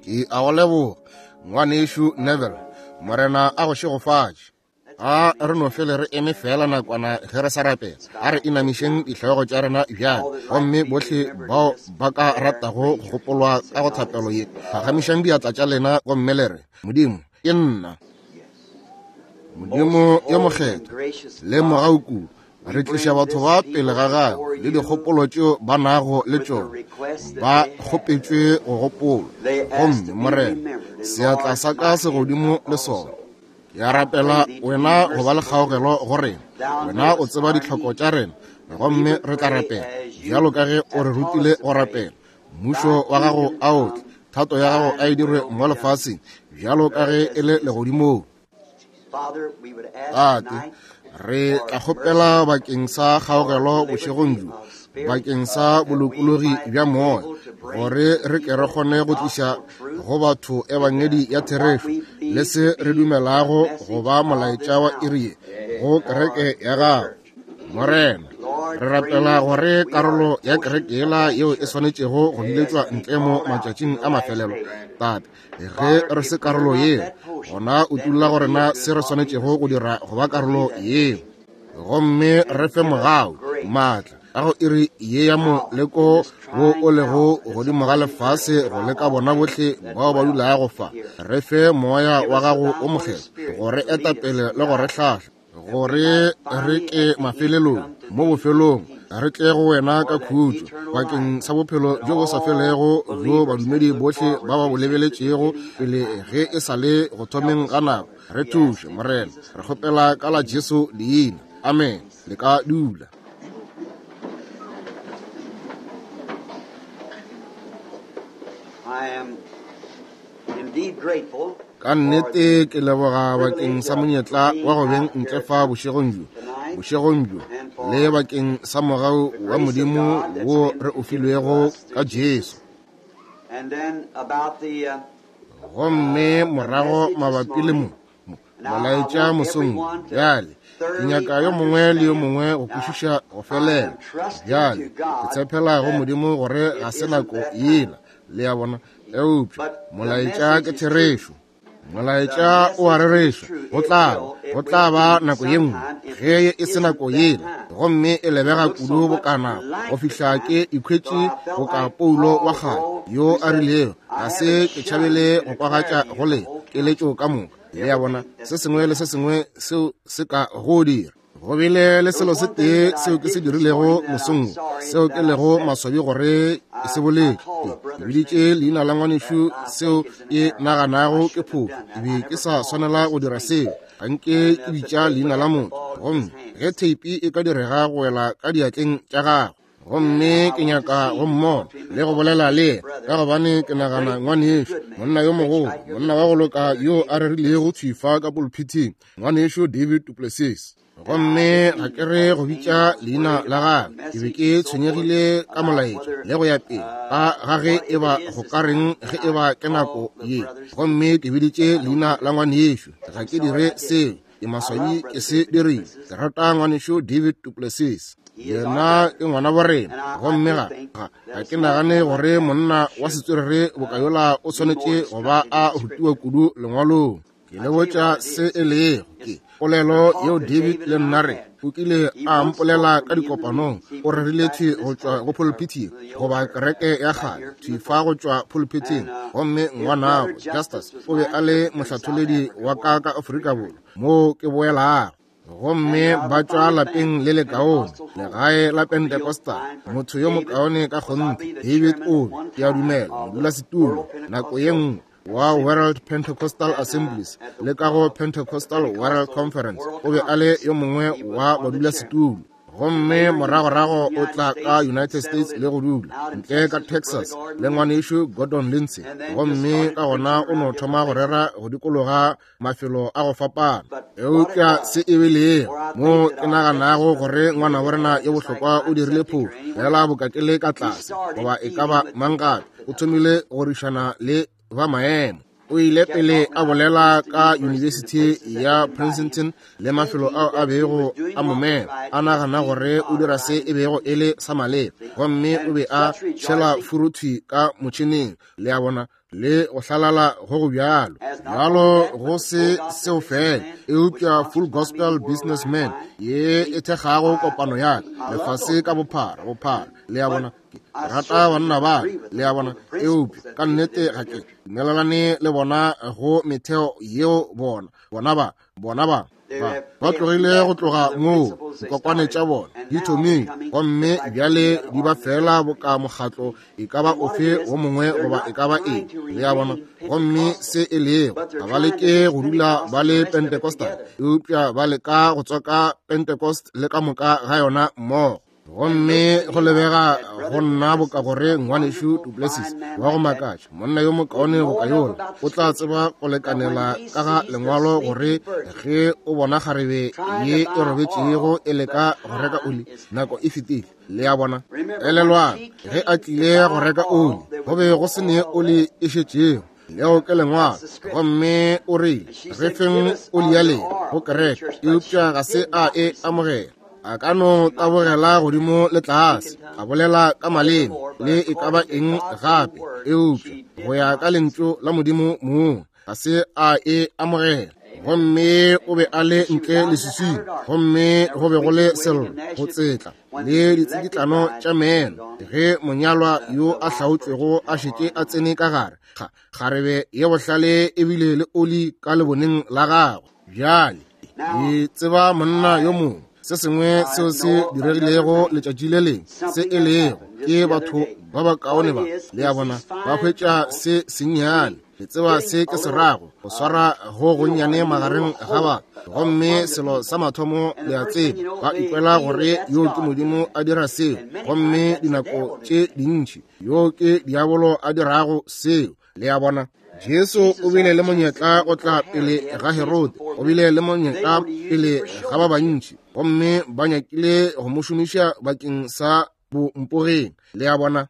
Ke a go leboga, Ngwanešu Neville. Morena a go šegofatše. A re no fele re eme fela nakwana ge re sa rapela. A re inamišeng dihlogo tša rena bjale. Gomme bohle bao ba ka ratago go gopolwa ka go thapelo ye, phagamišang diatla tša lena gomme le re, Modimo, ke nna. Modimo yo mokgethwa le mogau kudu, re tliša batho ba pele ga gago le dikgopolo tšeo ba nago le tšona, ba kgopetšwe go gopolwa. Gomme Morena, seatla sa ka se godimo le sona. Ke a rapela wena go ba le kgaogelo go rena. Wena o tseba ditlhoko tša rena, gomme re tla rapela bjalo ka ge o re rutile go rapela. Mmušo wa gago a o tle, thato ya gago a e dirwe mo lefaseng bjalo ka ge e le legodimong. Tate, re tla kgopela bakeng sa kgaogelo bošegong bjo, bakeng sa bolokologi bja moya, gore re ke re kgone go tliša go batho ebangedi ya therešo le se re dumelago go ba molaetša wa iri ye go kereke ya gago. Morena, re rapela gore karolo ya kereke yela yeo e swanetšego go biletšwa ntle mo matšatšing a mafelelo, Tate, ge re se karolo yeo, gona utulla go rena se re swanetšego go dira go ba karolo yeo. Gomme re fe mogau, maatla a go iri ye ya moleko wo o lego godimo ga lefase go leka bona bohle bao ba dulago fa. Re fe moya wa gago o mokgethwa go re eta pele le go re hlahla, gore re ke mafelelong mo bofelong re tle go wena ka khutšo bakeng sa bophelo bjo bo sa felego bjo badumedi bohle ba ba bo lebeletšego pele ge e sa le go thomeng ga nako. Re thuše, Morena, re kgopela ka la Jesu leina. Amen. Le ka dula. I am indeed grateful Ka nnete ke leboga bakeng sa monyetla wa go beng ntle fa bošegong bjo, bošegong bjo, le bakeng sa mogau wa Modimo wo re o filwego ka Jesu. And then about the Gomme morago mabapi le mo, mo, molaetša mosong wo, bjale, ke nyaka yo mongwe le yo mongwe go kwešiša go felela. Bjale, ke tshepela go Modimo gore ga se nako yela, le a bona, eupša molaetša ke therešo. Molaetša o a rereša, go tla ba, go tla ba nako ye nngwe ge e se nako yela, gomme e lebega kudu bokana go fihla ke ikhwetše boka Paulo wa kgale yo a rilego, ga se ke tšhabele go kwagatša go le keletšo ka moka. Le a bona, se sengwe le se sengwe seo se ka go dira. Go bile le selo se tee seo ke se dirilego mosong wo, seo ke lego maswabi gore ke se boletše. Ke biditše leina la ngwanešu seo ke naganago ke phošo. Ke be ke sa swanela go dira seo. Ga nke ke bitša leina la motho, gomme ge theipi e ka direga go wela ka diatleng tša gagwe, gomme ke nyaka go mmona le go bolela le yena, ka gobane ke nagana ngwanešu, monna yo mogolo, monna wa go loka yo a rerilego thwi fa ka pulpithing, ngwanešu David duPlessis. Gomme ga ke re go bitša leina la gagwe, ke be ke tshwenyegile ka molaetša le go ya pele ka ga ge e ba go ka reng ge e ba ke nako ye, gomme ke biditše leina la ngwanešu. Ga ke dire seo, ke maswabi ke se dirile. Ke rata ngwanešu David duPlessis, yena ke ngwana wa rena, gomme ga, ga, ga ke nagane gore monna wa setswerere boka yola o swanetše go ba a rutiwa kudu lengwalong. Ke le botša se e lego, ke polelo yeo David le nna re o kile a mpolela ka dikopanong. O rerile thwi go tšwa go pulpithing, goba kereke ya kgale, thwi fa go tšwa pulpithing. Gomme ngwanabo Justus o be a le mohlatholedi wa ka ka Afrika Borwa, moo ke boelago. Gomme ba tšwa lapeng le lekaone, legae la Pentecostal, motho yo mokaone ka kgonthe. David o be, ke a dumela, modulasetulo nako ye nngwe wa World Pentecostal Assemblies le ka go Pentecostal World Conference. O be a le yo mongwe wa badulasetulo. Gomme moragorago o tla ka United States le go dula ntle ka Texas le ngwanešu Gordon Lindsay. Gomme ka gona o no thoma go rera go dikologa mafelo a go fapana. Eupša se e be lego mo ke naganago gore ngwana wa rena yo bohlokwa o dirile phošo, fela boka ke le ka tlase goba e ka ba mang gape, o thomile go rišana le ba maemo. O ile pele a bolela ka Yunibesithi ya Princeton le mafelo ao a bego a mo mema, a nagana gore o dira se e bego e le sa maleba, gomme o be a tšhela furuthwi ka motšheneng, le a bona. le go hlalala go go bjalo. Bjalo go se seo fela, eupša Full Gospel Businessman ye e thekgago kopano ya ka lefase ka bophara, bophara, le a bona. Ke rata banna ba, le a bona, eupša ka nnete ga ke dumelelane le bona go metheo yeo bona, bona ba, bona ba, ba, ba tlogile go tloga moo dikokwane tša bona di thomile, gomme bjale di ba fela boka mokgatlo e ka ba ofe wo mongwe goba e ka ba eng, le a bona. Gomme se e lego, ga ba leke go dula ba le Pentecostal, eupša ba leka go tswaka Pentecost le ka moka ga yona mmogo. Gomme go lebega go nna boka gore ngwanešu Duplessis wa go makatša, monna yo mokaone boka yola, o tla tseba go lekanela ka ga lengwalo gore ge o bona kgarebe ye e robetšego e leka go reka oli, nako e fetile. Le a bona? Elelwang, ge a tlile go reka oli, go be go se ne oli e šetšego. Leo ke lengwalo. Gomme o rile, re feng oli ya lena go kereke, eupša ga se a e amogela. A ka no tabogela godimo le tlase, a bolela ka maleme le e ka ba eng gape, eupša go ya ka lentšu la Modimo mong ga se a e amogela. Gomme o be a le ntle leswiswing, gomme go be go le sello go tsetla le ditsikitlano tša meno ge monyalwa yo a hlaotšwego a šetše a tsene ka gare. Kgarebe ye bohlale e bile le oli ka leboneng la gagwe. Bjale ke tseba monna yo mongwe, se sengwe seo se diregilego letšatši le lengwe, se e lego ke batho ba bakaone ba, le a bona, ba hwetša se sennyane. Le tseba se ke se rago, go swara go gonnyane magareng ga batho. Gomme selo sa mathomo le a tseba, ba ikwela gore yo ke Modimo a dira seo, gomme dinako tše dintši yo ke diabolo a dirago seo. Le a bona? Jesu o bile le monyetla go tla pele ga Herode, o bile le monyetla pele ga ba bantši, gomme ba nyakile go mo šomiša bakeng sa bompogeng. Le a bona?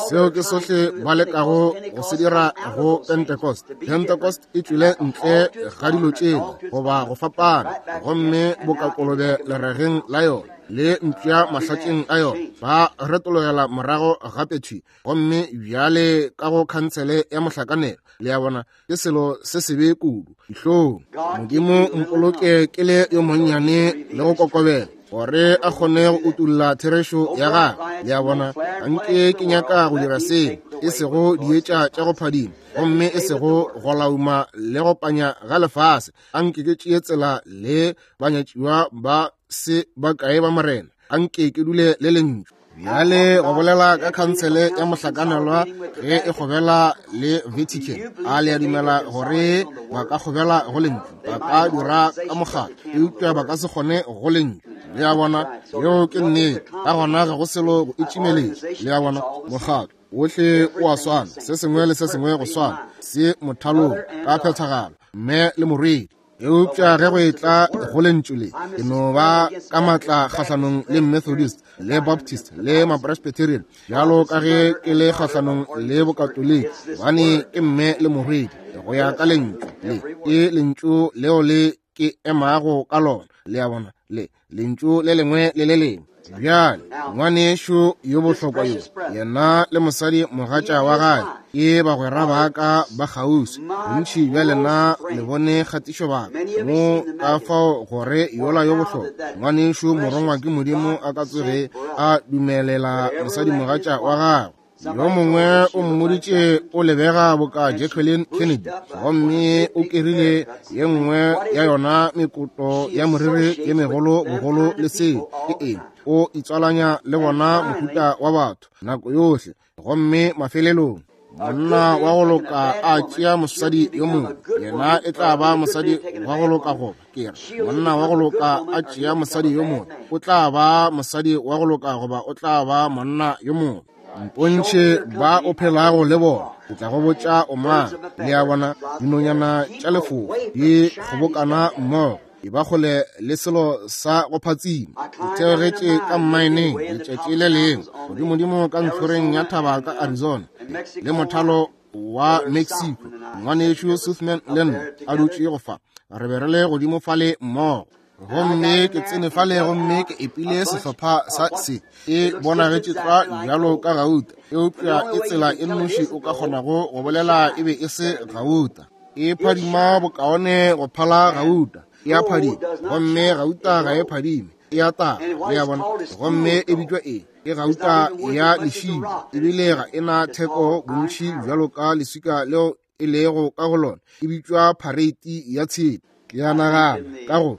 Seo ke sohle ba lekago go se dira go Pentecost. Pentecost e tšwile ntle ga dilo tšela goba go fapana, gomme boka kolobe lerageng la yona le mpša mahlatšeng a yona, ba retologela morago gape thwi, gomme bjale ka go khansele ya mohlakanelo. Le a bona, ke selo se sebe kudu. Dihlong. Modimo mpoloke ke le yo monnyane le go kokobela, gore a kgone go utulla therešo ya gagwe. Le a bona, anke ke nyaka go dira seo, e sego dietša tša go phadima, gomme e sego go lauma le go panya ga lefase. Anke ke tšee tsela le banyatšiwa ba se bakae ba Morena. Anke ke dule le lentšu. Bjale go bolela ka khansele ya mohlakanelwa ge e kgobela le Vatican, a le a dumela gore ba ka kgobela go lentšu? Ba ka dira ka mokgatlo, eupša ba ka se kgone go lentšu. Le a bona, yeo ke nnete. Ka gona ga go selo go itšimeletša. Le a bona, mokgatlo wohle o a swana, se sengwe le se sengwe go swana, se mothalong ka phethagalo, mme le morwedi. Eupša ge go etla go lentšu le, ke no ba ka matla kgahlanong le Methodist le Baptist le Mapresbyterian, bjalo ka ge ke le kgahlanong le Bokatoliki, gobane ke mme le morwedi go ya ka lentšu le. Ke lentšu leo le ke emago ka lona, le a bona, le lentšu le lengwe le le lengwe. Bjale ngwanešu yo bohlokwa yo, yena le mosadi mogatša wa gagwe ke bagwera ba ka ba kgauswi. Bontši bja lena le bone kgatišo baka mo, ka fao gore yola yo bohlokwa ngwanešu morongwa ke Modimo a ka tsoge a dumelela mosadi mogatša wa gagwe. Yo mongwe o mmoditše o lebega boka Jacqueline Kennedy, gomme o kerile ye nngwe ya yona mekoto ya moriri ye megolo bogolo le seo. Ke eng? O itswalanya le bona mohuta wa batho nako yohle. Gomme mafelelong monna wa go loka a tšea mosadi yo mongwe, yena e tla ba mosadi wa go loka, goba ke re monna wa go loka a tšea mosadi yo mongwe, o tla ba mosadi wa go loka goba o tla ba monna yo mongwe. Mpontšhe ba o phelago le bona, ke tla go botša o mang. Le a bona, dinonyana tša lefoko di kgobokana mmogo, e ba kgole le selo sa go phatsima. Ke theogetše ka mmaeneng letšatši le lengwe, godimodimo ka ntlhoreng ya thaba ka Arizona, le mothalo wa Mexico. Ngwanešu Suthman le nna a dutše go fa, re be re le godimo fale mmogo. Gomme ke tsene fale gomme ke epile sehlopha sa se. E bonagetše tlwa bjalo ka gauta, eupša e tsela e nnoši o ka kgonago go bolela e be e se gauta. E phadima bokaone go phala gauta. E a phadima, gomme gauta ga e phadime, e a taga, le a bona. Gomme e bitšwa eng? E gauta ya lešilo, ebile ga e na theko bontši bjalo ka leswika leo e lego ka go lona. E bitšwa phareiti ya tshepe. Ke a nagana ka go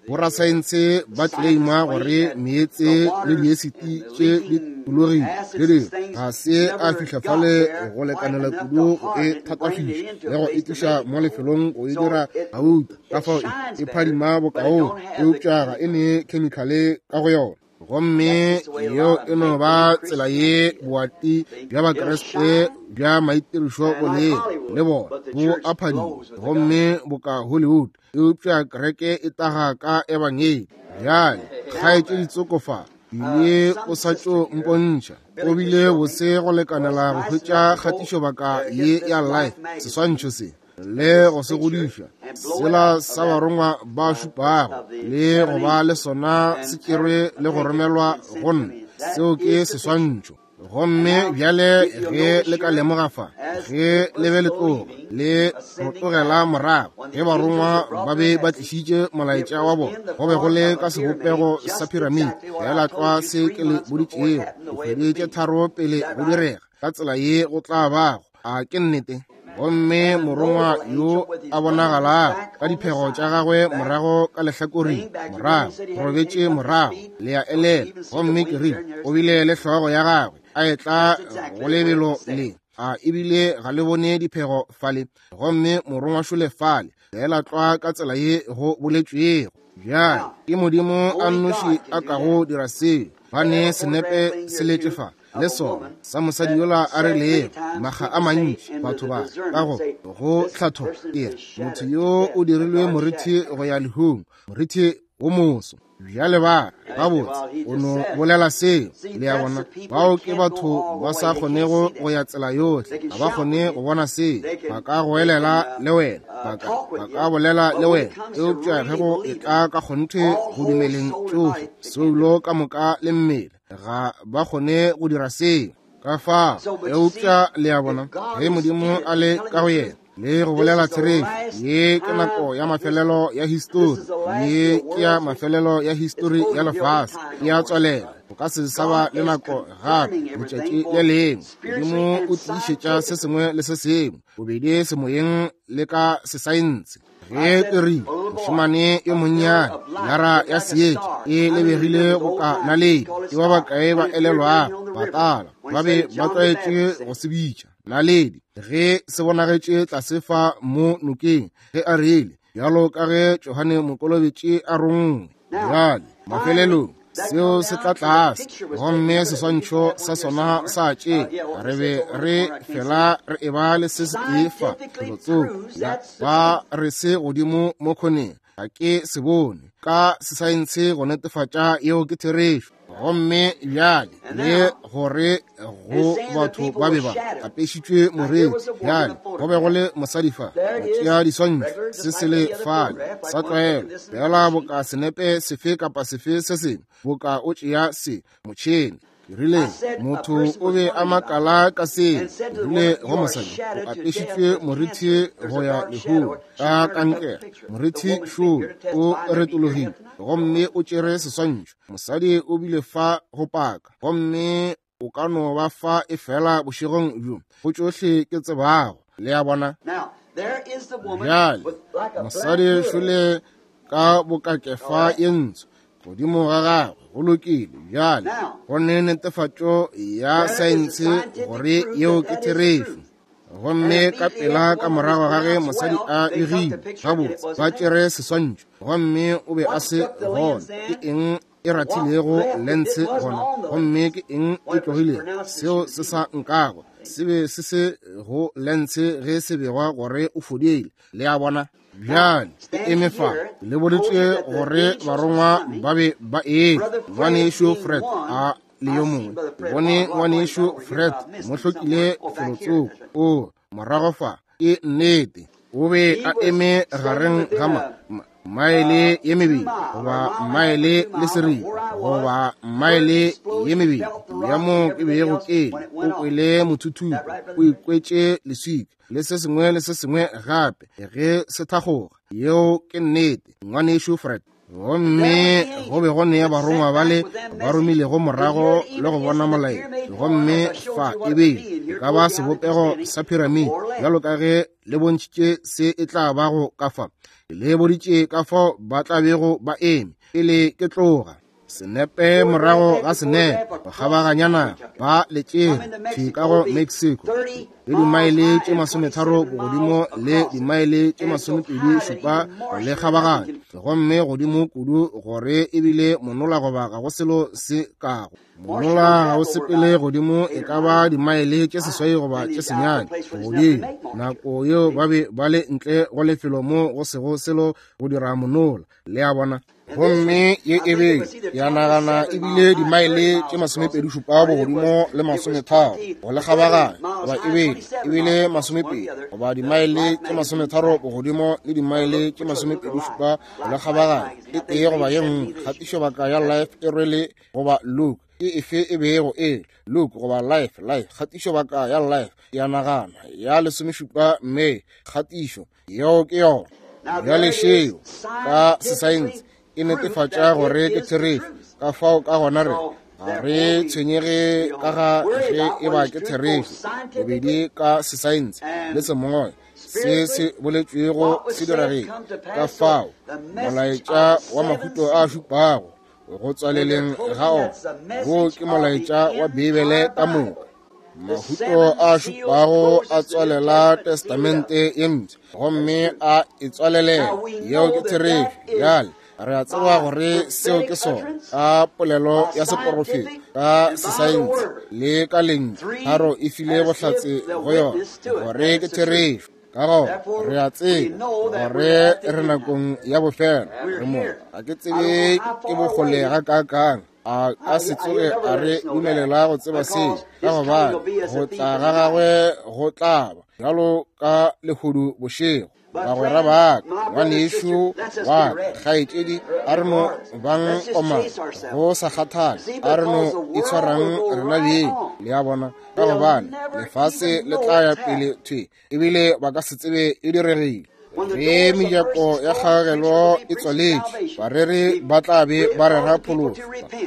borasaense ba tleleima gore meetse le diesiti tše di tulogile le dingwe ga se a fihla fale go lekanela kudu go e thatafiša le go e tliša mo lefelong go e dira gauta. Ka fao e phadima bokaone, eupša ga e ne khemikhale ka go yona. Gomme yeo e no ba tsela ye boati bja Bakriste bja maitirišo bo lego, le bona bo a phadima gomme boka Hollywood, eupša kereke e taga ka ebangedi. Bjale kgaetšedi tsoko fa ile o sa tšo mpontšha, o bile bose go lekanela go hwetša kgatišobaka ye ya Life, seswantšho se, le go se godiša sela sa barongwa ba šupago, le go ba le sona se tšerwe le go romelwa go nna. Seo ke seswantšho. Gomme bjale ge le ka lemoga fa, ge le be le tloga le rotogela morago, ge barongwa ba be ba tlišitše molaetša wa bona, go be go le ka sebopego sa piramide, feela tlwa se ke le boditšego dikgwedi tše 3 pele go direga, ka tsela ye go tla bago. A ke nnete? Gomme morongwa yo a bonagalago ka diphego tša gagwe morago ka lehlakoreng, morago robetše morago, le a elela. Gomme ke rile, o bile le hlogo ya gagwe a etla go lebelo le, a ebile ga le bone diphego fale. Gomme morongwa šole fale, feela tlwa ka tsela ye go boletšwego. Bjale ke Modimo a nnoši a kago dira seo. Ba ne senepe se letše fa le sona sa mosadi yola a rilego makga a mantši batho ba ka go go hlatho e motho yo o dirilwe morithi go ya lehung, morithi wo moso. Bjale ba gabotse o no bolela seo, le a bona. Bao ke batho ba sa kgonego go ya tsela yohle, ga ba kgone go bona seo. Ba ka goelela le wena, ba ka bolela le wena, eupša ge go etla ka kgonthe go dumeleng tšohle, soulo ka moka le mmele, ga ba kgone go dira seo. Ka fao, eupša le a bona, ge Modimo a le ka go yena le go bolela therešo, ye ke nako ya mafelelo ya histori, ye ke ya mafelelo ya histori ya lefase, e a tswalela. Go ka se sa ba le nako gape letšatši le lengwe. Modimo o tiišetša se sengwe le se sengwe, bobedi semoyeng le ka sesaense. Ge ke rile, mošemane yo monnyane, lara ya seetša e lebegile boka naledi, ke ba bakae ba elelwago batala ba be ba tlwaetše go se bitša naledi, ge se bonagetše tlase fa mo nokeng, ge a rile, bjalo ka ge Johane Mokolobetši a rongwe. Bjale mafelelong seo se tla tlase, gomme seswantšho sa sona sa tše, re be re fela re eba le se setee fa felotsoko, ba re se godimo mo khoneng, ga ke se bone ka sesaense go netefatša yeo ke therešo. Gomme bjale le gore go batho ba be ba apešitšwe moriri, bjale go be go le mosadi fa go tšea diswantšho, se se le fale sa tlwaelo, fela boka senepe sefe kapa sefe se sengwe, boka o tšea se motšhene. Ke rile, motho o be a makala ka seo. Ke rile go mosadi, o apešitšwe morithi go ya lehung ka kankere. Morithi šoo o retologile gomme o tšere seswantšho. Mosadi o bile fa go paka, gomme o ka no ba fa e fela bošegong bjo, go tšohle ke tsebago. Le a bona? Bjale mosadi šole ka bokakefa ye ntsho godimo ga gagwe, go lokile. Bjale go ne netefatšo ya saense gore yeo ke therešo. Gomme ka pela ka morago ga ge mosadi a begile gabotse, ba tšere seswantšho, gomme o be a se gona. Ke eng e rathilego lense gona, gomme ke eng e tlogilego? Seo se sa nkago se be se se go lense ge se begwa gore o fodile. Le a bona? Bjale ke eme fa, le boditše gore barongwa ba be ba etla. Ngwanešu Fred a le yo mongwe, ke bone ngwanešu Fred mo hlokile felotsoko o morago fa. Ke nnete, o be a eme gareng ga Maele ye mebedi goba maele le seripa goba maele ye mebedi ya mo ke bego ke le, o kwele mothuthupo, o ikwetše leswika le se sengwe le se sengwe gape ge se thakgoga. Yeo ke nnete, ngwanešu Fred. Gomme go be go ne barongwa bale ba romilego morago le go bona molaetša, gomme fa e be e ka ba sebopego sa piramide, bjalo ka ge le bontšhitše se e tla bago ka fa. Le boditše ka fao ba tla bego ba eme pele ke tloga. Senepe morago ga senepe, go kgabaganya naga, ba le tšere thwi ka go Mexico, le dimaele tše 30 bogodimo le dimaele tše 27 le kgabaganya, gomme godimo kudu gore ebile monola goba ga go selo se kago. Monola ga o sepele godimo e ka ba dimaele tše 8 goba tše 9 godimo. Nako yeo ba be ba le ntle go lefelo mo go sego selo go dira monola, le a bona. Gomme ye e be ya nagana ebile dimaele tše 27 bogodimo le 30 go le kgabaganya, goba e ebile 20 goba dimaele tše 30 bogodimo le dimaele tše 27 go le kgabaganya, e tee goba ye nngwe. Kgatišobaka ya Life e rwele goba Look, ke efe e bego e Look goba Life, Life, kgatišobaka ya Life ya nagana ya 17 May, kgatišo yeo ke yona. Bjale šeo ka sesaense e netefatša gore ke therešo. Ka fao ka gona re ga re tshwenyege ka ga ge e ba ke therešo, bobedi ka sesaense le semoya, se se boletšwego se diregile. Ka fao molaetša wa mahuto a šupago go tswaleleng ga ona, wo ke molaetša wa Bibele ka moka. Mahuto a šupago a tswalela Testamente ye Mpsha gomme a e tswalelela. Yeo ke therešo. Bjale re a tseba gore seo ke sona ka polelo ya seporofeta, ka sesaense le ka lentšu. Tharo e file bohlatse go yona gore ke therešo. Ka gona re a tseba gore re nakong ya bofelo. Re mo, ga ke tsebe ke bokgole gakaakang a ka se tsoge a re dumelela go tseba seo, ka gobane go tla ga gagwe go tla ba bjalo ka lehodu bošego. Bagwera ba ka, ngwanešu wa ka, kgaetšedi, a re no bang komana go sa kgathale, a re no itshwarang rena beng, le a bona, ka gobane lefase le tla ya pele thwi, ebile ba ka se tsebe e diregile. Ge mejako ya kgagelo e tswaletšwe, bareri ba tla be ba rera phološo,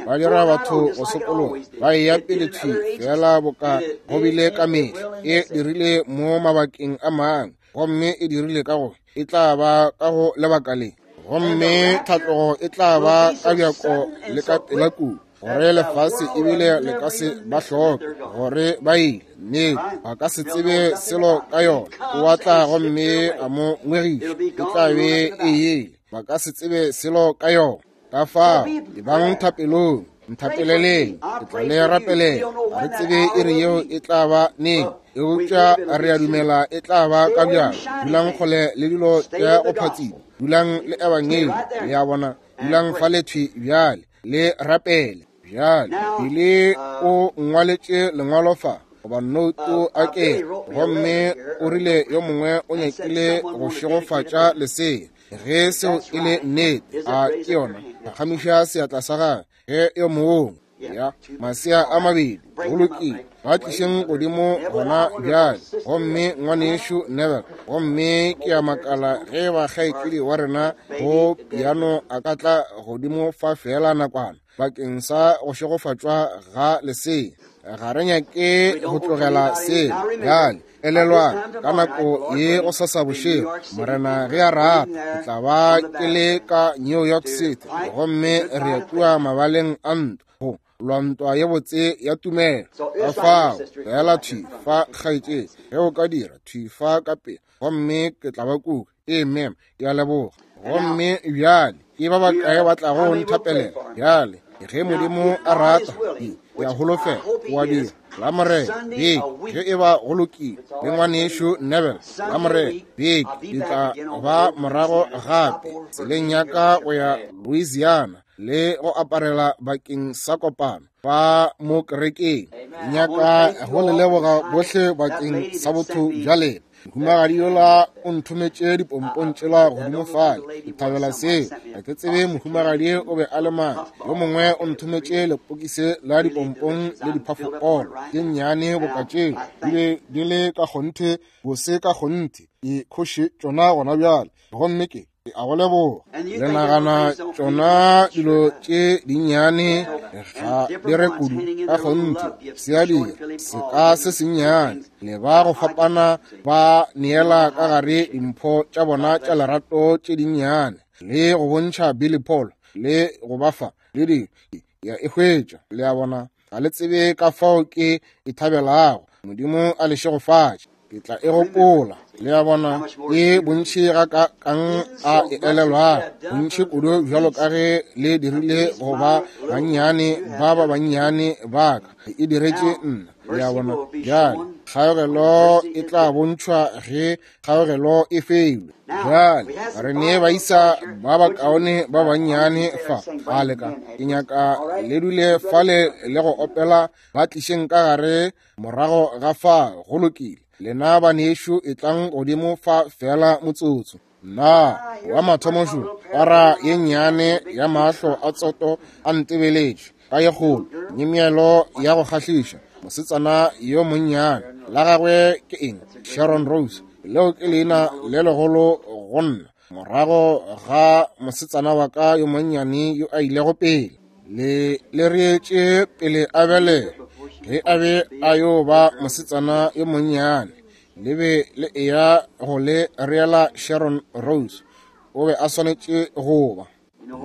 ba dira batho go sokologa, ba eya pele thwi fela boka go bile ka mehla. E dirile mo mabakeng a mangwe, gomme e dirile ka go, e tla ba ka go lebaka le, gomme tlhatlogo e tla ba ka bjako le ka pela kudu, gore lefase ebile le ka se ba hloke gore ba ile. Nnete, ba ka se tsebe selo ka yona. O a tla gomme a mo ngwegiša, e tla be e ile. Ba ka se tsebe selo ka yona. Ka fao, ebang thapelong, nthapeleleng, ke tla le rapelela. Ga re tsebe iri yeo e tla ba neng, eupša re a dumela e tla ba ka bjalo. Dulang kgole le dilo tša go phatsima, dulang le ebangedi, le a bona. Dulang fa le thwi bjale, le rapele bjale. Pele o ngwaletše lengwalo fa, goba nouto a ke, gomme o rile yo mongwe o nyakile go šegofatša lesea. Ge seo e le nnete, a ke yona? Phagamiša seatla sa gagwe ge yo mongwe ya masea a mabedi. Go lokile, ba tlišeng godimo gona bjale. Gomme ngwanešu Neville, gomme ke a makala ge ba kgaetšedi wa rena go piano a ka tla godimo fa feela nakwana bakeng sa go šegofatšwa ga lesea. Ga re nyake go tlogela seo bjale. Elelwang, ka nako ye go sasa bošego, Morena ge a rata, ke tla ba ke le ka New York City, gomme re ya kua mabaleng a ntwa go lwa ntwa ye botse ya tumelo. Ka fao, feela thwi fa, kgaetšedi, ge o ka dira thwi fa ka pele, gomme ke tla ba kua. Amen, ke a leboga. Gomme bjale ke ba bakae ba tlago nthapelela bjale? Ge Modimo a rata, ke a holofela o a dira. La Morena beke, ge e ba go lokile, le ngwanešu Neville, la Morena beke ke tla ba morago gape tseleng ya ka go ya Louisiana le go aparela bakeng sa kopano. fa mo kerekeng. Ke nyaka go le leboga bohle bakeng sa botho bja lena. Mohumagadi yola o nthometše dipompong tšela godimo fale. Ke thabela seo. Ga ke tsebe mohumagadi o be a le mang. Yo mongwe o nthometše lepokisi la dipompong le diphafokolo tše nnyane boka tšeo. Di be di le ka kgonthe bose ka kgonthe. Ke khoše tšona gona bjale. Gomme ke a go leboga. Le nagana tšona dilo tše dinnyane ga di re kudu ka kgonthe, se a dira seka se sennyane. Le ba go fapana ba neela ka gare dimpho tša bona tša lerato tše dinnyane, le go bontšha Billy Paul, le go ba fa le di ya e hwetša. Le a bona, ga le tsebe ka fao ke e thabelago. Modimo a le šegofatše. Ke tla e gopola. Le a bona, ke bontši ga ka kang a e elelwago, bontši kudu bjalo ka ge le dirile go ba bannyane ba ba bannyane ba ka, e diretše nna. Le a bona, bjale kgaogelo e tla bontšhwa ge kgaogelo e feilwe. Bjale re ne baisa ba bakaone ba bannyane fa, a leka ke nyaka le dule fale le go opela, ba tlišeng ka gare morago ga fa. Go lokile, lena banešu etlang godimo fa fela motsotso. Nna wa mathomo šo, para ye nnyane ya mahlo a tsoto a ntebeletše ka ye kgolo, nyemelo ya go kgahliša, mosetsana yo monnyane. La gagwe ke eng? Sharon Rose. Leo ke leina le legolo go nna, morago ga mosetsana wa ka yo monnyane yo a ilego pele. Le le reetše pele a belega, ge a be a yo ba mosetsana yo monnyane, le be le eya go le reela Sharon Rose. O be a swanetše go ba.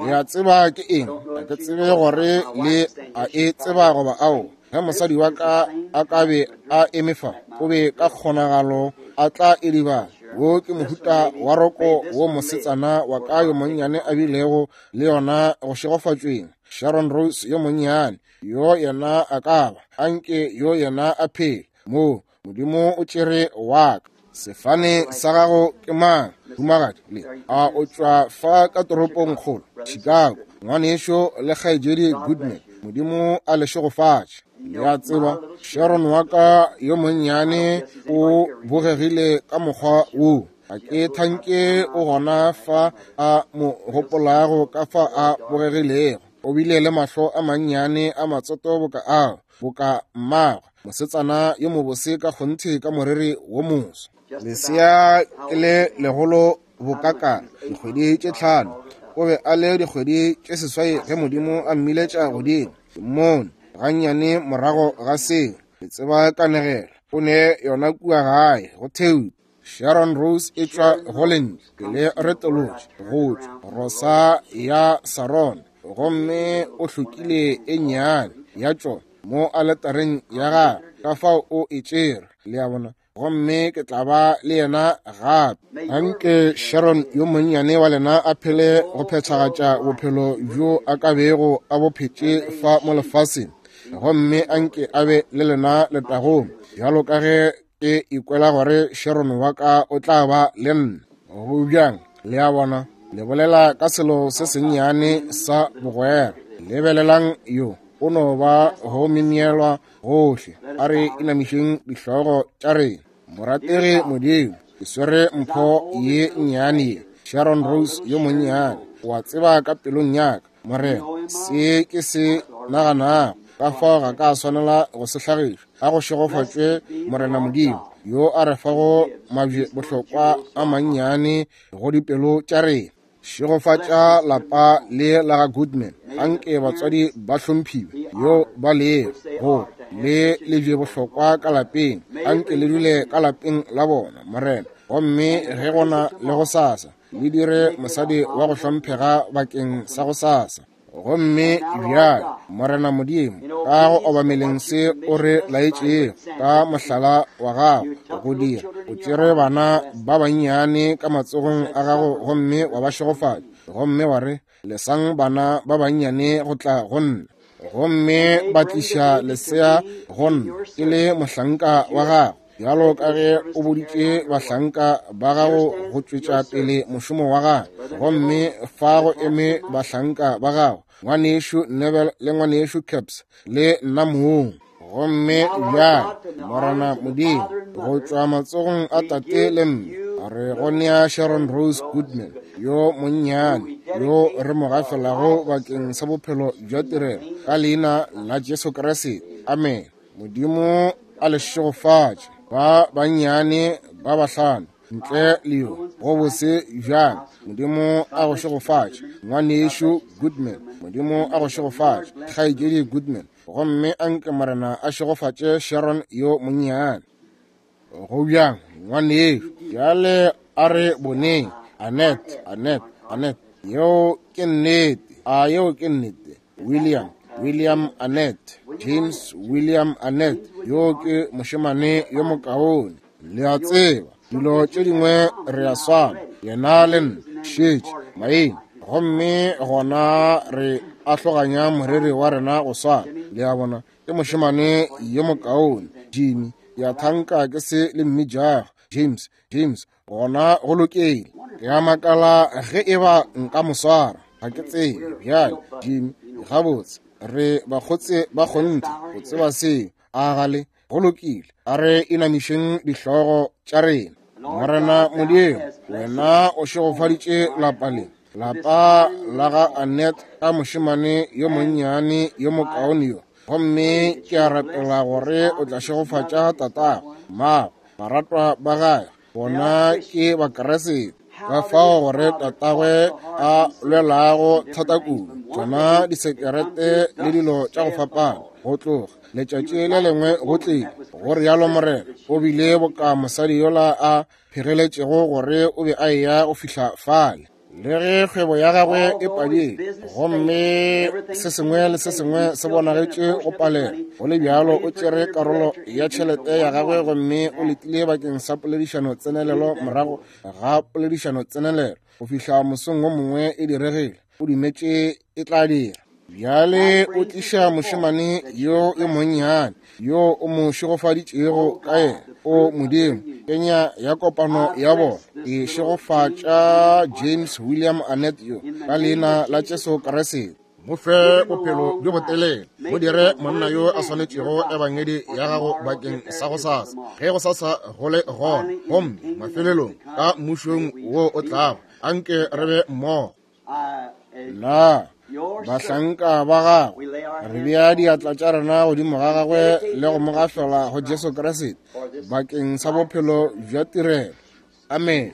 Le a tseba ke eng? Ga ke tsebe gore le a e tseba goba ao. Ge mosadi wa ka a ka be a eme fa, o be ka kgonagalo a tla e dibala. Wo ke mohuta wa roko wo mosetsana wa ka yo monnyane a bilego le yona go šegofatšweng. Sharon Rose yo monnyane, yo yena a ka ba, anke yo yena a phele. Mo, Modimo o tšere wa ka. Sefane sa gago ke mang, humagadi? Le a o tšwa fa ka toropong kgolo, Chicago. Ngwanešo le kgaetšedi Goodman, Modimo a le šegofatše. Le a tseba, Sharon wa ka yo monnyane o bogegile ka mokgwa wo. Ga ke thanke o gona fa a mo gopolago ka fa a bogegilego. O bile le mahlo a mannyane a matsoto boka ao, boka mmagwe, mosetsana yo mobose ka kgonthe ka moriri wo moso. Lesea ke le legolo bokakana, dikgwedi tše 5. O be a le dikgwedi tše 8 ge Modimo a mmiletša godimo. Ke mmone gannyane morago ga seo. Ke tseba kanegelo. O ne yona kua gae go theutse. Sharon Rose e tšwa Holland, ke le retolotše go tšwa Rosa ya Saron, gomme o hlokile e nnyane ya tšona mo aletareng ya gagwe, ka fao o e tšere. Le a bona? Gomme ke tla ba le yena gape. Anke Sharon yo monnyane wa lena a phele go phethagatša bophelo bjo a ka bego a bo phetše fa mo lefaseng, gomme anke a be le lena letagong, bjalo ka ge ke ikwela gore Sharon wa ka o tla ba le nna. Go bjang? Le a bona, le bolela ka selo se sennyane sa bogwera. Lebelelang yo, o no ba go myemyelwa gohle. A re inamišeng dihlogo tša rena. Morategi Modimo, ke swere mpho ye nnyane ye, Sharon Rose yo monnyane. O a tseba ka pelong ya ka, Morena, se ke se naganago, ka fao ga ka swanela go se hlagiša. A go šegofatšwe Morena Modimo, yo a re fago mabje bohlokwa a mannyane go dipelo tša rena. Šegofatša lapa le la ga Goodman. Anke batswadi ba hlomphiwe yo ba lego go le lebje bohlokwa ka lapeng. Anke le dule ka lapeng la bona, Morena. Gomme ge gona le go sasa, le dire mosadi wa go hlomphega bakeng sa go sasa. Gomme bjale, Morena Modimo, ka go obameleng se o re laetšego ka mohlala wa gago go dira, o tšere bana ba bannyane ka matsogong a gago gomme wa ba šegofatša, gomme wa re, lesang bana ba bannyane go tla go nna. Gomme ba tliša lesea go nna ke le mohlanka wa gago. Bjalo ka ge o boditše bahlanka ba gago go tšwetša pele mošomo wa gago, gomme fa go eme bahlanka ba gago, ngwanešu Neville le ngwanešu Capps le nna mong. Gomme bjale, Morena Modimo, go tšwa matsogong a tate le mme, re go nea Sharon Rose Goodman yo monnyane, yo re mo gafelago bakeng sa bophelo bja tirelo, ka leina la Jesu Kriste. Amen. Modimo a le šegofatše, ba bannyane ba bahlano ntle le yo go bose bjang. Modimo a go šegofatše, ngwanešu Goodman. Modimo a go šegofatše, kgaetšedi Goodman. Gomme anke Morena a šegofatše Sharon yo monnyane. Go bjang, ngwanešu? Bjale a re boneng. Annette, Annette, Annette. Yeo ke nnete. A yeo ke nnete? William, William Annette, James William Annette, yo ke mošemane yo mokaone. Le a tseba, dilo tše dingwe re a swana, yena le nna, šetše, maina. Gomme gona re ahloganya moriri wa rena go swana. Le a bona, ke mošemane yo mokaone. Jimmy, ke a thanka ke se le mmitšago. James, James, gona go lokile. Ke a makala ge e ba nka mo swara. Ga ke tsebe. Bjale, Jimmy, gabotse, re bakgotse ba kgonthe go tseba seo. A gale, go lokile. A re inamišeng dihlogo tša rena. Morena Modimo, wena o šegofaditše lapa le, lapa la ga Annette ka mošemane yo monnyane yo mokaone yo. Gomme ke a rapela gore o tla šegofatša tatago, mmago, baratwa ba gae, bona ke Bakriste. Ka fao gore tatagwe a lwelago thata kudu tšona disekerete le dilo tša go fapana, go tloga letšatši le lengwe go tlile go rialo Morena, o bile boka mosadi yola a phegeletšego gore o be a eya go fihla fale. Le ge kgwebo ya gagwe e padile gomme se sengwe le se sengwe se bonagetše go palela, go le bjalo o tšere karolo ya tšhelete ya gagwe gomme o letile bakeng sa poledišano tsenelelo morago ga poledišano tsenelelo go fihla mosong wo mongwe e diregile. O dumetše e tla dira. Bjale o tliša mošemane yo yo monnyane yo o mo šegofaditšego ka yena. O Modimo, kenya ya kopano ya bona e šegofatša James William Annette yo ka leina la Jesu Kriste. Mo fe bophelo bjo botelele, mo dire monna yo a swanetšego ebangedi ya gago bakeng sa gosasa, ge gosasa go le gona, gomme mafelelong ka mmušong wo o tlago, anke re be mmogo. Na bahlanka ba gagwe re bea diatla tša rena godimo ga gagwe le go mo gafela go Jesu Kriste bakeng sa bophelo bja tirelo. Amen.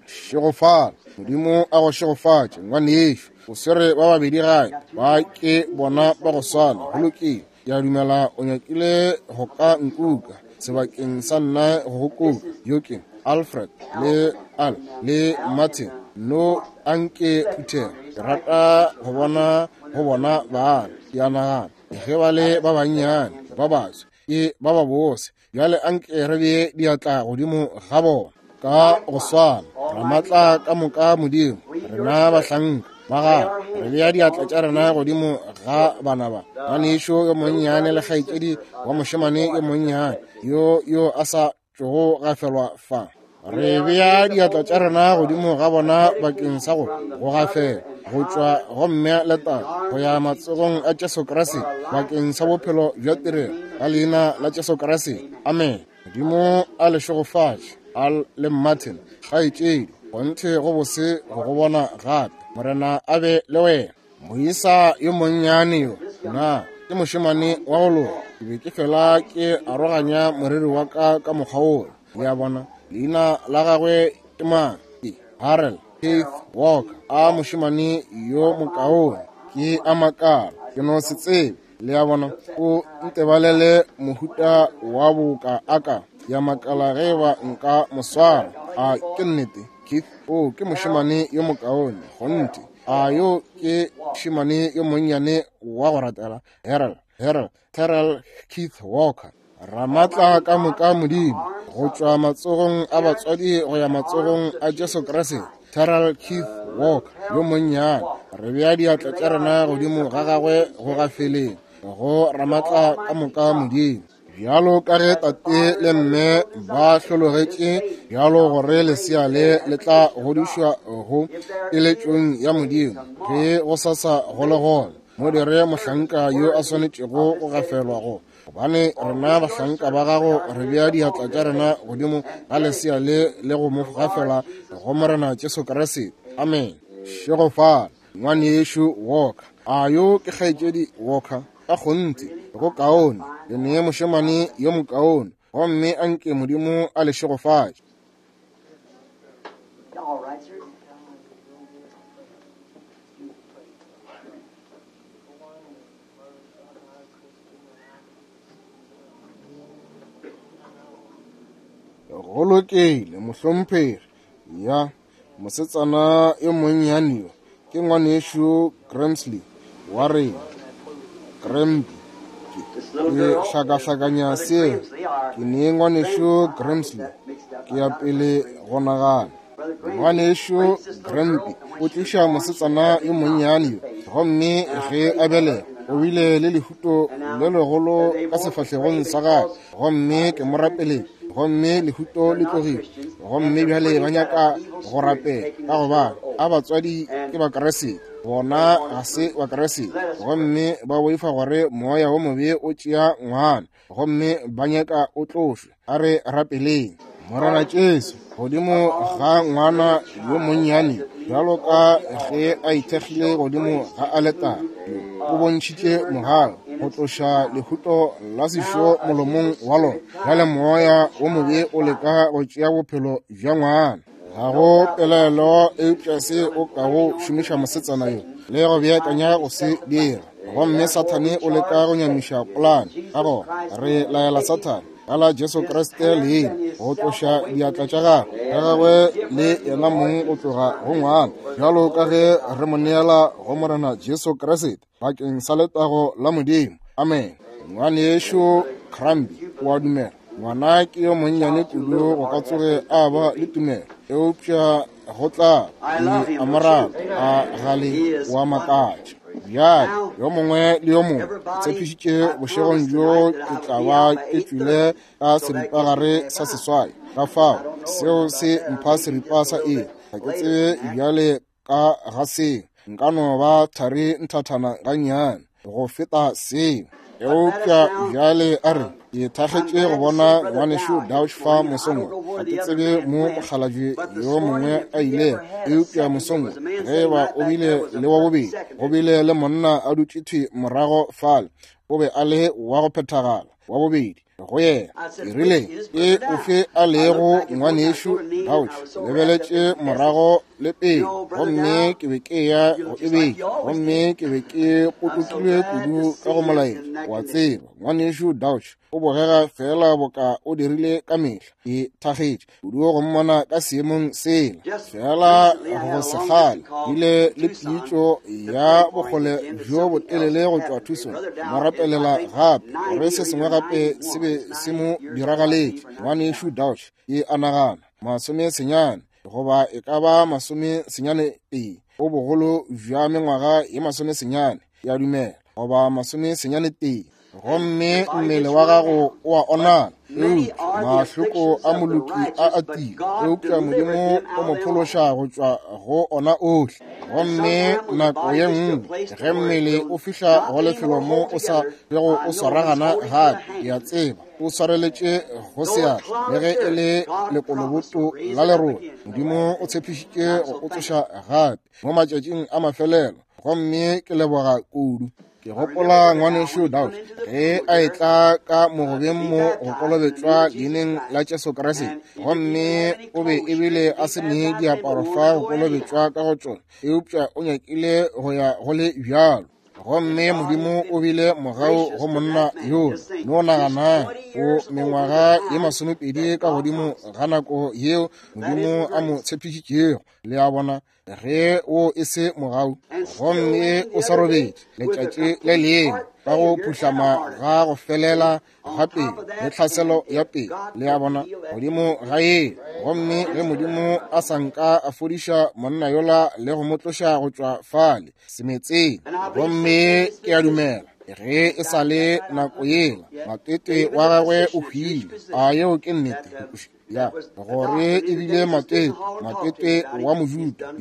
Šegofala. Modimo a go šegofatše, ngwanešu. O swere ba babedi gae, ba ke bona ba go swana. Go lokile. Ke a dumela o nyakile go ka nkuka sebakeng sa nna go go kuka. Yo ke Alfred le Al le Martin. No anke phuthego. Ke rata go bona go bona bana. Ke a nagana ge ba le ba bannyane ba batswe ke ba ba bose. Bjale anke re bee diatla godimo ga bona ka go swana. Ramatla ka moka Modimo, rena bahlanka ba gago, re bea diatla tša rena godimo ga bana ba, ngwanešu yo monnyane le kgaetšedi wa mošemane yo monnyane yo yo a sa tšogo gafelwa fa. Re bea diatla tša rena godimo ga bona bakeng sa go go gafela go tšwa go mme le tate go ya matsogong a Jesu Kriste bakeng sa bophelo bja tirelo ka leina la Jesu Kriste. Amen. Modimo a le šegofatše. Al le Martin, kgaetšedi, kgonthe go bose go go bona gape. Morena a be le wena. Moisa yo monnyane yo, na ke mošemane wa go loka. Ke be ke fela ke aroganya moriri wa ka ka mokgwa wola. Le a bona, leina la gagwe ke mang? Ke Harold Keith Walker. A mošemane yo mokaone. Ke a makala, ke no se tsebe. Le a bona, o ntebalele mohuta wa boka a ka. Ya makala ge ba nka mo swara. A ke nnete, Keith? O ke mošemane yo mokaone, kgonthe. A yo ke mošemane yo monnyane wa go ratela, Harold, Harold, Terrell Keith Walker. Ramatla ka moka Modimo, go tšwa matsogong a batswadi go ya matsogong a Jesu Kriste, Terrell Keith Walker yo monnyane, re bea diatla tša rena godimo ga gagwe go gafeleng go Ramatla ka moka Modimo. Bjalo ka ge tate le mme ba hlologetše bjalo gore lesea le le tla godišwa go keletšong ya Modimo, ge go sasa go le gona, mo dire mohlanka yo a swanetšego go gafelwa go. Gobane rena bahlanka ba gago re bea diatla tša rena godimo ga lesea le le go mo gafela go Morena Jesu Kriste. Amen. Šegofala, ngwanešu Walker. A yo ke kgaetšedi Walker? Ka kgonthe, go kaone. Le nee mošemane yo mokaone, gomme a nke Modimo a le šegofatše. All right, sir. Go lokile, mohlomphegi. Ya, mosetsana yo monnyane yo ke ngwanešu Grimsley wa rena. Grimby. This little Ke girl, hlakahlakanya Brother seo. Grimsley, our Ke nee ngwanešu Grimsley. Ke ya pele go nagana. Brother Grimsley Ngwanešu brings this little Grimby girl, and o when she was tliša born, she mosetsana had a yo big monnyane knot yo, on her face. gomme ge a belega o bile le lehuto le legolo They ka want to pray sefahlegong sa gagwe, because gomme ke it's mo rapeletše, gomme lehuto they're le not tlogile. Christians and Gomme they're bjale afraid ba that nyaka an evil go spirit is rapela taking ka this gobane girl a over. batswadi ke And Bakriste, they bona want ga us se to Bakriste, let us pray. gomme ba boifa gore moya wo mobe o tšea ngwana, gomme ba nyaka o tlošwe. A re rapeleng. Morena Jesu, godimo ga ngwana yo monnyane yo, bjalo ka ge a ithekgile godimo ga aletare yo, o bontšhitše mogau go tloša lehuto la sešo molomong wa lona. Bjale moya wo mobe o leka go tšea bophelo bja ngwana. Ga go pelaelo eupša se o kago šomiša mosetsana yo le go beakanya go se dira. Gomme Sathane o leka go nyamiša polane. Ka gona re laela Sathane ka la Jesu Kriste leina go tloša diatla tša gagwe ka gagwe le yena mong go tloga go ngwana, bjalo ka ge re mo neela go Morena Jesu Kriste bakeng sa letago la Modimo. Amen. Ngwanešu Crambi o a dumela. Ngwana ke yo monnyane kudu go ka tsoge a ba le tumelo, eupša go tla I love ke him, a don't mo rata, you? a gale He is o a wonderful. makatša. Bjale Now, yo mongwe le yo mongwe ke everybody, tshepišitše I bošegong promised bjo tonight that ke I would tla be ba out by ke tšwile 8:30, ka so that gets me seripagare half sa hour. seswai. Ka I fao don't know seo about se that. I mpha may be seripa just a sa little iri. bit Ga ke later tsebe than that. bjale ka ga seo. Nka no ba thari nthathana gannyane go feta seo. But let us Eupša now, bjale a re ke I'm thakgetše go glad to see bona Brother ngwanešu Dow here Dauch this fa morning. I mosong don't wo. know Ga where ke the other tsebe man mo went, mokgalabje but this yo morning, mongwe if a he ilego, ever had a eupša second, there mosong wo was a man ge sitting ba right o back bile there was a le wa perfect bobedi, go secondary. bile le monna a dutše thwi morago fale, o be a le wa go phethagala wa bobedi go yena. I Ke said, rile, which is ke Brother Dow? ofe a I looked lego back and forth. I was ngwanešu sort of kneeling. Dauch? I was Ke so wrapped up lebeletše in the message. morago le You pele, know, Brother gomme Dow, ke be ke ya you go look just like ebetša, you always gomme did. ke be ke I'm so potokilwe glad to kudu ka see go you in molaetša. that Wa condition. tseba, ngwanešu Dauch o bogega fela boka o dirile ka mehla. Ke thakgetše kudu go mmona ka seemong sela. Just Fela recently, I go had a se long kgale distance call bile from le Tucson pitšo to ya pray for him bokgole again that bjo something else botelele go tšwa happened to him. Tucson. Brother Mo Dow is, I rapelela think, gape gore 90 se or sengwe either gape se 91. be It's se mo 90 years old, I believe, diragaletše. or Ngwanešu 91. Dauch ke a nagana 90 goba e ka ba 92, o bogolo bja mengwaga ye 90, ke a dumela, goba 91. And Gomme your body mmele gets wa run gago down. o a But onala, many eupša are the mahloko afflictions a of the moloki a righteous, but atile, God eupša delivered Modimo them o out mo of them all. phološa go tšwa go ona ohle. And Gomme sometime when the nako body ye gets to a nngwe place to ge where it mmele will o fihla not go anymore lefelo mo hold o sa together, bego I o know he's swaragana holding to the gape, ke a hand. tseba o swareletše go Though a seatla, clod le of ge e dirt, le God promised to lekoloboto raise la it up lerole. again in the Modimo last o day. tshepišitše And I'm go so o thankful. tsoša gape mo matšatšing a mafelelo, gomme ke leboga kudu. Ke I remember gopola Brother Dow ngwanešu when he Dauch come into the ge pool a here etla ka to mogobeng be mo go baptized in the name kolobetšwa of Jesus leineng la Christ. Jesu Kriste, And he didn't even gomme have any o be clothes ebile stripped to a be se ne baptized in, but diaparo wanted fa to go go anyhow. kolobetšwa ka go tšona, eupša o nyakile go ya go le bjalo. Gomme And God has Modimo o been bile mogau gracious go to monna that man. yola. Just think, No he's nagana 20 o years over the mengwaga ye time 20 that ka God godimo promised. ga nako yeo That Modimo isn't a mo grace. tshepišitšego. Le a bona, ge o e se mogau, And still gomme living o the sa other day robetše with a letšatši le complete lengwe heart ka go failure and a phuhlama heart ga attack. go See, felela on ga top pele of le that, tlhaselo and ya if pele, God le a couldn't bona, heal that godimo ga ye. Gomme ge Modimo a sa nka a fodiša monna yola le go mo tloša go tšwa fale semetseng, And I believe gomme since then it's ke a been dumela Ge e sa le nako yela, matete wa gagwe o hwile. A yeo ke nnete? Ya, gore e bile matete, matete wa Mojuda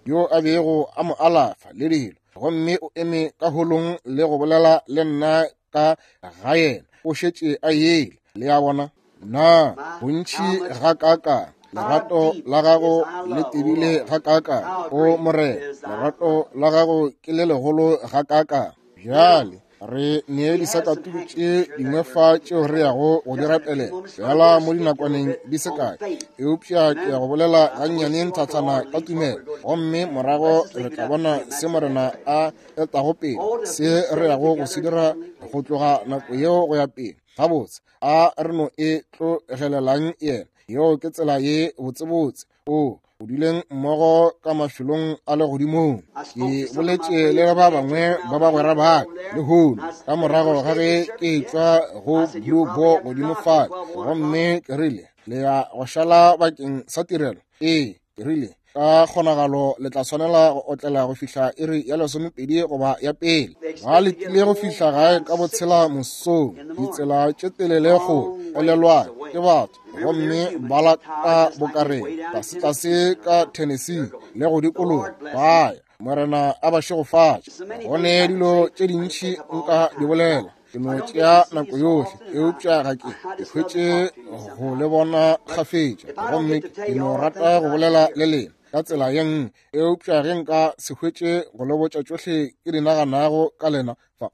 yo a bego a mo alafa le dilo. Gomme o eme ka holong le go bolela le nna ka ga yena. O šetše a yele. Le a bona? Na bontši gakaakang lerato la gago le tebile gakaakang, o Morena, lerato la gago ke le legolo gakaakang. Bjale re nee disakatuku tše dingwe fa tšeo re yago go di rapelela fela mo dinakwaneng di se kae, eupša ke ya go bolela gannyane nthathana ka tumelo, gomme morago re tla bona se Morena a etago pele, se re yago go se dira go tloga nako yeo go ya pele. Gabotse, a re no e tlogelelang yena. Yeo ke tsela ye botsebotse. O duleng mmogo ka mafelong a legodimong. Ke boletše le ba bangwe ba bagwera ba ka lehono ka morago ga ge ke tšwa go Blue Boar godimo fale, gomme ke rile, le ya go šala bakeng sa tirelo? Ee, ke rile, ka kgonagalo le tla swanela go otlela go fihla iri ya 12 goba ya pele. Ba letile go fihla gae ka botshela mosong, ditsela tše telele go olelwa ke batho, gomme ba lata bokareng tlasetlase ka Tennessee le go dikologa ba ya. Morena a ba šegofatše. Go ne dilo tše dintši nka di bolela, ke no tšea nako yohle, eupša ga ke hwetše go le bona kgafetša, gomme ke no rata go bolela le lena ka tsela ye nngwe, eupša ge nka se hwetše go le botša tšohle ke di naganago ka lena fa,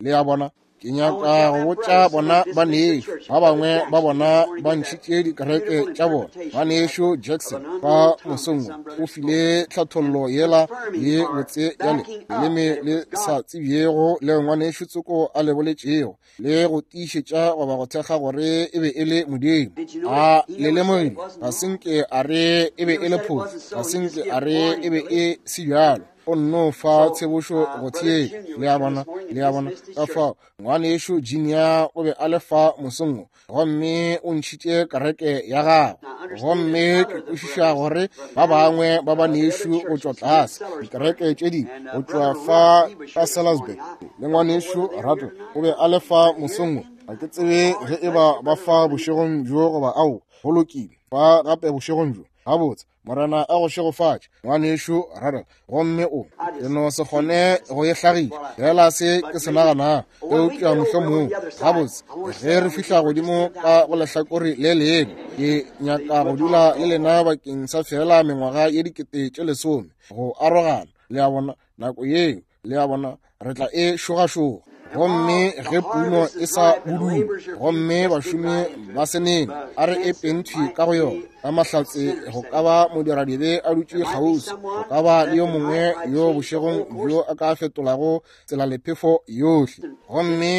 le a bona. Ke nyaka go botša bona banešu, ba bangwe ba bona ba ntšhitše dikereke tša bona. Banešu Jackson fa mosong o file tlhathollo yela ye botse ya le leleme le sa tsebjego le ngwanešu Tsoko a le boletšego, le go tiišetša goba go thekga gore e be e le Modimo. A le lemogile? Ga se nke a re e be e le phošo, ga se nke a re e be e se bjalo. O nno fa tshebošo go theetša. Le a bona? Le a bona? Ka fao ngwanešu Junior o be a le fa mosong, gomme o ntšhitše kereke ya gagwe. Gomme ke kwešiša gore ba bangwe ba banešu go tšwa tlase dikereke tše dingwe go tšwa fa ka Salisbury, le ngwanešu Rattle o be a le fa mosong. Ga ke tsebe ge e ba ba fa bošegong bjo goba ao. Go lokile, fa gape bošegong bjo. Gabotse, Morena a go šegofatše, ngwanešu Rattle. Gomme o ke no se kgone go e hlagiša fela se ke se naganago, eupša mohlomong gabotse ge re fihla godimo ka go lehlakore le lengwe, ke nyaka go dula le lena bakeng sa fela mengwaga ye 10,000 go arogana. Le a bona, nako yeo, le a bona, re tla e šogašoga. Gomme ge puno e sa budule, gomme bašomi ba se nene, a re e penthwi ka go yona ka mahlatse, go ka ba modiradibe a dutše kgauswi, go ka ba le yo mongwe yo bošegong bjo a ka fetolago tsela lephefo yohle. Gomme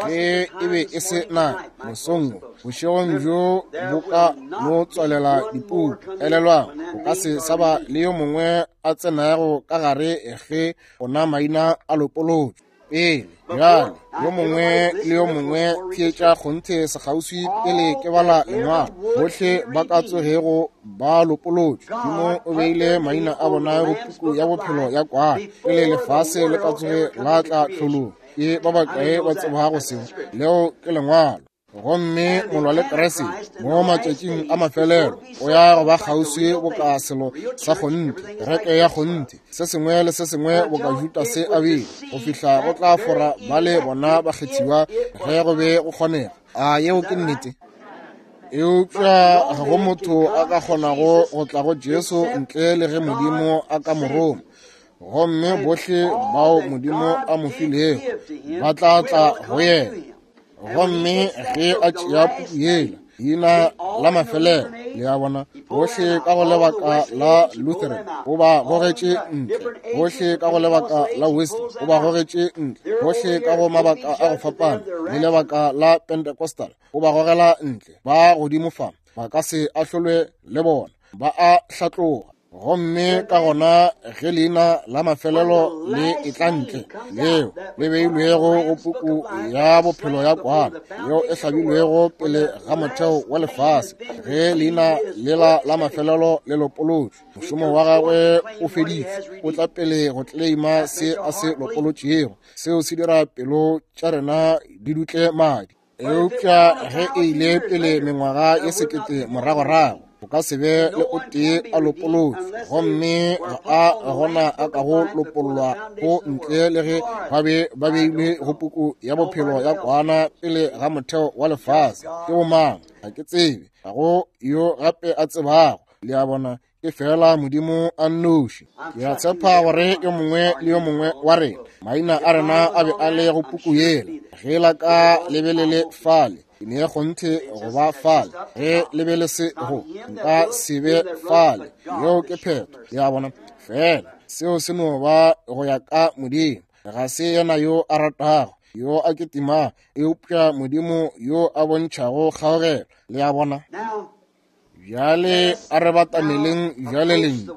ge e be e se na mosong, bošegong bjo bo ka no tswalela dipuku. Elelwang, go ka se sa ba le yo mongwe a tsenago ka gare ge ona maina a lopolotšwe pele. Bjale yo mongwe le yo mongwe theetša kgonthe sekgauswi pele ke bala lengwalo. Bohle ba ka tsogego ba lopolotšwe, Modimo o beile maina a bona go puku ya bophelo ya kwana pele lefase le ka tsoge la tla tlholong. Ke ba bakae ba tsebago seo? Leo ke lengwalo. Gomme molwa le Kriste mo matšatšing a mafelelo o ya go ba kgauswi boka selo sa kgonthe, kereke ya kgonthe, se sengwe le se sengwe boka Judase a bile, go fihla go tla fora ba le bona bakgethiwa ge go be go kgonega. A yeo ke nnete? Eupša ga go motho a ka kgonago go tla go Jesu ntle le ge Modimo a ka mo roma. Gomme bohle bao Modimo a mo filego ba tla tla go yena. Gomme ge a tšea puku yela, leina la mafelelo, le a bona, bohle ka go lebaka la Lutheran o ba gogetše ntle, bohle ka go lebaka la Wesley o ba gogetše ntle, bohle ka go mabaka a go fapana le lebaka la Pentecostal o ba gogela ntle. Ba godimo fa, ba ka se ahlolwe le bona, ba a hlatloga. Gomme ka gona ge leina la mafelelo le etla ntle, leo le beilwego go puku ya bophelo ya kwana yeo e hlabilwego pele ga motheo wa lefase, ge leina lela la mafelelo le lopolotšwe, mošomo wa gagwe o feditšwe, o tla pele go kleima se a se lopolotšego. Seo se dira pelo tša rena di dutle madi. Eupša ge e ile pele mengwaga ye 1000 moragorago, go ka se be le o tee a lopolotšwe, gomme ga a gona a kago lopollwa go ntle le ge ba be ba beilwe go puku ya bophelo ya kwana pele ga motheo wa lefase. Ke bomang? Ga ke tsebe. Ga go yo gape a tsebago. Le a bona, ke fela Modimo a nnoši. Ke a tshepa gore yo mongwe le yo mongwe wa rena, maina a rena a be a le go puku yela. Ge la ka le be le le fale, ke ne kgonthe go ba fale. Ge le be le se go, nka se be fale. Yeo ke phetho. Le a bona, fela seo se no ba go ya ka Modimo. Ga se yena yo a ratago, yo a ketimago, eupša Modimo yo a bontšhago kgaogelo. Le a bona. Bjale a re batameleng bjale lentšu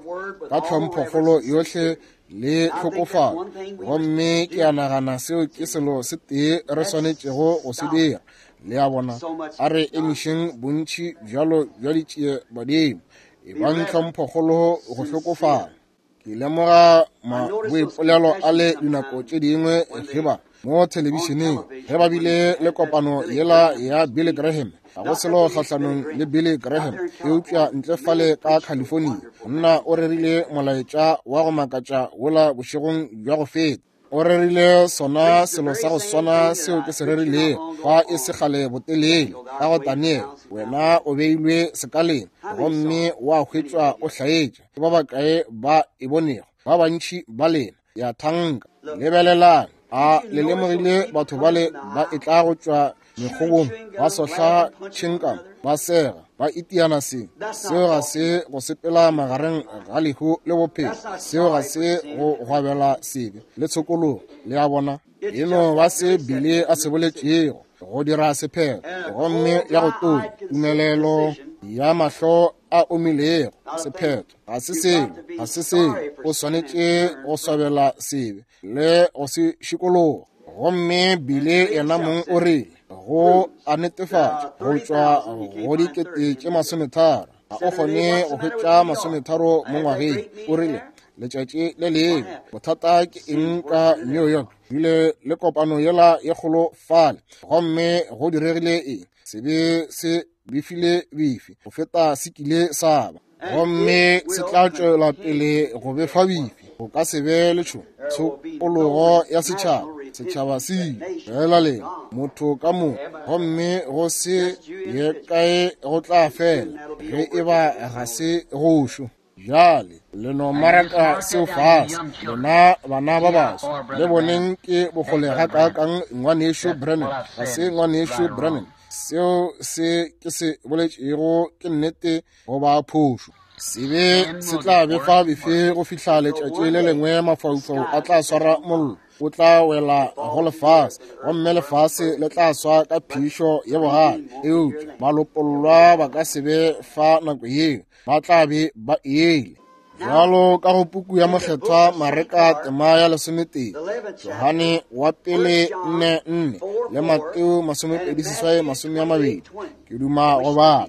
ka tlhomphokgolo yohle le tlhokofalo, gomme ke a nagana seo ke selo se tee re swanetšego go se dira. Le a bona, a re emišeng bontši bjalo bja ditšie badimo, e bang tlhomphokgolo go hlokofala. Ke lemoga maboipolelo a le dinako tše dingwe ge ba mo thelebišeneng, ge ba bile le kopano yela ya Billy Graham. Ga go selo kgahlanong le Billy Graham, eupša ntle fale ka California, monna o rerile molaetša wa go makatša wola bošegong bja go feta. O rerile sona selo sa go swana seo ke se rerilego fa e se kgale botelele ka go Daniel. Wena o beilwe sekaleng gomme wa hwetšwa o hlaetša. Ke ba bakae ba e bonego? Ba bantši ba lena. Ya thanka. Lebelelang. A le lemogile batho bale ba etla go tšwa mekgobong, ba sohla tšhinkam, ba sega, ba itiana seng? Seo ga se go sepela magareng ga lehu le bophelo. Seo ga se go gwabela sebe le tshokologo. Le a bona, e no ba se bile a se boletšego go dira sephetho, gomme ya go tonya tumelelo ya mahlo a omilego. Sephetho ga se selo, ga se selo. O swanetše go swabela sebe le go se šikologa. Gomme bile yena mong o rile go a netefatša go tšwa go 30,000, ga o kgone go hwetša 30 mo ngwageng. O rile letšatši le lengwe, bothata ke eng ka New York? Bile le kopano yela ye kgolo fale, gomme go diregile eng? Sebe se befile bifi go feta se kile sa ba, gomme se tla tšwela pele go befa bifi. Go ka se be le tshokologo ya setšhaba. Setšhaba se ile fela lena motho ka moka, gomme go se ye kae go tla fela ge e ba ga se gošo. Bjale le no maraka seo fase, lena bana ba baswa. Le boneng ke bokgole ga kaakang ngwanešu Branham. Ga se ngwanešu Branham. Seo se ke se boletšego ke nnete goba phošo. Sebe se tla befa befe go fihla letšatši le lengwe mafaufau a tla swara mollo, o tla wela go lefase, gomme lefase le tla swa ka phišo ye bogale. Eupša balopollwa ba ka se be fa nako yeo, ba tla be ba ele. Bjalo ka go puku ya Mokgethwa Mareka tema ya 11, Johane wa pele 4:4 le Mateo 28:20, ke duma go bala.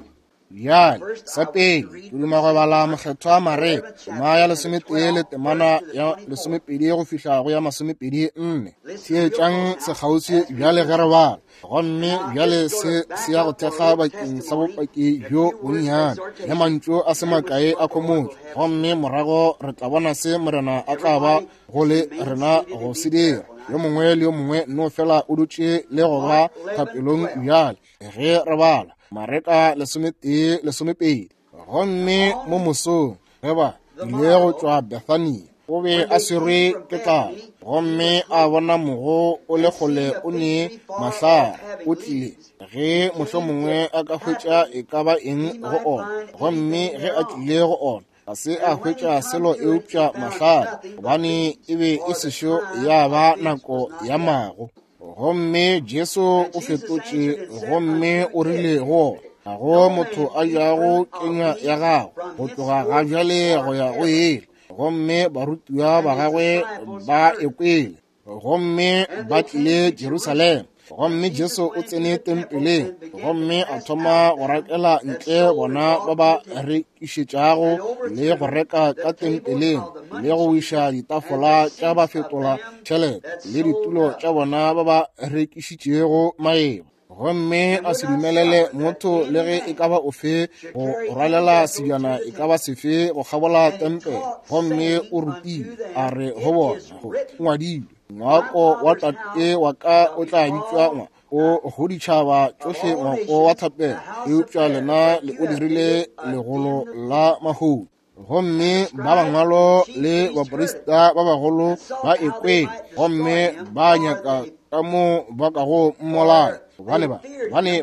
Bjale sa pele ke duma go bala Mokgethwa Mareka tema ya 11 le temana ya 12 go fihla go ya 24. Theetšang sekgauswi bjale ge re bala. Gomme bjale se se ya go thekga bakeng sa bopaki bjo bonnyane le mantšu a se makae a khomotšo, gomme morago re tla bona se Morena a tla ba go le rena go se dira. Yo mongwe le yo mongwe no fela o dutše le go ba thapelong bjale ge re bala Mareka 11:12. Gomme mo mosong ge ba ile go tšwa Bethania, o be a swerwe ke tlala, gomme a bona mogo o le kgole o ne mahlare. O tlile ge mohlomongwe a ka hwetša e ka ba eng go ona, gomme ge a tlile go ona ga se a hwetša selo eupša mahlare, gobane e be e sešo ya ba nako ya mago. Gomme Jesu o fetotše gomme o rile go ona, Ga go motho a jago kenywa ya gago go tloga ga bjale go ya go ile. Gomme barutiwa ba gagwe ba ekwele, gomme ba tlile Jerusalema. Gomme Jesu o tsene tempeleng, gomme a thoma go rakela ntle bona ba ba rekišetšago le go reka ka tempeleng, le go wiša ditafola tša ba fetola tšhelete le ditulo tša bona ba ba rekišitšego maeba. Gomme a se dumelele motho le ge e ka ba ofe go rwalela sebjana e ka ba sefe go kgabola tempele. Gomme o rutile, a re go bona, go ngwadilwe, ngwako wa tate wa ka o tla bitšwa o go ditšhaba tšohle ngwako wa thapelo, eupša lena le o dirile legolo la mahodu. Gomme ba bangwalo le baprista ba bagolo ba ekwele, gomme ba nyaka ka mo ba kago mmolaya, gobane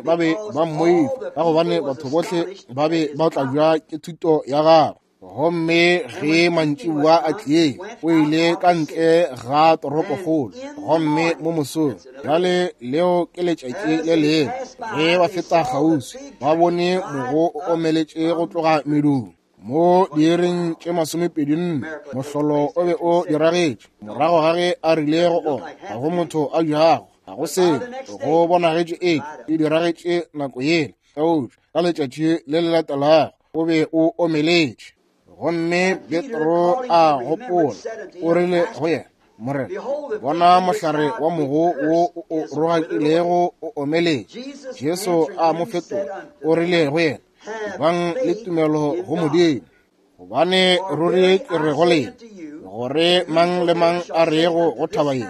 ba be ba mmoifa, ka gobane batho bohle ba be ba tlabja ke thuto ya gagwe. Gomme ge mantšiboa a tlie, o ile ka ntle ga toropokgolo, gomme mo mosong, bjale leo ke letšatši le lengwe, ge ba feta kgauswi, ba bone mogo o omeletše go tloga medung. Mo diiring tše 24 mohlolo o be o diragetše, morago ga ge a rile go ona, ga go motho a jago, ga go selo, go bonagetše eke e diragetše nako yela, eupša ka letšatši le le latelago o be o omeletše. Gomme Petro a gopola, o rile go yena, Morena, bona mohlare wa mogo wo o rogakilego o omeletše. Jesu a mo fetola, o rile go yena, bang le tumelo go Modimo, gobane ruri ke re go lena, gore mang le mang a rego go thaba ye,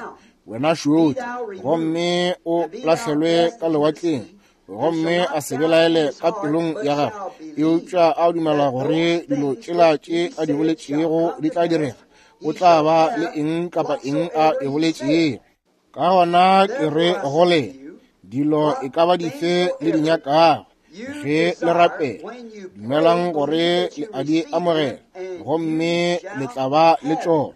wena šotse, gomme o lahlelwe ka lewatleng, gomme a se belaele ka pelong ya gagwe, eupša a dumela gore dilo tšela tše a di boletšego di tla direga, o tla ba le eng kapa eng a e boletšego. Ka gona ke re go lena, dilo e ka ba dife le di nyakago, ge le rapela, dumelang gore le a di amogela, gomme le tla ba le tšona.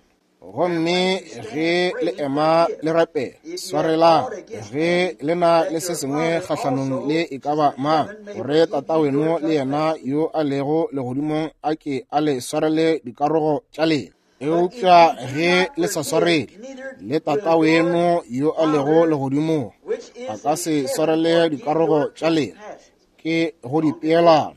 Gomme ge le ema le rapela, swarelang ge le na le se sengwe kgahlanong le e ka ba mang, gore Tataweno le yena yo a lego legodimong a ke a le swarele dikarogo tša lena. Eupša ge le sa swarele, le Tataweno yo a lego legodimong a ka se swarele dikarogo tša lena, ke go di peelana.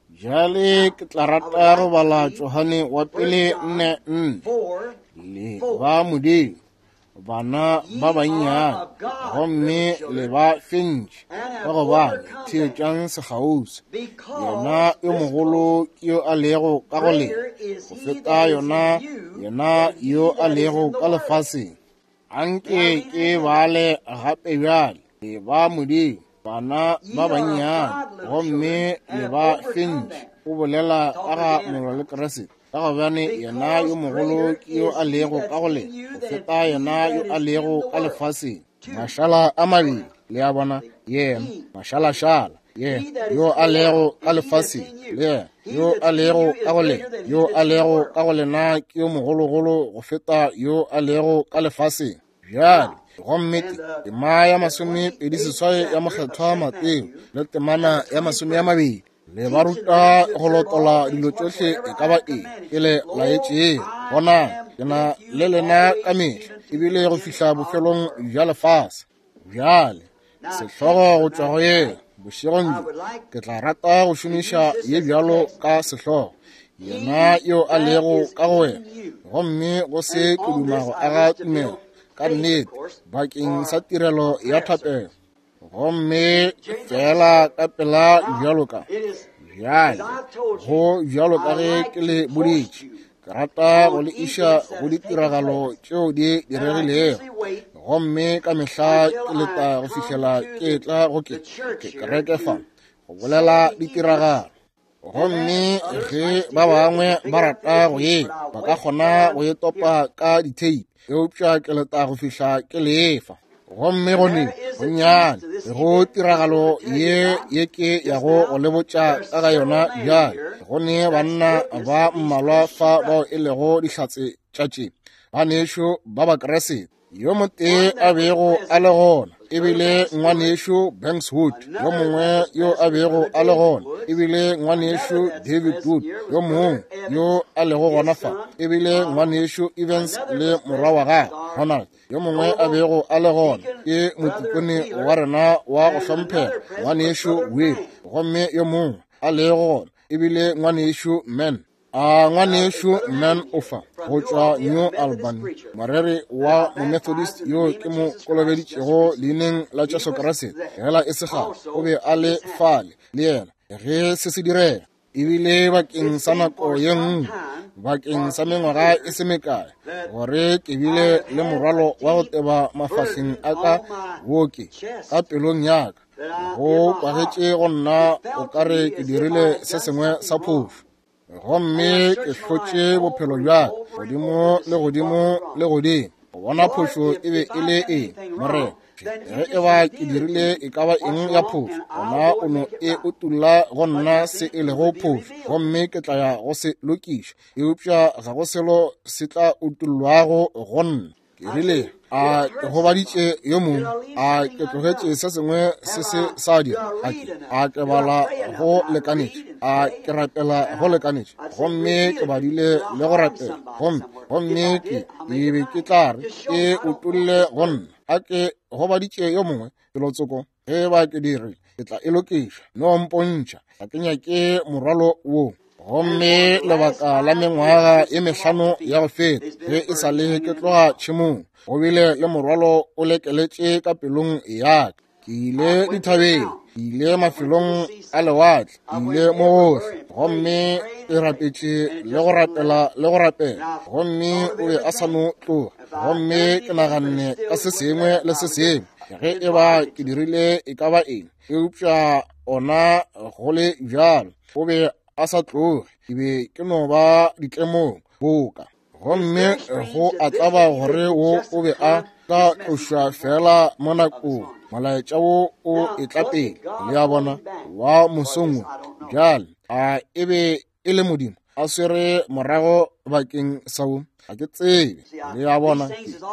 Bjale ke tla rata go bala Johane wa pele 4:4. Le ba Modimo, bana ba bannyane, gomme le ba fentše, ka gobane theetšang sekgauswi. Yena yo mogolo ke yo a lego ka go lena, go feta yona yena yo a lego ka lefaseng. Anke ke bale gape bjale, le ba Modimo, bana ba bannyane, gomme le ba fentše. O bolela ka ga molwa le Kriste, ka gobane yena yo mogolo ke yo a lego ka go lena, go feta yena yo a lego ka lefaseng. Mašala a mabedi, le a bona, yena mašalašala, yena yo a lego ka lefaseng, le yena yo a lego ka go lena, yo a lego ka go lena ke yo mogologolo go feta yo a lego ka lefaseng. Bjale, gomme tema ya 28 ya mokgethwa Mateo le temana ya 20, le ba ruta go lotola dilo tšohle e ka ba eng ke le laetšego. Bonang, ke na le lena ka mehla, ebile go fihla bofelong bja lefase. Bjale, sehlogo go tšwa go yena bošegong bjo, ke tla rata go šomiša ye bjalo ka sehlogo, yena yo a lego ka go wena, gomme go se ke duma go aga tumelo ka nnete bakeng sa tirelo ya thapelo. Gomme fela ka pela bjalo ka bjale, go bjalo ka ge ke le boditše, ke rata go le iša go ditiragalo tšeo di diregilego, gomme ka mehla ke leta go fihlela ke tla go ke kereke fa go bolela ditiragalo. Gomme ge ba bangwe ba rata go ye, ba ka kgona go e topa ka ditheipi, eupša ke leta go fihla ke lefa. Gomme gone bonnyane go tiragalo ye ke ya go le botša ka ga yona bjale, go ne banna ba mmalwa fa bao e lego dihlatse tša tše, banešo ba Bakriste, yo motee a bego a le gona. E bile ngwanešu Banks Wood, yo mongwe yo a bego a le gona. E bile ngwanešu David Wood, yo mongwe yo a lego gona fa. E bile ngwanešu Evans le morwa wa gagwe Ronald, yo mongwe a bego a le gona ke motikone wa rena wa go hlomphega ngwanešu Will, gomme yo mongwe a lego gona e bile ngwanešu Man. A ngwanešu Man o fa go tšwa New Albany, moreri wa Momethodist yo ke mo kolobeditšego leineng la Jesu Kriste gela e se kgale, o be a le fale le yena ge se se direga. Ebile bakeng sa nako ye nngwe, bakeng sa mengwaga e se mekae, gore ke bile le morwalo wa go teba mafahleng a ka wo ke ka pelong ya ka, go kwagetše go nna o ka re ke dirile se sengwe sa phošo. Gomme ke hlotše bophelo bja ka godimo le godimo le godimo go bona phošo e be e le eng. Morena, ge e ba ke dirile e ka ba eng ya phošo, gona o no e utulla go nna se e lego phošo, gomme ke tla ya go se lokiša. Eupša ga go selo se tla utullwago go nna. Ke rile, a ke gobaditše yo mongwe? A ke tlogetše se sengwe se se sa dira? A ke bala go lekanetše? A ke rapela go lekanetše? Gomme ke badile le go rapela, gomme ke be ke tla re ke utolle go nna. A ke gobaditše yo mongwe felotsoko? Ge ba ke dirile, ke tla e lokiša. No mpontšha, ga ke nyake morwalo wo. Gomme lebaka la mengwaga e mehlano ya go feta, ge e sa le ke tloga tšhemong, go bile le morwalo o lekeletše ka pelong ya ka. Ke ile dithabeng, ke ile mafelong a lewatle, ke ile mo gohle, gomme ke rapetše le go rapela le go rapela, gomme o be a sa no tloga. Gomme ke naganne ka se sengwe le se sengwe, ge e ba ke dirile e ka ba eng, eupša ona go le bjalo o be a sa tloge. Ke be ke no ba ditlemong boka. Gomme go a tlaba gore wo o be a tla tlošwa fela mo nakong, molaetša wo o etla pele, le a bona, wa mosong wo. Bjale a e be e le Modimo a swere morago bakeng sa wo, ga ke tsebe. Le a bona,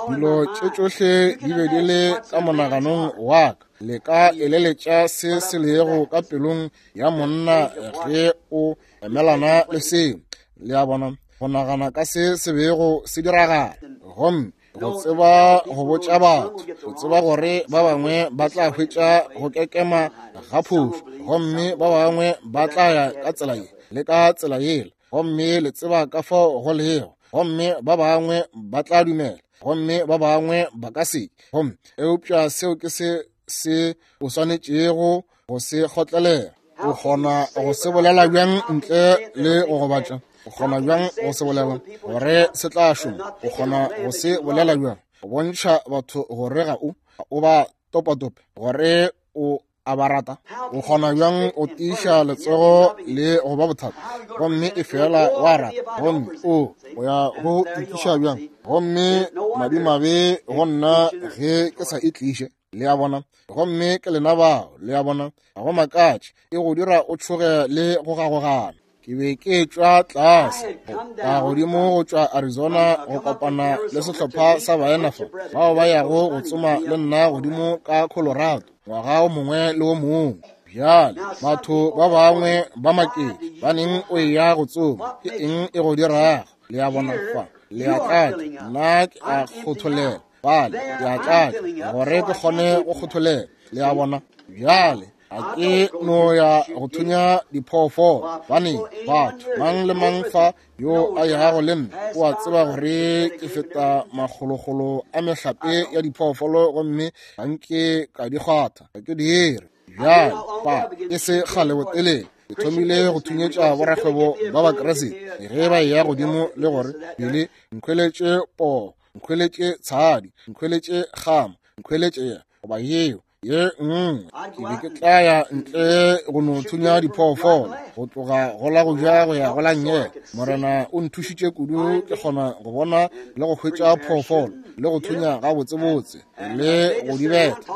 dilo tše tšohle di be di le ka monaganong wa ka. Le ka eleletša se se lego ka pelong ya monna ge o emelana le seo. Le a bona, go nagana ka se se bego se diragala, gomme go tseba go botša batho, go tseba gore ba bangwe ba tla hwetša go kekema ga phošo, gomme ba bangwe ba tla ya ka tsela ye le ka tsela yela, gomme le tseba ka fao go lego, gomme ba bangwe ba tla dumela, gomme ba bangwe ba ka se. Gomme eupša seo ke se se o swanetšego go se kgotlelela. O kgona go se bolela bjang ntle le go gobatša? O kgona bjang go se bolela gore se tla šoma? O kgona go se bolela bjang go bontšha batho gore ga o ba topatope, gore o a ba rata? O kgona bjang go tiiša letsogo le go ba bothata, gomme e fela wa rata, gomme o ya go itliša bjang? Gomme madimabe go nna ge ke sa itliše. Le a bona? Gomme ke lena bao, le a bona, ga go makatše e go dira o tšhoge le go gagogana. Ke be ke tšwa tlase ka godimo go tšwa Arizona go kopana le sehlopha sa baena fa bao ba yago go tsoma le nna godimo ka Colorado ngwaga o mongwe le o mongwe. Bjale batho ba bangwe ba maketše, ba neng o eya go tsoma, ke eng e go dirago? Le a bona fa, le a tlatša, nna ke a kgotholela fale, ke a tlatša gore ke kgone go kgotholela. Le a bona? Bjale a ke no ya go thunya diphoofolo, baneng batho mang le mang fa yo a yago le nna o a tseba gore ke feta makgolokgolo a mehlape ya diphoofolo, gomme ga nke ka di kgwatha, ga ke dire. Bjale fa e se kgale botelele ke thomile go thunyetša borakgwebo ba Bakriste ge ba eya godimo le gore pele nkhweletše poo, nkhweletše tshadi, nkhweletše kgama, nkhweletše goba yeo ye nngwe. Ke be ke tla ya ntle go no thunya diphoofolo go tloga go la go ja go ya go la nngele. Morena o nthušitše kudu, ke kgona go bona le go hwetša phoofolo le go thunya gabotsebotse le go di betha,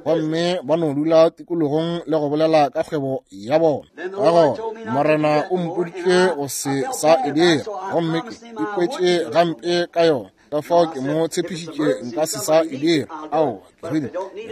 gomme ba no dula tikologong le go bolela ka kgwebo ya bona. Ka gona Morena o mpoditše go se sa e dira, gomme ke ikwetše gampe ka yona. Ka fao ke mo tshepišitše nka se sa e dira. Aowa, ke rile,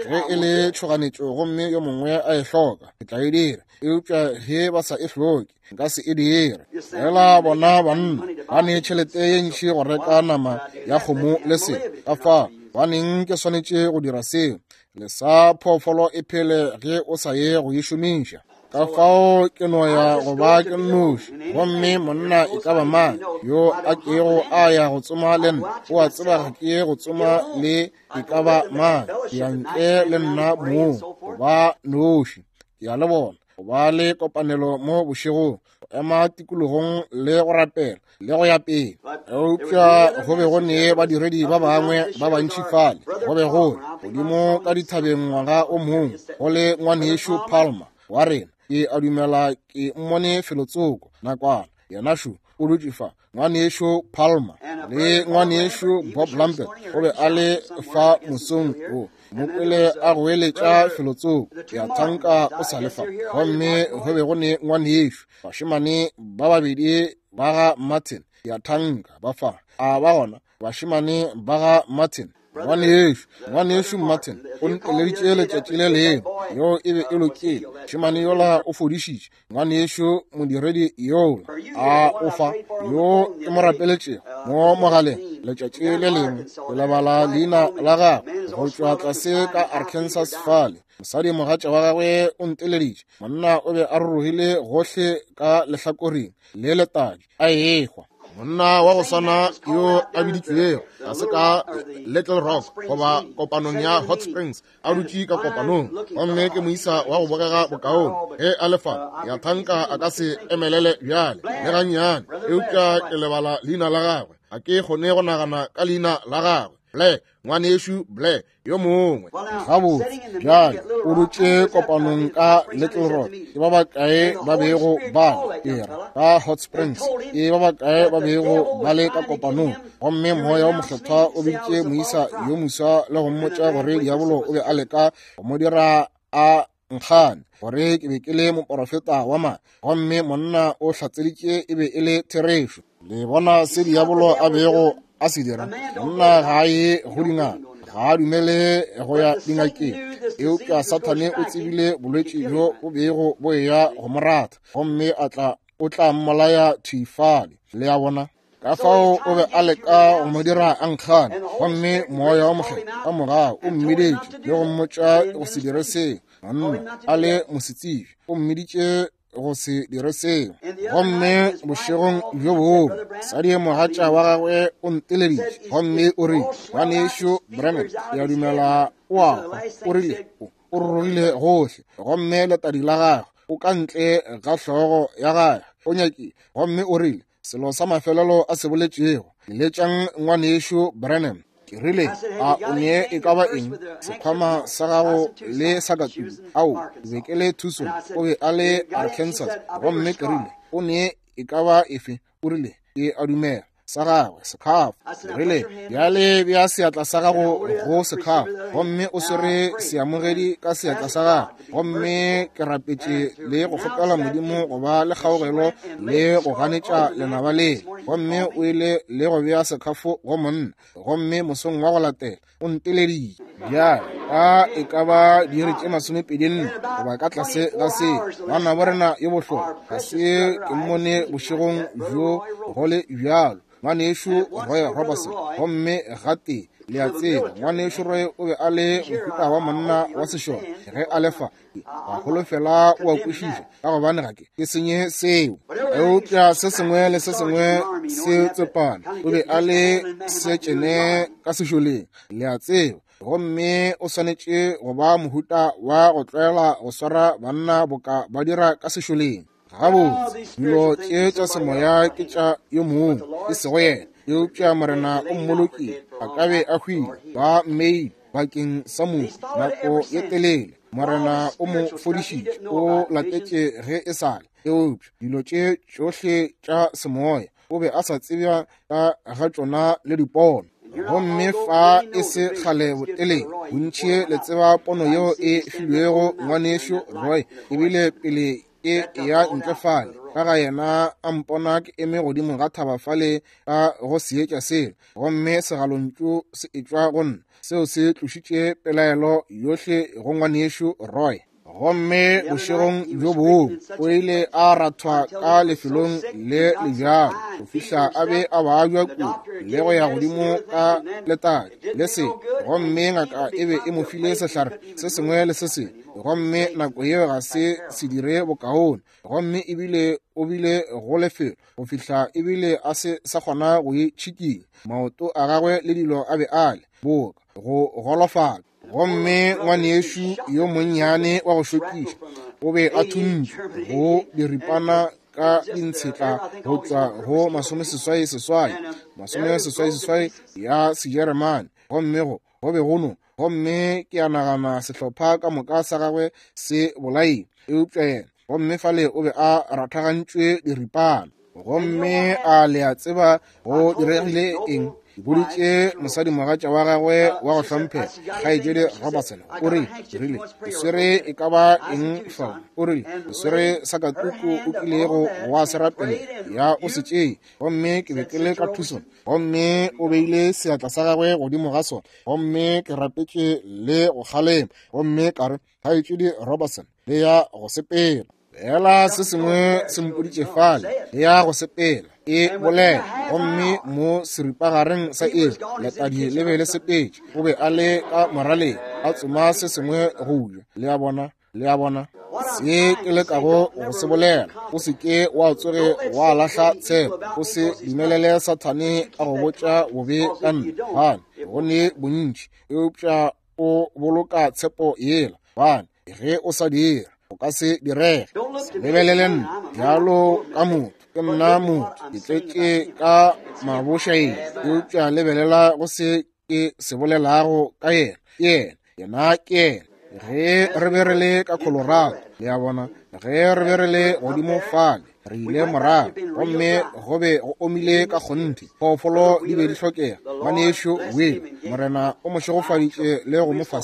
ge e le tšhoganetšo gomme yo mongwe a e hloka, ke tla e dira. Eupša ge ba sa e hloke, nka se e dire. Fela bona banna ba ne tšhelete ye ntši go reka nama ya kgomo le se. Ka fao baneng ke swanetše go dira seo. Le sa phoofolo e phele ge o sa ye go e šomiša. Ka fao ke no ya go ba ke nnoši. Gomme monna e ka ba mang yo a kego a ya go tsoma le nna, o a tseba ga ke ye go tsoma le e ka ba mang. Ke ya ntle le nna mong, go ba noši. Ke a le bona, go ba le kopanelo mo bošegong, go ema tikologong le go rapela le go ya pele. Eupša go be go ne badiredi ba bangwe ba bantši fale. Go be go godimo ka dithabeng ngwaga o mongwe, go le ngwanešu Palmer wa rena. Ke a dumela ke mmone felotsoko nakwana. Yena šo o dutše fa, ngwanešu Palmer le ngwanešu Bob Lambert o be a le fa mosong wo. Mo kwele a goeletša felotsoko, ke a thanka o sa le fa. Gomme go be go ne ngwanešu, bašemane ba babedi ba ga Martin, ke a thanka ba fa. A ba gona bašemane ba ga Martin? Ngwanešu Martin o nteleditše letšatši le lengwe, yo e be e lokile. Mošemane yola o fodišitše ngwanešu modiredi yola a o fa, yo ke mo rapeletšego mo mogaleng letšatši le lengwe. Ke lebala leina la gagwe, go tšwa tlase ka Arkansas fale. Mosadi mogatša wa gagwe o nteleditše. Monna o be a rurugile gohle ka lehlakoreng le letadi a ehwa. Monna wa go swana yo a biditšwego ga se ka Little Rock goba kopanong ya Hot Springs, a dutše ka kopanong, gomme ke moisa wa go bogega bokaone ge a le fa. Ya thanka a ka se emelele bjale le gannyane, eupša ke lebala leina la gagwe. Ga ke kgone go nagana ka leina la gagwe. Blair, ngwanešu Blair yo mongwe. Gabotse bjale o dutše kopanong ka Little Rock. Ke ba bakae ba bego ba era ka Hot Springs? Ke ba bakae ba bego ba le ka kopanong? Gomme moya o mokgethwa o biditše moisa yo moswa le go mmotša gore diabolo o be a leka go mo dira a nkgane, gore ke be ke le moporofeta wa maaka. Gomme monna o hlatseditše e be e le therešo. Le bona se diabolo a bego a se dira? Monna ga a ye go dingaka, ga a dumele go ya dingakeng. Eupša Sathane o tsebile bolwetši bjo bo bego bo eya go mo ratha, gomme a tla o tla mmolaya thwi fale. Le a bona? Ka fao o be a leka go mo dira a nkgane, gomme moya wa mokgethwa ka morago o mmiditše le go mmotša go se dire seo. Monna a le mosetsebje o mmiditše go se dire seo. Gomme bošegong bjo bongwe mosadi mogatša wa gagwe o nteleditše gomme o rile, ngwanešu Branham, ke a dumela o a hwa. O rile o rurugile gohle, gomme letadi la gagwe o ka ntle ga hlogo ya gagwe, o nyakile. Gomme o rile selo sa mafelelo a se boletšego, letšang ngwanešu Branham. Ke rile, a o ne e ka ba eng sekhwama sa gago le sa ka tulo? Ao, ke be ke le Tucson, o be a le Arkansas. Gomme ke rile, o ne e ka ba efe? O rile, ke a dumela sa gagwe sekhafo. Ke rile, bjale bea seatla sa gago go sekhafo, gomme o swere seamogedi ka seatla sa gago. Gomme ke rapetše le go kgopela Modimo go ba le kgaogelo le go ganetša lenaba le. Gomme o ile le go bea sekhafo go monna. Gomme mosong wa go latela o nteleditše bjale ka e ka ba diiri tše 24 goba ka tlase ga se. Ngwanabo rena yo bohlokwa, ga se ke mmone bošegong bjo go le bjalo, ngwanešu Roy Robertson. Gomme gatee, le a tseba, ngwanešu Roy o be a le mohuta wa monna wa sešole ge a le fa. Ga holofela o a kwešiša, ka gobane ga ke senye seo. Eupša se sengwe le se sengwe se tsepame. O be a le setšene ka sešoleng, le a tseba, gomme o swanetše go ba mohuta wa go tlwaela go swara banna boka ba dira ka sešoleng. Gabotse, dilo tše tša semoya ke tša yo mongwe, e sego yena. Eupša Morena o mmolokile, a ka be a hwile, ba mmeile bakeng sa mohu nako ye telele. Morena o mo fodišitše, o latetše ge e sa le. Eupša dilo tše tšohle tša semoya o be a sa tsebja ka ga tšona le dipono. Gomme fa e se kgale botelele, bontši le tseba pono yeo e filwego ngwanešu Roy, ebile pele e ya ntle fale. ka ga yena a mpona ke eme godimo ga thaba fale ka go seetša sela, gomme segalontšu se etšwa go nna, seo se tlošitše pelaelo yohle go ngwanešu Roy. Gomme bošegong bjo bongwe o ile a rathwa ka lefelong le le bjalo go fihla a be a babja kudu le go ya godimo ka letadi le se, gomme ngaka e be e mo file sehlare se sengwe le se sengwe, gomme nako yeo ga se se dire bokaone, gomme ebile o bile go lefelo go fihla ebile a se sa kgona go itšhikinya, maoto a gagwe le dilo a be a le boka go golofala. Gomme ngwanešu yo monnyane wa go šokiša o be a thuntšwe go diripana ka dintshetla go tšwa go 88 88 ya Sejeremane, gomme go be go no, gomme ke a nagana sehlopha ka moka sa gagwe se bolaile eupša yena, gomme fale o be a rathagantšwe diripana. Gomme a le a tseba go diregile eng? Ke boditše mosadimogatša wa gagwe wa go hlomphega, kgaetšedi Robertson, o rile, rile, o swere e ka ba eng fao? O rile, o swere sakatuku o kilego wa se rapela, ya o se tšee. Gomme ke be ke le ka Tucson, gomme o beile seatla sa gagwe godimo ga sona, gomme ke rapetše le go kgalema, gomme ka re, kgaetšedi Robertson, le ya go sepela. Fela se sengwe se mpoditše fale, le ya go sepela, e bolela. Gomme mo seripagareng sa iri, letadi le be le sepetše, o be a le ka moraleng a tsoma se sengwe go ja. Le a bona, le a bona se ke lekago go se bolela. O se ke wa tsoge wa lahla tshepo, o se dumelele Sathane a go botša bobe ka nna, gobane go ne bontši, eupša o boloka tshepo yela, gobane ge o sa dira o ka se direge. Se lebelele nna bjalo ka motho, ke nna motho, ke tletše ka mabošaedi, eupša lebelela go se ke se bolelago ka yena. Ke yena, yena ke yena. Ge re be re le ka Colorado, le a bona, ge re be re le godimo fale, re ile morago, gomme go be go omile ka kgonthe, phoofolo di be di hlokega. Ngwanešu Will, Morena o mo šegofaditše le go mo fa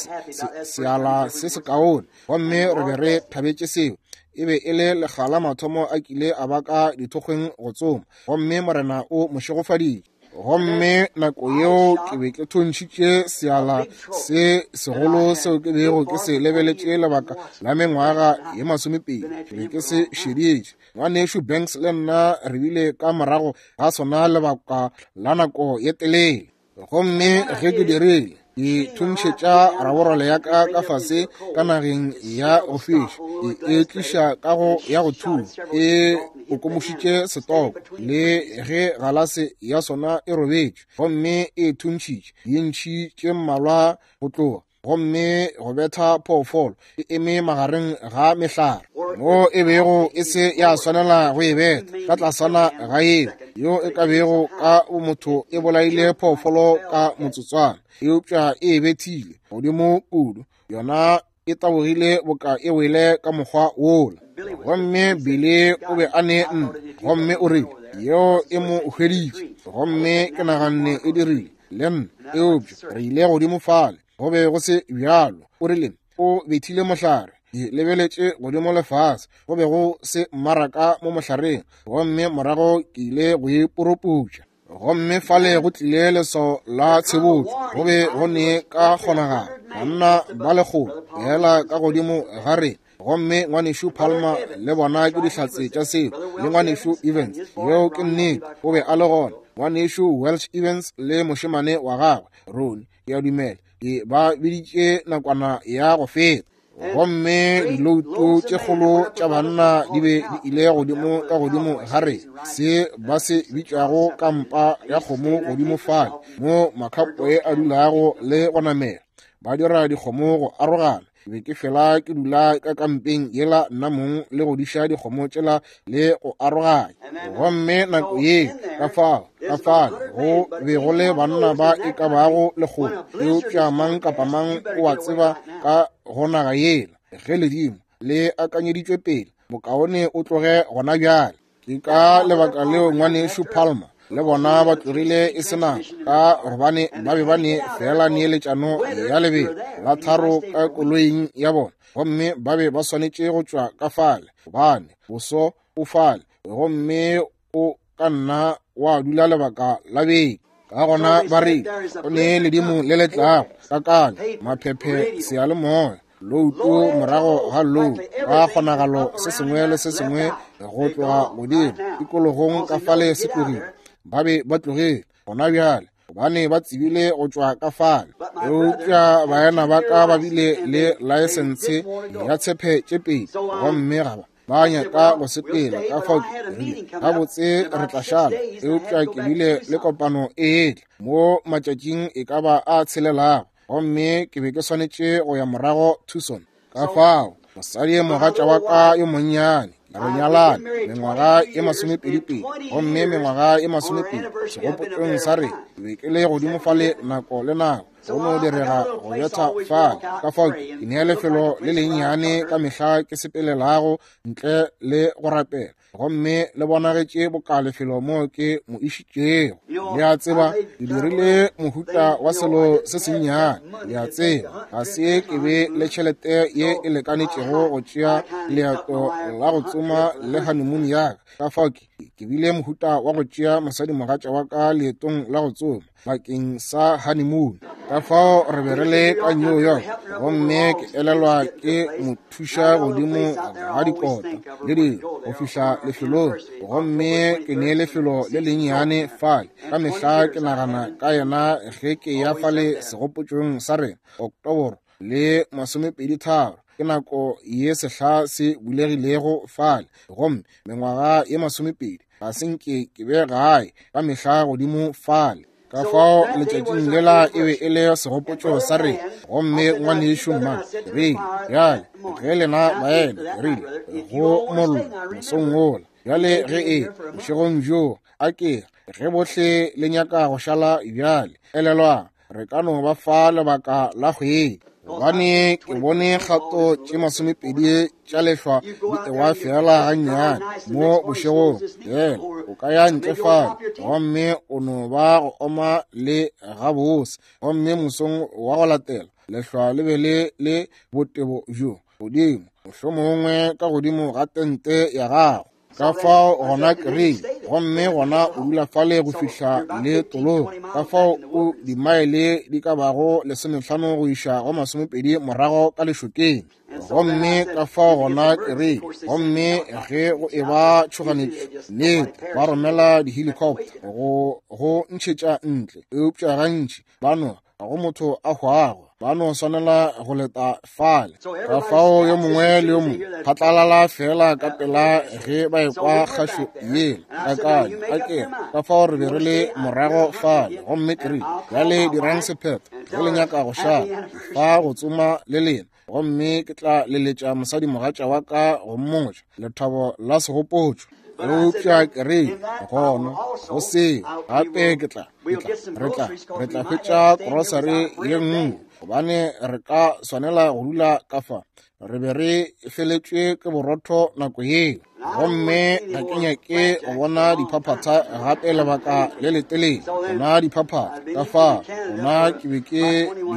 seala se sekaone, gomme re be re thabetše seo. E be e le lekga la mathomo a kile a ba ka dithokgweng go tsoma, gomme Morena o mo šegofaditše. Gomme nako yeo ke be ke thuntšhitše seala se segolo seo ke bego ke se lebeletše lebaka la mengwaga ye 20, ke be ke se šeditše. Ngwanešu Banks le nna re bile ka morago ga sona lebaka la nako ye telele. Gomme ge ke dirile, ke thuntšhetša raborole ya ka ka fase ka nageng ya go fiša, ke e tliša ka go ya go thunya, e okomošitše setoko le ge galase ya sona e robetše, gomme e thuntšhitše dintšhi tše mmalwa go tloga, gomme go betha phoofolo e eme magareng ga mehlare mo e bego e se ya swanela go e betha ka tlasana ga yeo yo e ka bego ka bomotho e bolaile phoofolo ka motsotswana, eupša e bethile godimo kudu, yona e tabogile boka e wele ka mokgwa wola. Gomme Billy o be a ne nna, gomme o rile yeo e mo hweditše, gomme ke naganne e dirile le nna, eupša re ile godimo fale, go be go se bjalo. O rile o bethile mohlare, ke lebeletše godimo lefase, go be go se mmaraka mo mohlareng, gomme morago ke ile go e poroputša. Gomme fale go tlile leswao la tshebotšo, go be go ne ka kgonagalo banna ba lekgolo fela ka godimo ga rena, gomme ngwanešu Palmer le bona ke dihlatse tša seo, le ngwanešu Evans, yeo ke nnete, o be a le gona, ngwanešu Welch Evans le mošemane wa gagwe Ronnie, ke a dumela ke ba biditše nakwana ya go feta. Gomme dilouto tše kgolo tša banna di be di ile godimo ka godimo ga re se ba se bitšago kampa ya kgomo godimo fale mo makhapoe a dulago le go namela, ba dira dikgomo go arogana. Ke be ke fela ke dula ka kampeng yela nna mong le go diša dikgomo tšela le go aroganya. Gomme nako ye ka fao ka fale go be go le banna ba e ka bago lekgolo, eupša mang kapa mang o a tseba ka go naga yela ge ledimo le akanyeditšwe pele, bokaone o tloge gona bjale. Ke ka lebaka leo ngwanešu Palmer le bona ba tlogile e se nako, ka gobane ba be ba ne fela neeletšano ya lebelo la 3 ka koloing ya bona, gomme ba be ba swanetše go tšwa ka fale, gobane boso o fale. gomme o ka nna wa dula lebaka la beke. Ka gona ba re go ne ledimo le le tlago, kakanyo, maphephe, seyalemoya, louto morago ga louto, ka kgonagalo se sengwe le se sengwe go tloga godimo tikologong ka fale se tlogile. Ba be ba tlogile gona bjale, gobane ba tsebile go tšwa ka fale. Eupša baena ba ka ba bile le laesense ya tshepe tše pedi, gomme ga ba nyaka go sepela. Ka fao ke rile, gabotse re tla šala. Eupša ke bile le kopano e etla mo matšatšing e ka ba a tshelelago, gomme ke be ke swanetše go ya morago Tucson. Ka fao mosadi mogatša wa ka yo monnyane, re nyalane mengwaga e 22, gomme mengwaga e 20 segopotšong sa re ke be ke le godimo fale nako le nako, go no direga go betha fale. Ka fao ke nea lefelo le lennyane ka mehla ke sepelelago ntle le go rapela, gomme le bonagetše boka lefelo mo ke mo išitšego. Le a tseba, ke dirile mohuta wa selo se sennyane. Le a tseba, ga se ke be le tšhelete ye e lekanetšego go tšea leeto la go tsoma le honeymoon ya ka. Ka fao ke bile mohuta wa go tšea mosadimogatša wa ka leetong la go tsoma bakeng sa honeymoon. Ka fao re be re le ka New York, gomme ke elelwa ke mo thuša godimo ga dikota le dilo go fihla lefelong, gomme ke ne lefelo le lennyane fale. Ka mehla ke nagana ka yena ge ke ya fale segopotšong sa rena, Oktoboro le 23, ke nako ye sehla se bulegilego fale, gomme mengwaga ye 20 ga se nke ke be gae ka mehla godimo fale. Ka fao letšatšing lela e be e le segopotšo sa rena, gomme ngwanešu Mma rile, bjale ge lena baena, rile go mollo mosong wola, bjale ge e bošegong bjo, a ke ge bohle le nyaka go šala bjale, elelwang re ka no ba fa lebaka la kgwedi, gobane ke bone kgato tše 20 tša lehlwa di ewa fela gannyane mo bošegong. Yena o ka ya ntle fale gomme o no ba go oma le gabose, gomme mosong wa go latela lehlwa le be le le botebo bjo godimo, mohlomongwe ka godimo ga tente ya gago. Ka fao gona ke rile, gomme gona o dula fale go fihla le tologo. Ka fao o dimaele di ka bago 15 go iša go 20 morago ka lešokeng. Gomme ka fao gona ke rile, gomme ge go eba tšhoganetšo, nnete ba romela di-helicopter go ntšhetša ntle, eupša gantši ba no ga go motho a hwago, ba no swanela go leta fale. Ka fao yo mongwe le yo mongwe phatlalala fela ka pela ge ba ekwa kgašo yela kakanyo akere. Ka fao re be re le morago fale, gomme ke rile, bjale dirang sephetho ge le nyaka go šala fa go tsoma le lena, gomme ke tla leletša mosadimogatša wa ka go mmotša lethabo la segopotšo. Eupša ke rile gona go seo gape ke tla re tla hwetša grocery ye nngwe, gobane re ka swanela go dula ka fa. Re be re feletšwe ke borotho nako yeo, gomme ga ke nyake go bona diphaphatha gape lebaka le letelele. Gona diphaphatha ka fa, gona ke be ke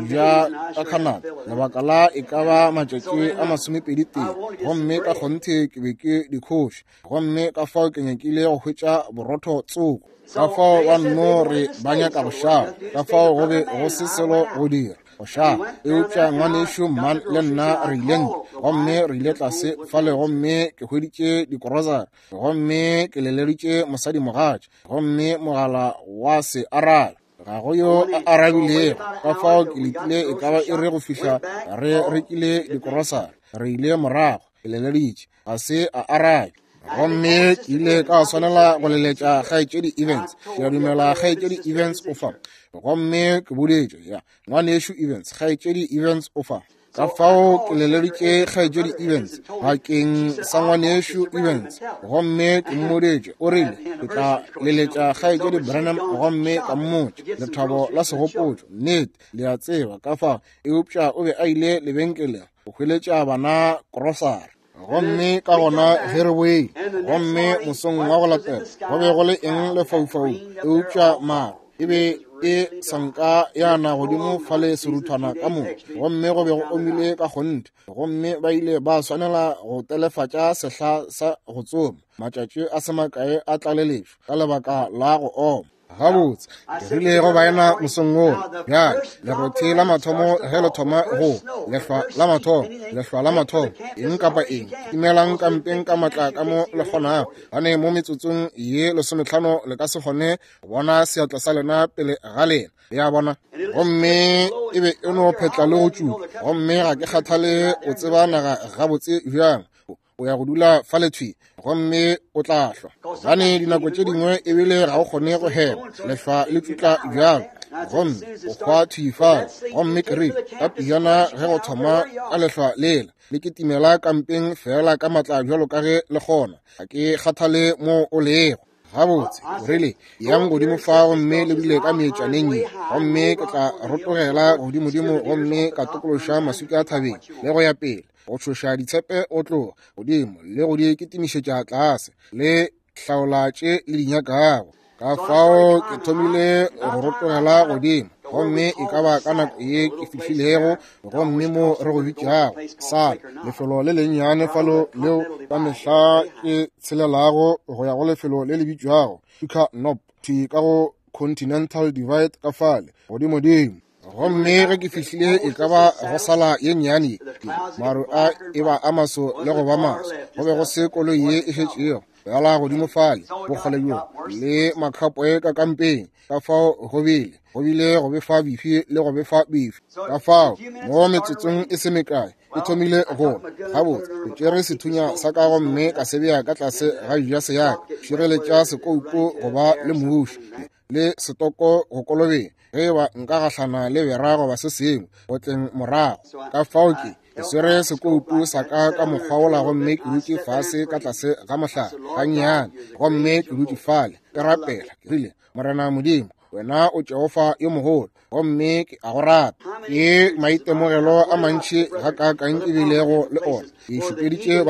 ja ka Canada lebaka la e ka ba matšatši a 21, gomme ka kgonthe ke be ke di khoše, gomme ka fao ke nyakile go hwetša borotho tsoko. Ka fao ba nno re ba nyaka go šala, ka fao go be go se selo go dira go šala. Eupša ngwanešu Mman le nna re ile ntle, gomme re ile tlase fale, gomme ke hweditše dikorosari, gomme ke leleditše mosadimogatša, gomme mogala wa se arabe. Ga go yo a arabilego. Ka fao ke letile e ka ba iri go fihla re rekile dikorosari. Re ile morago, ke leleditše, ga se a arabe. Gomme ke ile ka swanela go leletša kgaetšedi Evans. Ke a dumela kgaetšedi Evans o fa. Gomme ke boditše ya ngwanešu Evans, kgaetšedi Evans o fa. Ka fao ke leleditše kgaetšedi Evans bakeng sa ngwanešu Evans, gomme ke mmoditše, o rile ke tla leletša kgaetšedi Branham gomme ka mmotša lethabo la segopotšo. Nnete, le a tseba ka fao. Eupša o be a ile lebenkeleng go hweletša bana grocery. Gomme ka gona ge re boile, gomme mosong wa go latela go be go le eng lefaufaung eupša maru. E be e sanka ya na godimo fale seruthwana ka moka, gomme go be go omile ka kgonthe, gomme ba ile ba swanela go telefatša sehla sa go tsoma matšatši a se makae a tlaleletšo ka lebaka la go oma. Gabotse, ke rile go baena mosong wo, bjale lerothi la mathomo ge le thoma go lehlwa la mathomo, lehlwa la mathomo, eng kapa eng, timelang kampeng ka matla ka mo le kgonago, gane mo metsotsong ye 15 le ka se kgone go bona seatla sa lena pele ga lena, le a bona. Gomme e be e no phetla le go tšutla, gomme ga ke kgathale o tseba naga gabotse bjang, o ya go dula fa lethwi gomme o tla hlwa, gane dinako tše dingwe ebile ga o kgone go hema, lehlwa le tšutla bjalo, gomme o hwa thwi fale. Gomme ke rile ka pejana ge go thoma ka lehlwa lela le kitimela kampeng fela ka matla bjalo ka ge le kgona, ga ke kgathale mo o lego. Gabotse, o rile, yang godimo fa gomme le dule ka meetšaneng ye, gomme ke tla rotogela godimodimo gomme ka tokološa maswika a thabeng le go ya pele, go tšhoša ditshepe go tloga godimo le go di kitimišetša tlase, le hlaola tše le di nyakago. Ka fao ke thomile go rotogela godimo, gomme e ka ba ka nako ye ke fihlilego gomme mo re go bitšago sa lefelo le lennyane falo leo ka mehla ke tshelelago go ya go lefelo le le bitšwago Tucker Knob, thwi ka go Continental Divide ka fale godimodimo. Gomme ge ke fihlile e ka ba go sala ye nnyane, maru a e ba a maso le go ba maso, go be go se koloi ye e šetšego bjala godimo fale bokgole bjo le makhapoe ka kampeng. Ka fao go bile go befa bifi le go befa bifi. Ka fao mo metsotsong e se mekae ke thomile go gabotse, ke tšere sethunya sa ka gomme ka se bea ka tlase ga jase ya ka, šireletša sekoupo go ba le muši le setoko go kolobeng ge eba nka gahlana le bera goba se sengwe go tleng morago. Ka fao ke swere sekoupu sa ka ka mokgwa wola, gomme ke dutše fase ka tlase ga mohlare gannyane, gomme ke dutše fale ke rapela. Ke rile, Morena Modimo, wena o Jehofa yo mogolo, gomme ke a go rata. Ke maitemogelo a mantši gakaakang ke bilego le ona. Ke šupeditše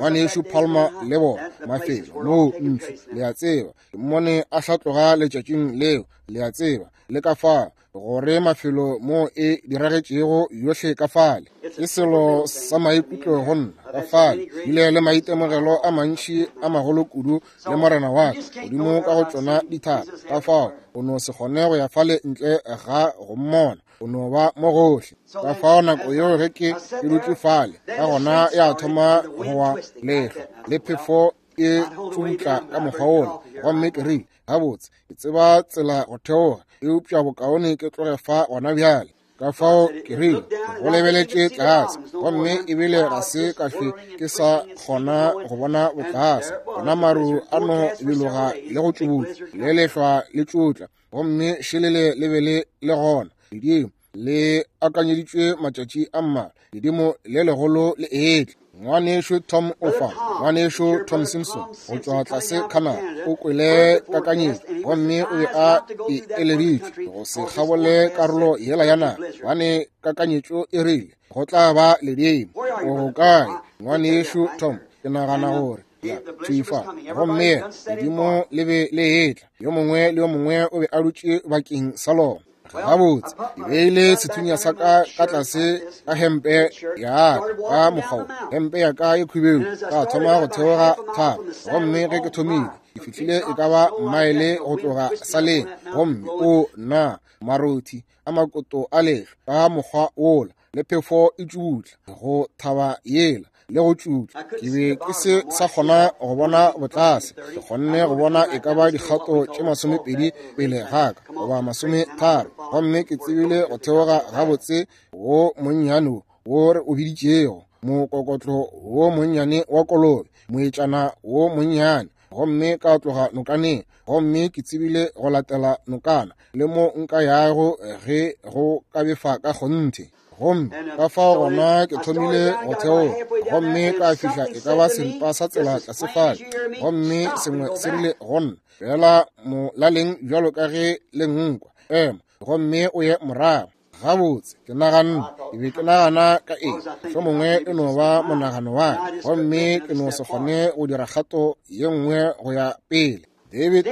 banešu Palmer le bona mafelo moo ntšhu, le a tseba, ke mmone a hlatloga letšatšing leo, le a tseba, le ka fao gore mafelo mo e diragetšego yohle ka fale. Ke selo sa maikutlo go nna ka fale, bile le maitemogelo a mantši a magolo kudu le morena wa ka godimo ka go tšona dithaba. Ka fao o no se kgone go ya fale ntle ga go mmona, o no ba mo gohle. Ka fao nako yeo ge ke dutše fale, ka gona ya thoma go wa lehlwa le phefo e tšutla ka mokgwa wola, gomme ke rile, gabotse, ke tseba tsela go theoga, eupša bokaone ke tloge fa gona bjale. Ka fao ke rile, go lebeletše tlase, gomme ebile ga se ka hlwe ke sa kgona go bona botlase. Gona maru a no biloga le go tšubutla, le lehlwa le tšutla, gomme šelele le be le le gona. Ledimo le akanyeditšwe matšatši a mmalwa, ledimo le legolo le etla. Ngwanešu Tom Ofa, ngwanešu Tom Simpson go tšwa tlase Canada, o kwele kakanyetšo gomme o be a e eleditšwe go se kgabole karolo yela ya naga, gobane kakanyetšo e rile go tla ba ledimo. O kae ngwanešu Tom? Ke nagana gore ya thwi fa. Gomme ledimo le be le etla, yo mongwe le yo mongwe o be a dutše bakeng sa lona. Gabotse, ke beile sethunya sa ka ka tlase ka hempe ya ka mokgwa, hempe ya ka e khubedu, ka thoma go theoga thaba. Gomme ge ke thomile, ke fihlile e ka ba maele go tloga saleng, gomme o na marothi a makoto a lehlwa ka mokgwa wola, le phefo e tšutla go thaba yela le go tšutla. Ke be ke se sa kgona go bona botlase, ke kgonne go bona e ka ba dikgato tše 20 pele ga ka goba 30, gomme ke tsebile go theoga gabotse wo monnyane wo re o biditšego mokokotlo wo monnyane wa kolobe, moetšana wo monnyane, gomme ka tloga nokaneng, gomme ke tsebile go latela nokana le mo nka yago ge go ka befa ka kgonthe. Gomme ka fao gona ke thomile go theoga, gomme ka fihla e ka ba seripa sa tsela tlase fale, gomme sengwe se rile go nna, fela molaleng bjalo ka ge le nkwa, ema gomme o ye morago. Gabotse, ke naganne, ke be ke nagana ka eng, mohlomongwe e no ba monagano wa ka, gomme ke no se kgone go dira kgato ye nngwe go ya pele. David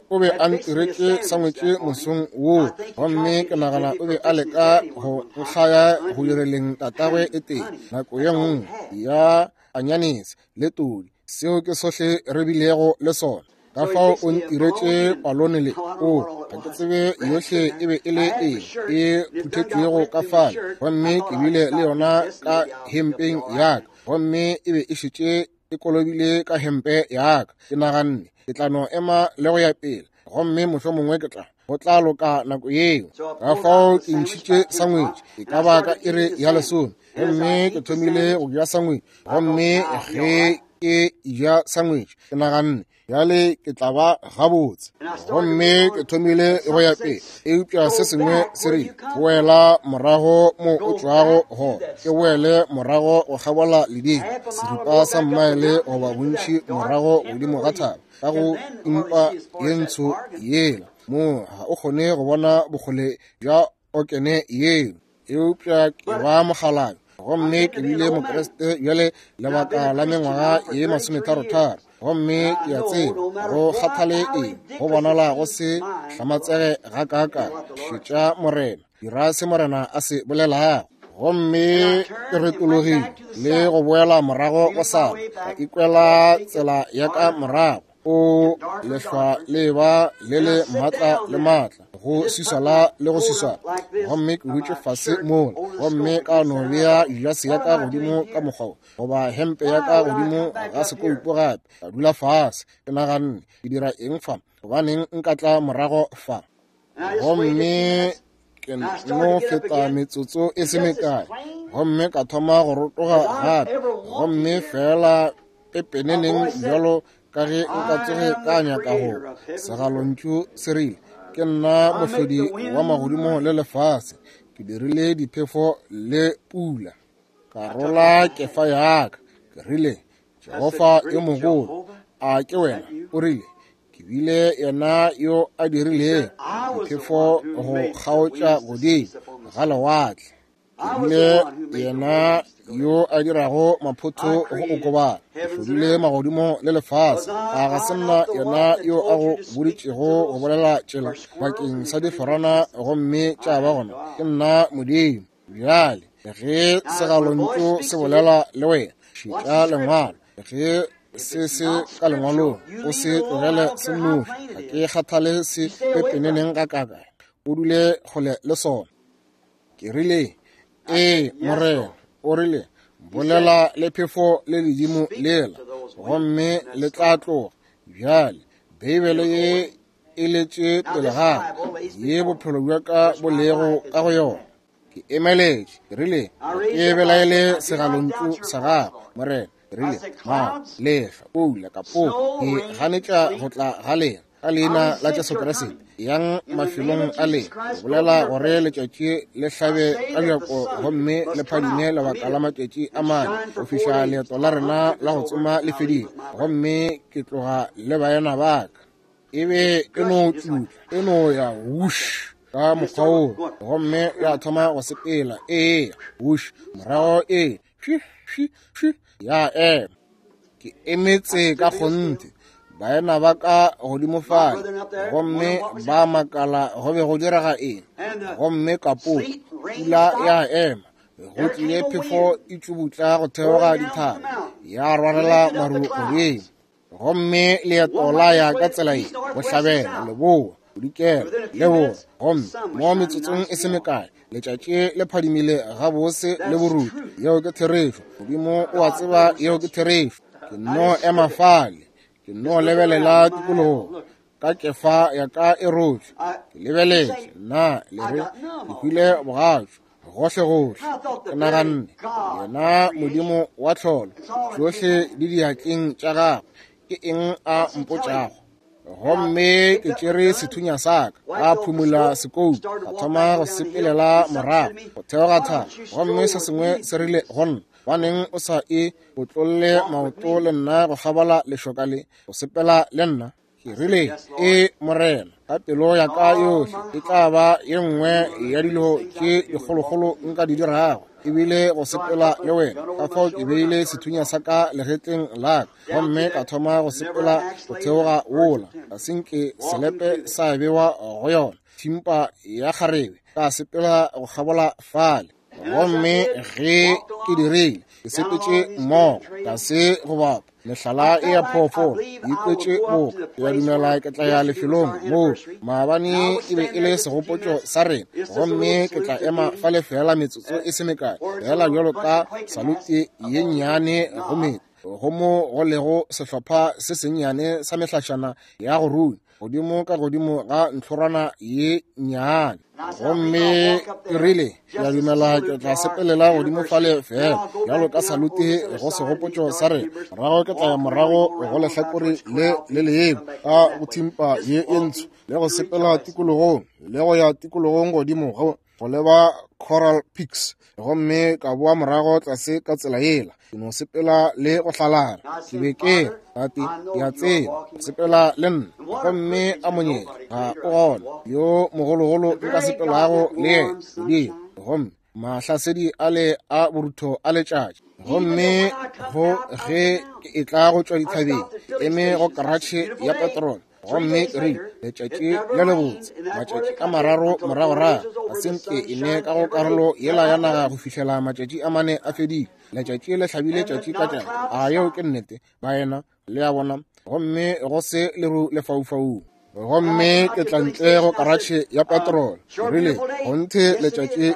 o be a ntiretše sangwetše mosong woo, gomme ke nagana o be a leka go nkgaya go direleng tatagwe e tee nako ye nngwe ya anyanese le todi. Seo ke sohle re bilego le sona. Ka fao o ntiretše palone le o ga ke tsebe yohle e be e le eng e phuthetšwego ka fale, gomme ke bile le yona ka hempeng ya ka, gomme e be e šetše e kolobile ka hempe ya ka. Ke naganne ke tla no ema le go ya pele, gomme mohlomongwe ke tla go tla loka nako yeo. Ka fao ke ntšhitše sangwetše e ka ba ka iri ya 10, gomme ke thomile go ja sangwetše, gomme ge ke ja sangwetše ke naganne bjale ke tla ba gabotse, gomme ke thomile go ya pele. Eupša se sengwe se rile, boela morago mo o tšwago gona, ke boele morago go kgabola ledimo, seripa sa mmaele goba bontši morago godimo ga thaba, ka go impa ye ntsho yela mo ga o kgone go bona bokgole bja okene yeo. Eupša ke ba mokgalabje, gomme ke bile Mokriste bjale lebaka la mengwaga ye 33, gomme ke a tseba go kgathale eng go bonala go se hlamatsege ga kaaka. Šetša Morena, dira se Morena a se bolelago. Gomme ke retologile le go boela morago go sala, ka ikwela tsela ya ka morago. O lehlwa le ba le le maatla le maatla, go swiswala le go swiswala, gomme ke dutše fase mola, gomme ka no bea jase ya ka godimo ka mokgwa goba hempe ya ka godimo ga sekoupo gape, ka dula fase. Ke naganne, ke dira eng fa? Gobaneng nka tla morago fa? Gomme ke no feta metsotso e se mekae, gomme ka thoma go rotoga gape, gomme fela pepeneneng bjalo ka ge nka tsoge ka nyaka go. Segalontšu se rile, ke nna mohlodi wa magodimo le lefase, ke dirile diphefo le pula. Ka rola kefa ya ka, ke rile, Jehofa yo mogolo, a ke wena? O rile, ke bile yena yo a dirilego diphefo go kgaotša godimo ga lewatle, ke bile yena yo a dirago maphotho go okobala, ke hlodile magodimo le lefase. A ga se nna yena yo a go boditšego go bolela tšela bakeng sa diforana gomme tša ba gona? Ke nna Modimo. Bjale ge segalontšu se bolela le wena, šetša lengwalo. Ge se se ka lengwalong, o se tlogele se nnoši. Ga ke kgathale se pepeneneng ga kaka, o dule kgole le sona. Ke rile, ee Morena. O rile, bolela le phefo le ledimo lela, gomme le tla tloga. Bjale Beibele ye e letše pele ga ye bophelo bja ka bo lego ka go yona. Ke emeletše, ke rile, ke belaele segalontšu sa gago, Morena. Ke rile, ma lehlwa, pula, kapoko, ke ganetša go tla ga lena ka leina la Jesu Kriste. Yang mafelong a lena, ke bolela gore letšatši le hlabe ka bjako gomme le phadime lebaka la matšatši a 4 go fihla leeto la rena la go tsoma le fedile, gomme ke tloga le baena ba ka. E be e no tšutla, e no ya wush ka mokgwa woo, gomme ya thoma go sepela, eya wush, morago e shi shi shi ya ema. Ke emetse ka kgonthe baena ba ka godimo fale, gomme ba makala go be go direga eng, gomme kapoko pula ya ema. Go tlile phefo e tšubutla go theoga dithaba, ya rwarela maru godimo, gomme leeto la ya ka tsela ye, bohlabela, leboa, bodikela, leboa. Gomme mo metsotsong e se mekae letšatši le phadimile gabose le boruti. Yeo ke therešo. Modimo o a tseba yeo ke therešo. Ke no ema fale, ke no lebelela tikologo ka kefa ya ka e rotšwe. Ke lebeletše, nna le re ke hwile bogatšo gohle gohle. Ke naganne, yena Modimo wa tlholo, tšohle di diatleng tša gagwe, ke eng a mpotšago? Gomme ke tšere sethunya sa ka, ka phumula sekoutu, ka thoma go sepelela morago go theoga thaba, gomme se sengwe se rile go nna, baneng o sa e otlolle maoto le nna go kgabola lešoka le, go sepela le nna? Ke rile, ee Morena. Ka pelo ya ka yohle, e tla ba ye nngwe ya dilo tše dikgolokgolo nka di dirago, ebile go sepela le wena. Ka fao ke beile sethunya sa ka legetleng la ka, gomme ka thoma go sepela go theoga wola. Ga se nke selepe sa bewa go yona, thimpa ya kgarebe. Ka sepela go kgabola fale. Gomme ge ke dirile, ke sepetše mmogo, tlase go bapa mehlala e ya phoofolo, ke ikwetše boka. Ke a dumela ke tla ya lefelong moo maabane e be e le segopotšo sa rena, gomme ke tla ema fale fela metsotso e se mekae, fela bjalo ka salute ye nnyane go meta, go mo go lego sehlopha se sennyane sa mehlašana ya go runya godimo ka godimo ga ntlhorwana ye nnyane. Gomme ke rile, ke a dumela ke tla sepelela godimo fale fela bjalo ka salute go segopotšo sa rena, morago ke tla ya morago go lehlakore le le lengwe ka go thimpa ye e ntsho, le go sepela tikologong le go ya tikologong godimo go leba Coral Peaks, gomme ka boa morago tlase ka tsela yela. Ke no sepela le go hlalala. Ke be ke Tate, ke a tseba o sepela le nna, gomme a monyetla ga o gona yo mogologolo nka sepelago le yena Modimo. Gomme mahlasedi ale a borutho a letšatši, gomme go ge ke etla go tšwa dithabeng, ke eme go karatšhe ya petrole, gomme ke rile, letšatši le lebotse, matšatši a mararo moragorago, ga se nke e ne ka go karolo yela ya naga go fihlela matšatši a mane a fedile. Letšatši le hlabile tšatši ka tšatši. A yeo ke nnete, baena? Le a bona? Gomme go se leru lefaufaung. Gomme ke tla ntle go karatšhe ya petrole. Ke rile, kgonthe letšatši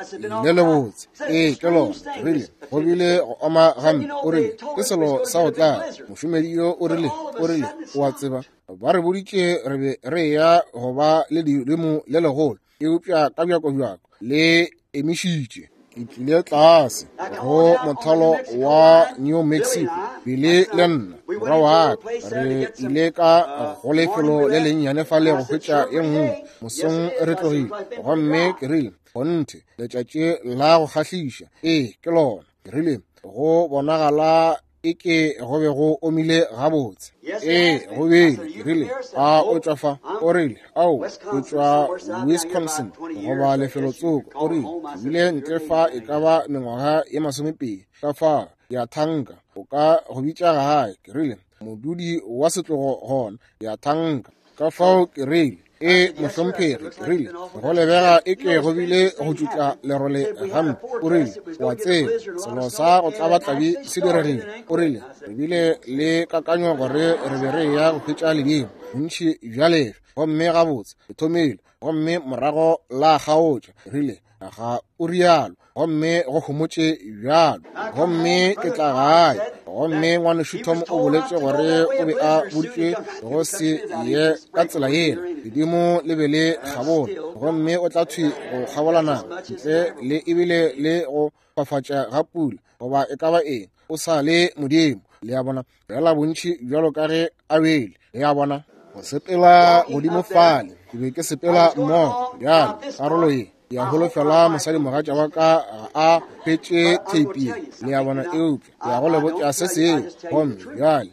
le lebotse. Ee, ke lona. Ke rile, go bile go oma gampe. O rile, ke selo sa go tlala. Mošomedi yo o rile, o rile, o a tseba, ba re boditše re be re eya go ba le ledimo le legolo, eupša ka bjakobjako le emišitše. Ke tlile tlase go mothalo wa New Mexico, Billy le nna, morwa wa ka, re ile ka go lefelo le lennyane fale go hwetša ye nngwe. Mosong re tlogile, gomme ke rile, kgonthe letšatši la go kgahliša. Ee, ke lona. Ke rile, go bonagala eke go be go omile gabotse. Ee, go bile. Ke rile, a o tšwa fa? O rile, ao, o tšwa Wisconsin goba lefelotsoko. O rile, ke bile ntle fa e ka ba mengwaga ye 20, ka fa ke a thanka o ka go bitša gae. Ke rile, modudi wa setlogo gona, ke a thanka. Ka fao ke rile, e mohlomphegi, ke rile, go lebega e ke go bile go tšutla lerole gampe. O rile, o a tseba, selo sa go tlabatlabi se diregile. O rile, re bile le kakanyo gore re be re eya go hwetša ledimo bontši bja lefe, gomme gabotse le thomile, gomme morago la kgaotša. Rile, ga o rialo, gomme go homotše bjalo. Gomme ke tla gae, gomme ngwanešu Tom o boletše gore o be a boditšwe go se ye ka tsela yela, ledimo le be le kgabola, gomme o tla thwi go kgabola naga ntle le ebile le go fafatša ga pula goba e ka ba eng. O sa le Modimo, le a bona, fela bontši bjalo ka ge a bele, le a bona. Go sepela godimo fale, ke be ke sepela mmogo bjalo karolo ye. Ke a holofela mosadimogatša wa ka ga a hwetše theipi ye, le a bona, eupša ke ya go le botša se sengwe. Gomme bjale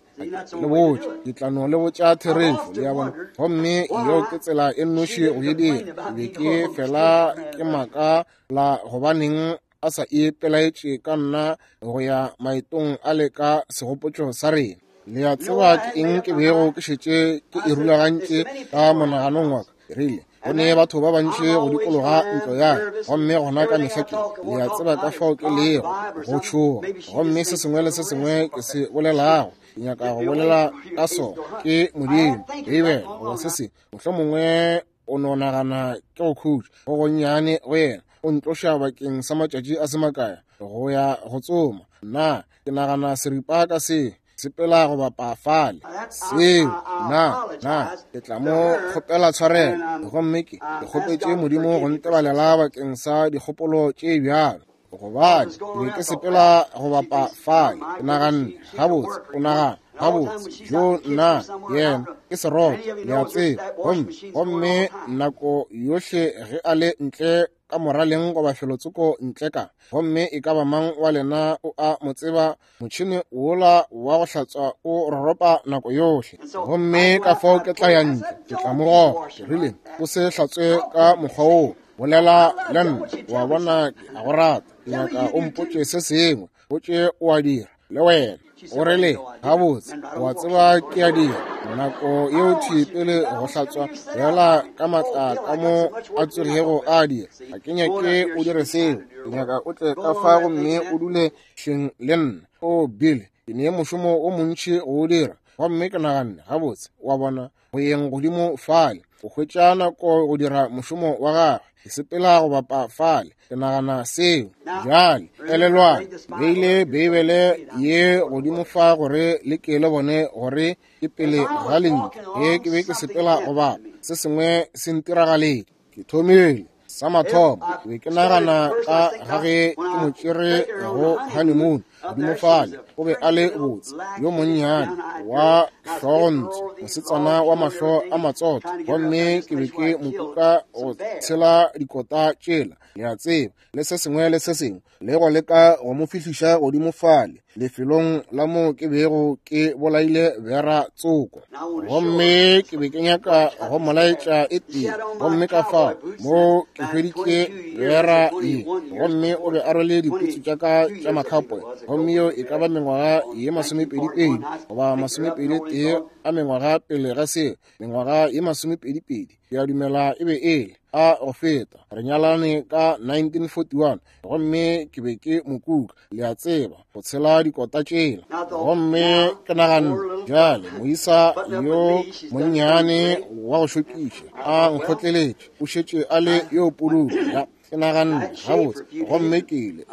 le botša, ke tla no le botša therešo, le a bona. Gomme yeo ke tsela e nnoši go e dira. Ke be ke fela ke maka la gobaneng a sa ipelaetše ka nna go ya maetong a le ka segopotšo sa rena. Le a tseba ke eng ke bego ke šetše ke e rulagantše ka monaganong wa ka? Ke rile, go ne batho ba bantši go dikologa ntlo ya ka, gomme gona ka mehla ke, le a tseba ka fao ke lego go tšhoga, gomme se sengwe le se sengwe ke se bolelago, ke nyaka go bolela ka sona, ke Modimo, Beibele, goba se sengwe. Mohlomongwe o no nagana ke go khutša go gonnyane go yena, o ntloša bakeng sa matšatši a se makae go ya go tsoma. Nna ke nagana seripa ka se sepela go bapa fale seo, nna ke tla mo kgopela tshwarelo, gomme ke kgopetše Modimo go ntebalela bakeng sa dikgopolo tše bjalo, gobane ke be ke sepela go bapa fale, ke naganne gabotse, o nagana gabotse jo nna yena ke seroto, le a tseba. Gomme nako yohle ge a le ntle ka moraleng goba felotsoko ntle ka. Gomme e ka ba mang wa lena o a mo tseba, motšhene wola wa go hlatswa o roropa nako yohle. Gomme ka fao ke tla ya ntle, ke tla mo goga. Ke rile, o se hlatswe ka mokgwa woo, bolela le nna, wa bona, ke a go rata. Ke nyaka o mpotše se sengwe, botše o a dira le wena. O rile, gabotse, wa tseba ke a dira. Nako yeo thwi pele go hlatswa fela ka matla ka mo a tsogego a dira. Ga ke nyake o dire seo. Ke nyaka o tle ka fa gomme o dule hleng le nna. O Bill, ke ne mošomo o montši go o dira. Gomme ke naganne, gabotse, wa bona, go yeng godimo fale, o hwetša nako go dira mošomo wa gagwe. Ke sepela go bapa fale, ke nagana seo. Bjale, elelwang, beile Beibele ye godimo fa gore le ke le bone gore ke pele ga lentšu. Ge ke be ke sepela go bapa, se sengwe se ntiragaletše. Ke thomile sa mathomo, ke be ke nagana ka ga ge ke mo tšere go honeymoon godimo fale. O be a le botse, yo monnyane wa hlogontsho, mosetsana wa mahlo a matsotho. Gomme ke be ke mo kuka go tshela dikota tšela, le a tseba, le se sengwe le se sengwe, le go leka go mo fihliša godimo fale lefelong la mo ke bego ke bolaile bera tsoko. Gomme ke be ke nyaka go molaetša e tee. Gomme ka fao mo ke hweditše bera ye, gomme o be a rwele diputsu tša ka tša makhapoe. Gomme yeo e ka ba mengwaga ye 22 goba 21 a mengwaga pele ga seo, mengwaga ye 22, ke a dumela e be e le a go feta. Re nyalane ka 1941, gomme ke be ke mo kuka, le a tseba, go tshela dikota tšela. Gomme ke naganne, bjale moisa yo monnyane wa go šokiša a nkgotleletše, o šetše a le yo pududu. Ke naganne, gabotse, gomme ke ile,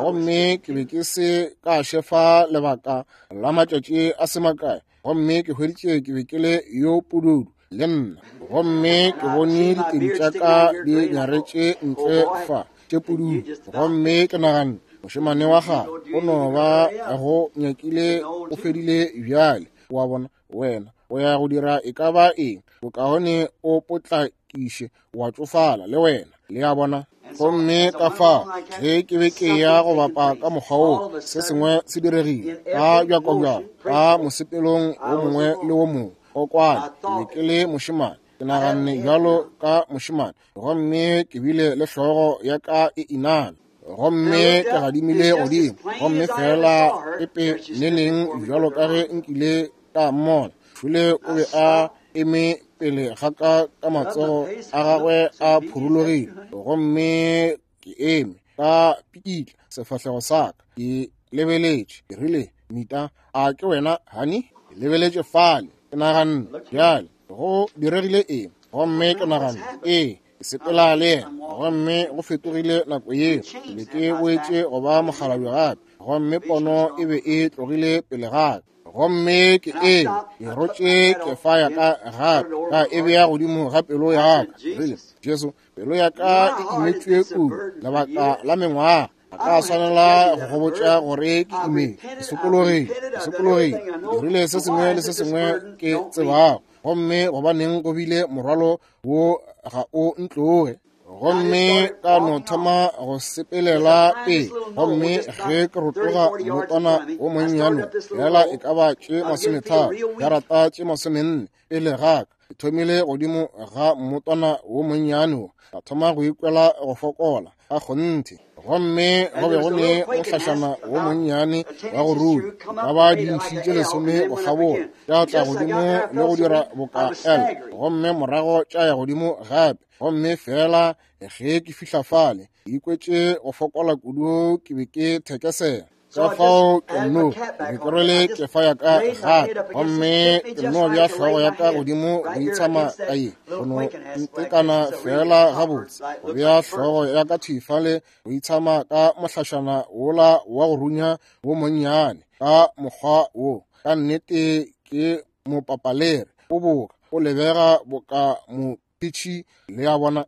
gomme ke be ke se ka šefa lebaka la matšatši a se makae, gomme ke hweditše ke be ke le yo pududu le nna. Gomme ke bone ditedi tša ka di nyaretše ntle fa tše pududu. Gomme ke naganne, mošemane wa gagwe o no ba go nyakile o fedile bjale. Wa bona, wena o ya go dira e ka ba eng, bokaone o potlakiše wa tšofala le wena, le a bona. Gomme ka fao ge ke be ke ya go bapa ka mokgwa woo, se sengwe se diregile ka bjakobjako ka mosepelong wo mongwe le wo mongwe. O kwane, ke be ke le mošemane, ke naganne bjalo ka mošemane, gomme ke bile le hlogo ya ka e iname. Gomme ke gadimile godimo, gomme fela epe neneng bjalo ka ge nkile ka mmona. Šole o be a eme pele ga ka ka matsogo a gagwe a phurulogile, gomme ke eme ka pikitla sefahlego sa ka, ke lebeletše. Ke rile, Nita, a ke wena, honey? Ke lebeletše fale, ke naganne, bjale go diregile eng? Gomme ke naganne, ee, ke sepela le yena. Gomme go fetogile nako yeo, ke be ke boetše go ba mokgalabje gape, gomme pono e be e tlogile pele ga ka. Gomme ke eme, ke rotše kefa ya ka gape, ka e bea godimo ga pelo ya ka. Rile, Jesu, pelo ya ka e imetšwe kudu lebaka la mengwaga. A ka swanela go gobotša gore ke imele, ke sokologile, ke sokologile, ke dirile se sengwe le se sengwe ke tsebago. Gomme gobaneng go bile morwalo wo ga o ntloge? Gomme ka no thoma go sepelela pele. Gomme ge ke rotoga mmotwana wo monnyane, fela e ka ba tše 50, jarata tše 40 pele ga ka, ke thomile godimo ga mmotwana wo monnyane wo, ka thoma go ikwela go fokola ka kgonthe. Gomme go be go ne mohlašana wo monnyane wa go rula, ka ba dintšhi tše 10 go kgabola, tša tla godimo le go dira boka L, gomme morago tša ya godimo gape. Gomme fela ge ke fihla fale, ke ikwetše go fokola kudu, ke be ke thekesela. Ka fao ke nno be ke rwele kefa ya ka gape, gomme ke nno bea hlogo ya ka godimo go itshama ka ye, go no ntekana fela gabotse, go bea hlogo ya ka thwi fale go itshama ka mohlašana wola wa go runya wo monnyane ka mokgwa wo. Ka nnete ke mopapalere, o boka, o lebega boka mo pitšhi, le a bona.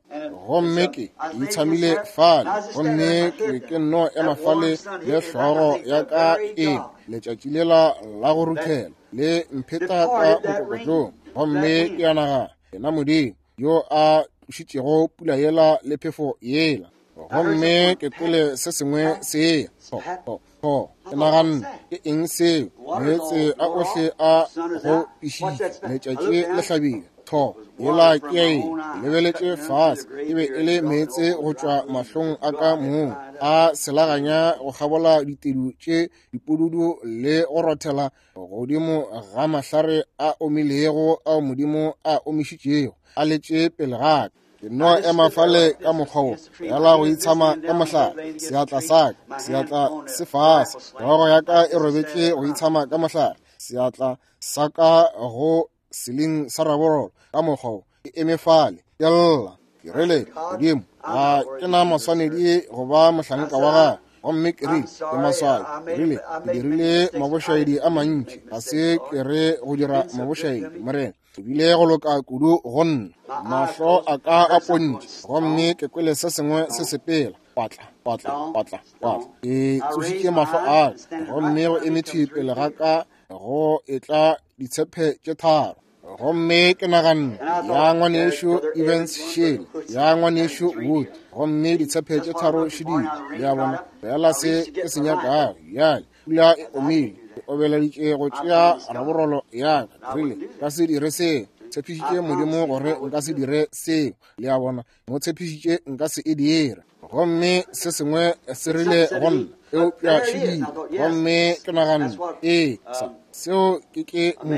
Gomme ke itshamile fale, gomme ke be ke nno ema fale le hlogo ya ka e letšatši lela la go ruthela le mpheta ka mokokotlong. Gomme ke a nagana, yena Modimo yo a tlošitšego pula yela le phefo yela. Gomme ke kwele se sengwe se eya, tho, tho, tho. Ke naganne, ke eng seo? Meetse a ohle a go pišitše, letšatši le hlabile. Tho, yela ke ya eng? Ke lebeletše fase, e be e le meetse go tšwa mahlong a ka mong, a selaganya go kgabola ditedu tše dipududu le go rothela godimo ga mahlare a omilego ao Modimo a omišitšego, a letše pele ga ka. Ke no ema fale ka mokgwa wo, yala go itshama ka mohlare, seatla sa ka, seatla se fase, hlogo ya ka e robetše go itshama ka mohlare, seatla sa ka go seling sa raborolo, ka mokgwa wo, ke eme fale, ke lla. Ke rile, Modimo, ga ke na maswanedi go ba mohlanka wa gago. Gomme ke rile, ke maswabi. Ke rile, ke dirile mabošaedi a mantši, ga se ke re go dira mabošaedi, Morena. Ke bile go loka kudu go nna. Mahlo a ka a pontše, gomme ke kwele se sengwe se sepela. Patla, patla, patla, patla. Ke tsošitše mahlo a ka, gomme go eme thwi pele ga ka go etla ditshephe tše tharo. Gomme ke naganne, ya ngwanešu Evans šele, ya ngwanešu Wood, gomme ditshephe tše tharo šedile. Le a bona, fela se ke se nyakago. Bjale, pula e omile, ke obeleditše go tšea raborolo ya ka. Ke rile, nka se dire seo. Tshepišitše Modimo gore nka se dire seo. Le a bona, mo tshepišitše nka se e dire. Gomme se sengwe se rile go nna, eupša šedile. Gomme ke naganne, ee, sa, seo ke ke mo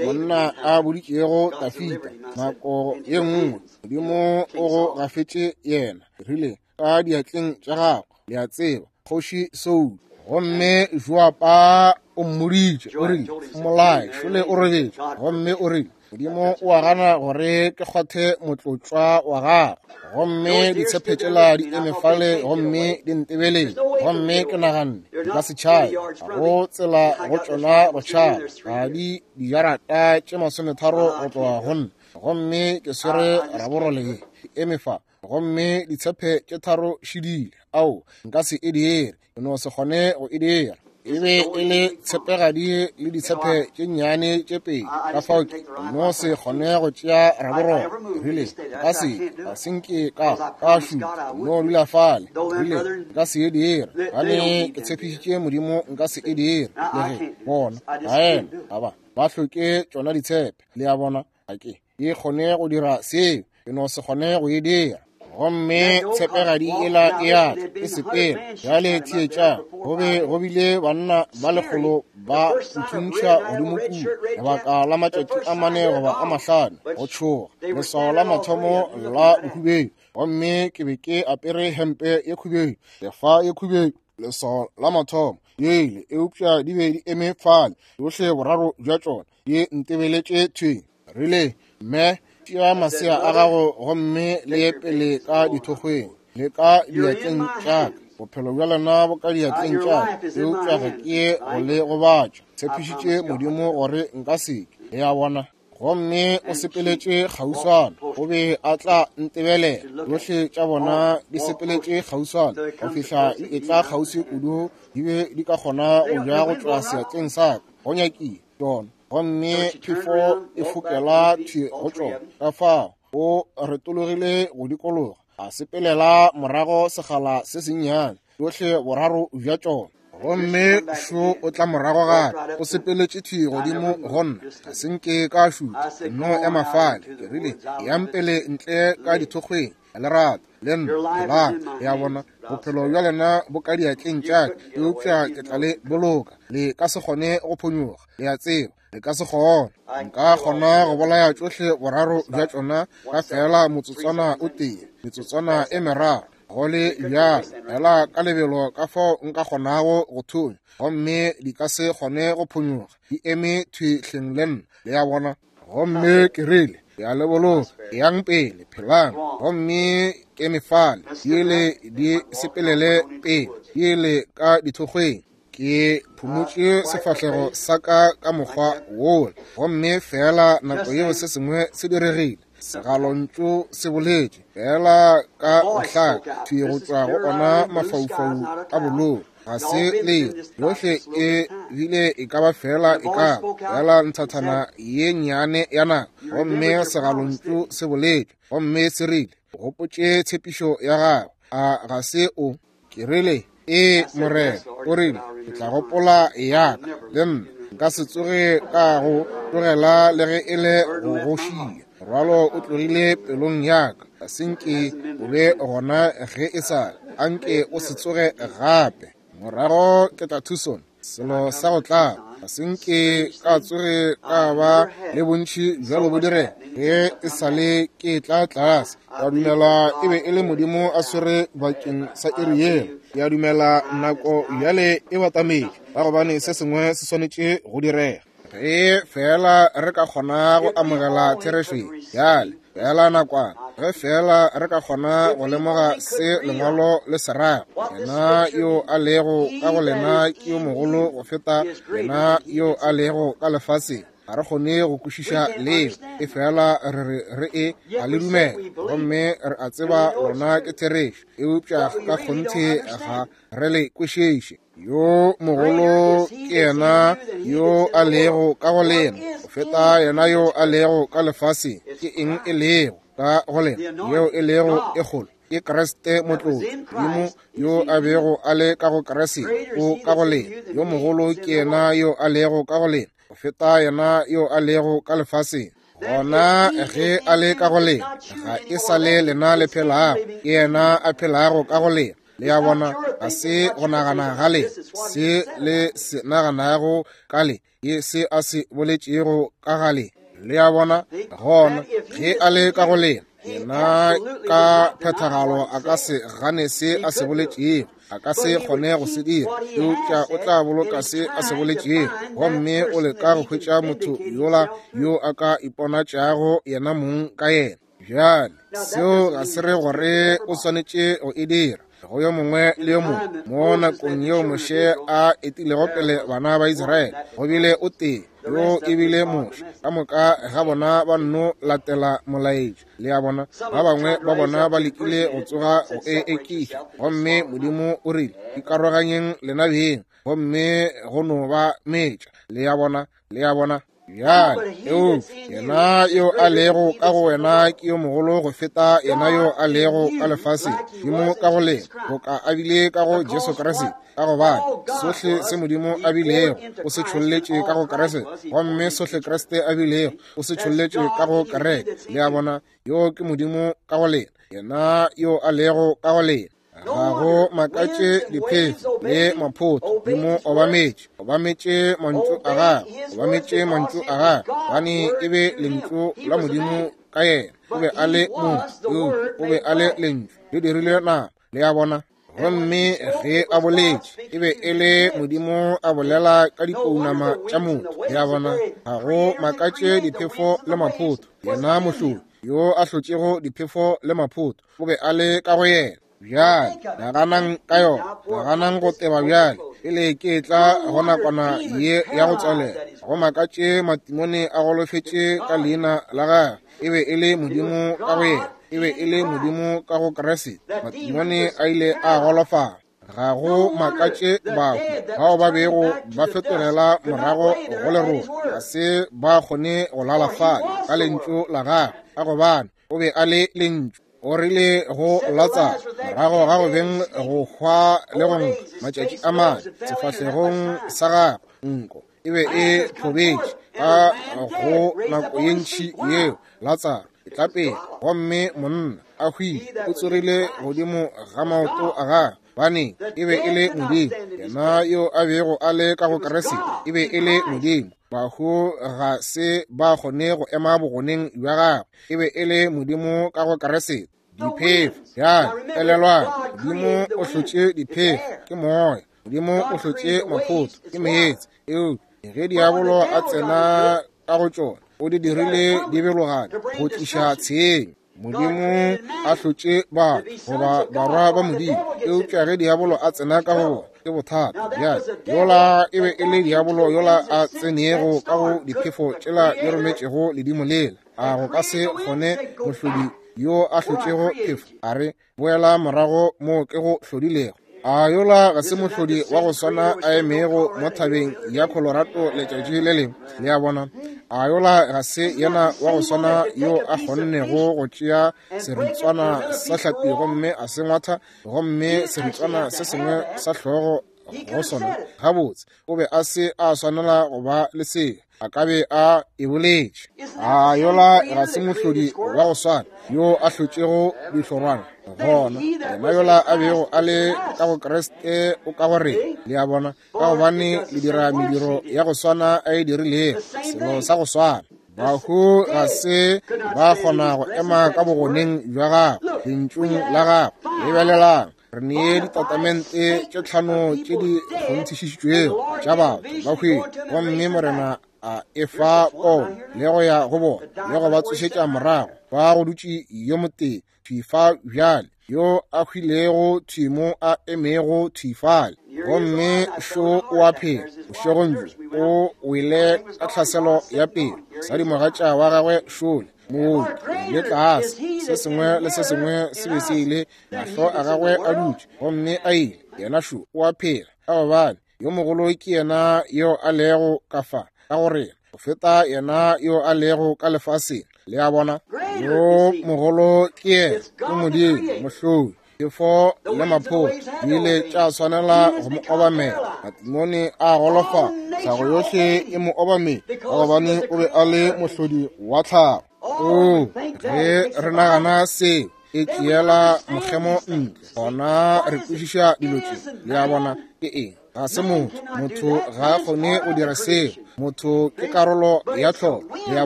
monna a boditšego Dafida nako ye nngwe, Modimo o go gafetše yena, rile, ka diatleng tša gago, le a tseba, kgoši Saul. Gomme Joaba o mmoditše, o rile, mmolae, šole o robetše. Gomme o rile, Modimo o a gana gore ke kgwathe motlotšwa wa gagwe. Gomme ditshephe tšela di eme fale gomme di ntebeletše. Gomme ke naganne, di ka se tšhabe, ga go tsela go tšona go tšhaba. Ga di dijarata tše 30 go tloga go nna. Gomme ke swere raborole ye, ke eme fa. Gomme ditshephe tše tharo šidile. Ao, nka se e dire. Ke no se kgone go e dira. E be e le tshepegadi le ditshephe tše nnyane tše pedi. Ka fao ke no se kgone go tšea raborolo. Ke rile, nka se, ga se nke ka, ka šutha. No dula fale. Ke rile, nka se e dire. Gane ke tshepišitše Modimo nka se e dire. Le ge, bona, baena, ga ba, ba hloke tšona ditshepe. Le a bona? Ga ke e kgone go dira seo. Ke no se kgone go e dira. Gomme tshepegadi ela e a tla, e sepela. Bjale theetšang, go be go bile banna ba lekgolo ba nthuntšha godimo kua lebaka la matšatši a 4 goba a 5, go tšhoga, leswao la mathomo la bohubedu. Gomme ke be ke apere hempe ye khubedu, lefa ye khubedu, leswao la mathomo yele, eupša di be di eme fale, tšohle boraro bja tšona di ntebeletše thwi. Rile, Mme, tšea masea a gago gomme le ye pele ka dithokgweng le ka diatleng tša ka. Bophelo bja lena bo ka diatleng tša ka, eupša ga ke ye go le gobatša. Tshepišitše Modimo gore nka se ke. Le a bona? Gomme o sepeletše kgauswana, o be a tla ntebelela. Tšohle tša bona di sepeletše kgauswana go fihla di etla kgauswi kudu di be di ka kgona go ja go tšwa seatleng sa ka. Go nyakile tšona. Gomme phefo e fokela thwi go tšona. Ka fao o retologile go dikologa, a sepelela morago sekgala se sennyane, tšohle boraro bja tšona. Gomme šo o tla morago gape, o sepeletše thwi godimo go nna. Ga se nke ka šutha, ke no ema fale. Ke rile, Eyang pele ntle ka dithokgweng, le rata, le nna, phelang. Le a bona, bophelo bja lena bo ka diatleng tša ka, eupša ke tla le boloka. Le ka se kgone go phonyoga, le a tseba, le ka se kgone. Nka kgona go bolaya tšohle boraro bja tšona ka feela motsotswana o tee, metsotswana e meraro, go le bjalo, fela ka lebelo ka fao nka kgonago go thunya, gomme di ka se kgone go phonyoga, di eme thwi hleng le nna, le a bona. Gomme ke rile, ke a le boloka, eyang pele, phelang. Gomme ke eme fale, di ele di sepelele pele, di ele ka dithokgweng. Ke phumotše sefahlego sa ka ka mokgwa wola, gomme feela nako yeo se sengwe se diregile. Segalontšu se boletše feela ka go hlaka thwi go tšwa go ona mafaufau a bolou. Ga se le yohle e bile e ka ba fela e ka fela nthathana ye nnyane ya nako. Gomme segalontšu se boletše, gomme se rile, gopotše tshepišo ya gago. A ga se o? Ke rile, ee, Morena. O rile, ke tla gopola ya ka, le nna nka se tsoge ka go tlogela le ge e le go go šia. Morwalo o tlogile pelong ya ka, ga se nke o be gona ge e sa le, a nke o se tsoge gape. Morago ke tla Tucson, selo sa go tlaba, ga se nke ka tsoge ka ba le bontši bjalo bo direga ge e sa le ke tla tlase. Ka dumela e be e le Modimo a swere bakeng sa iri yeo. Ke a dumela nako bjale e batametše, ka gobane se sengwe se swanetše go direga. Ge fela re ka kgona go amogela therešo ye bjale, fela nakwana, ge fela re ka kgona go lemoga se lengwalo le se rago, yena yo a lego ka go lena ke yo mogolo go feta yena yo a lego ka lefaseng. Ga re kgone go kwešiša leo, e fela re re re e a le dumela, gomme re a tseba lona ke therešo, eupša ka kgonthe ga re le kwešiše. Yo mogolo ke yena yo a lego ka go lena go feta yena yo a lego ka lefaseng. Ke eng e lego ka go lena yeo e lego e kgolo? Ke Kriste motlotši. Modimo yo a bego a le ka go Kriste o ka go lena. Yo mogolo ke yena yo a lego ka go lena go feta yena yo a lego ka lefaseng. Gona ge a le ka go lena, ga e sa le lena le phelago, ke yena a phelago ka go lena. Le a bona, ga se go nagana ga le, se le se naganago ka le, ke se a se boletšego ka ga le. Le a bona, gona ge a le ka go lena, yena ka phethagalo a ka se gane se a se boletšego, a ka se kgone go se dira, eupša o tla boloka se a se boletšego. Gomme o leka go hwetša motho yola yo a ka iponatšago yena mong ka yena. Bjale, seo ga se re gore o swanetše go e dira go yo mongwe le yo mongwe. Mo nakong yeo Moshe a etilego pele bana ba Israele, go bile o tee, yo e bile Moshe. Ka moka ga bona ba nno latela molaetša. Le a bona, ba bangwe ba bona ba lekile go tsoga go e ekiša, gomme Modimo o rile, ikaroganyeng lena beng, gomme go no ba metša. Le a bona, le a bona. Bjale, eupša yena yo a lego ka go wena ke yo mogolo go feta yena yo a lego ka lefaseng. Modimo ka go lena, boka a bile ka go Jesu Kriste, ka gobane sohle se Modimo a bilego o se tšholletše ka go Kriste, gomme sohle Kriste a bilego o se tšholletše ka go kereke. Le a bona, yo ke Modimo ka go lena, yena yo a lego ka go lena. Ga go makatše diphefo le maphoto di mo obametše, obametše mantšu a gagwe, obametše mantšu a gagwe, gobane e be lentšu la Modimo ka yena. O be a le motho, o be a le lentšu le dirile nama. Le a bona? Gomme ge a boletše, e be e le Modimo a bolela ka dipounama tša motho. Le a bona? Ga go makatše diphefo le maphoto, yena mohlodi yo a hlotšego diphefo le maphoto o be a le ka go yena. Bjale naganang ka yona, naganang go teba bjale pele ke tla go nakwana ye ya go tswalela. Go makatše matimone a golofetše ka leina la gagwe. E be e le Modimo ka go yena, e be e le Modimo ka go Kriste. Matimone a ile a golofala. Ga go makatše bahu bao ba bego ba fetogela morago go lerole ga se ba kgone go lala fale ka lentšu la gagwe, ka gobane o be a le lentšu. O rile go Latsaro morago ga go beng go hwa le go nka matšatši a mane, sefahlegong sa gagwe nko e be e thobetše ka go nako ye ntši yeo. Latsaro e tla pele, gomme monna a hwile, o tsogile godimo ga maoto a gagwe, bane e be e le Modimo. Yena yo a bego a le ka go Kriste e be e le Modimo. Bahu ga se ba kgone go ema bogoneng bja gagwe. E be e le Modimo ka go Kriste. Diphefo, bjale elelwang, Modimo o hlotše diphefo, ke moya. Modimo o hlotše maphoto, ke meetse. Eupša ge diabolo a tsena ka go tšona, o di dirile di belogane go tliša tshenyo. Modimo a hlotše batho goba barwa ba Modimo, eupša ge diabolo a tsena ka go bona, ke bothata. Bjale yola e be e le diabolo yola a tsenego ka go diphefo tšela di rometšego ledimo lela. A go ka se kgone mohlodi yo a hlotšego phefo a re, boela morago moo ke go hlodilego? A yola ga se mohlodi wa go swana a emego mo thabeng ya Colorado letšatši le lengwe? Le a bona? A yola ga se yena wa go swana yo a kgonnego go tšea seritswana sa hlapi gomme a se ngwatha, gomme seritswana se sengwe sa hlogo go sona? Gabotse, o be a se a swanela go ba le seo, a ka be a e boletše. A yola ga se mohlodi wa go swana yo a hlotšego dihlorwana? Gona yena yola a bego a le ka go Kriste o ka go rena. Le a bona? Ka gobane le dira mediro ya go swana a e dirilego, selo sa go swana. Bahu ga se ba kgona go ema ka bogoneng bja gagwe, lentšung la gagwe. Lebelelang, re nee ditatamente tše 5 tše di kgonthišišitšwego tša batho ba hwile, gomme Morena a efa pono le go ya go bona le go ba tsošetša morago. Ba go dutše yo motee thwi fa bjale, yo a hwilego thwi mo a emego thwi fale, gomme šo o a phela bošegong bjo, o wele ka tlhaselo ya pelo. Mosadi-mogatša wa gagwe šole mooki le tlase, se sengwe le se sengwe se be se ile, mahlo a gagwe a dutše gomme a ile. Yena šo o a phela, ka gobane yo mogolo ke yena yo a lego ka fa ka go rena go feta yena yo a lego ka lefaseng. Le a bona? Yo mogolo ke yena, ke Modimo mohlodi. Phefo le maphoto di ile tša swanela go mo obamela. Matimone a golofa, tlhago yohle e mo obamela, ka gobane o be a le mohlodi wa tlhago. Oo, ge re nagana seo, e tšeela mokgemo ntle, gona re kwešiša dilo tše. Le a bona? Ke eng? Ga se motho. Motho ga a kgone go dira seo. Motho ke karolo ya tlholo. Le a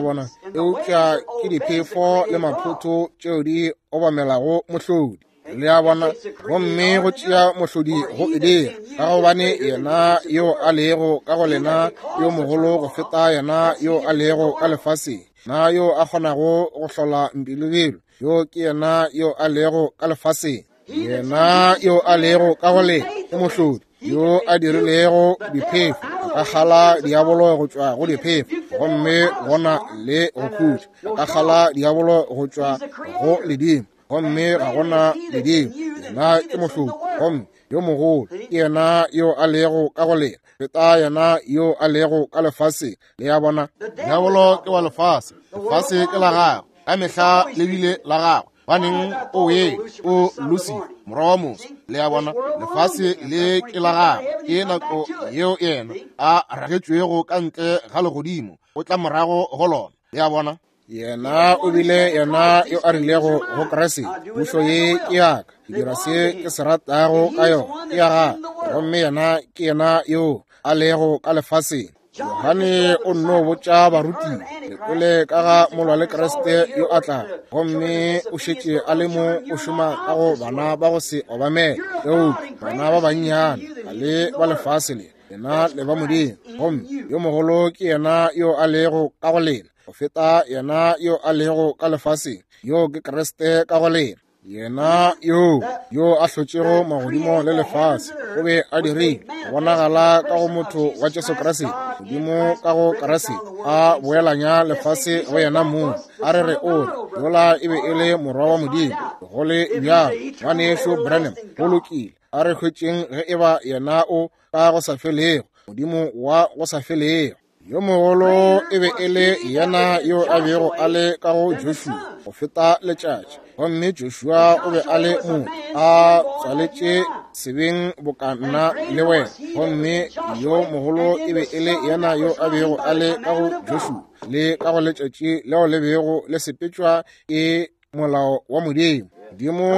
bona? Eupša ke diphefo le maphoto tšeo di obamelago mohlodi. Le a bona? Gomme go tšea mohlodi go e dira, ka gobane yena yo a lego ka go lena yo mogolo go feta yena yo a lego ka lefaseng. Na yo a kgonago go hlola mpilobelo, yo ke yena yo a lego ka lefaseng. Yena yo a lego ka go lena ke mohlodi yo a dirilego diphefo, a ka kgala diabolo go tšwa go diphefo, gomme gona le go khutša. A ka kgala diabolo go tšwa go ledimo, gomme ga gona ledimo. Yena ke mohlodi, gomme yo mogolo ke yena yo a lego ka go lena feta yena yo a lego ka lefaseng. Le a bona? Diabolo ke wa lefase, lefase ke la gagwe, ka mehla le bile la gagwe. Baneng o ye o Lucifer, morwa wa motho. Le a bona? Lefase le ke la gagwe, ke nako yeo yena a ragetšwego ka ntle ga legodimo, o tla morago go lona. Le a bona? Yena o bile yena yo a rilego go Kriste, pušo ye ke ya ka, ke dira se ke se ratago ka yona, ke ya gagwe. Gomme yena ke yena yo a lego ka lefaseng. Johane o nno botša barutiwa le kwele ka ga molwa le Kriste yo a tlago, gomme o šetše a le mo o šoma ka go bana ba go se obamele, eupša bana ba bannyane ga le ba lefase le, lena le ba Modimo, gomme yo mogolo ke yena yo a lego ka go lena go feta yena yo a lego ka lefaseng. Yo ke Kriste ka go lena. Yena yo a hlotšego magodimo le lefase o be a dirile go bonagala ka go motho wa Jesu Kriste, Modimo ka go Kriste a boelanya lefase go yena mong. A re re o re yola e be e le morwa wa Modimo. Go le bjalo, ngwanešu Branham, go lokile. A re hwetšeng ge eba yena o ka go sa felego, Modimo wa go sa felego. Yo mogolo e be e le yena yo a bego a le ka go Joshua go feta letšatši, gomme Joshua o be a le motho a tswaletše sebeng boka nna le wena, gomme yo mogolo e be e le yena yo a bego a le ka go Joshua le ka go letšatši leo le bego le sepetšwa ke molao wa Modimo. Modimo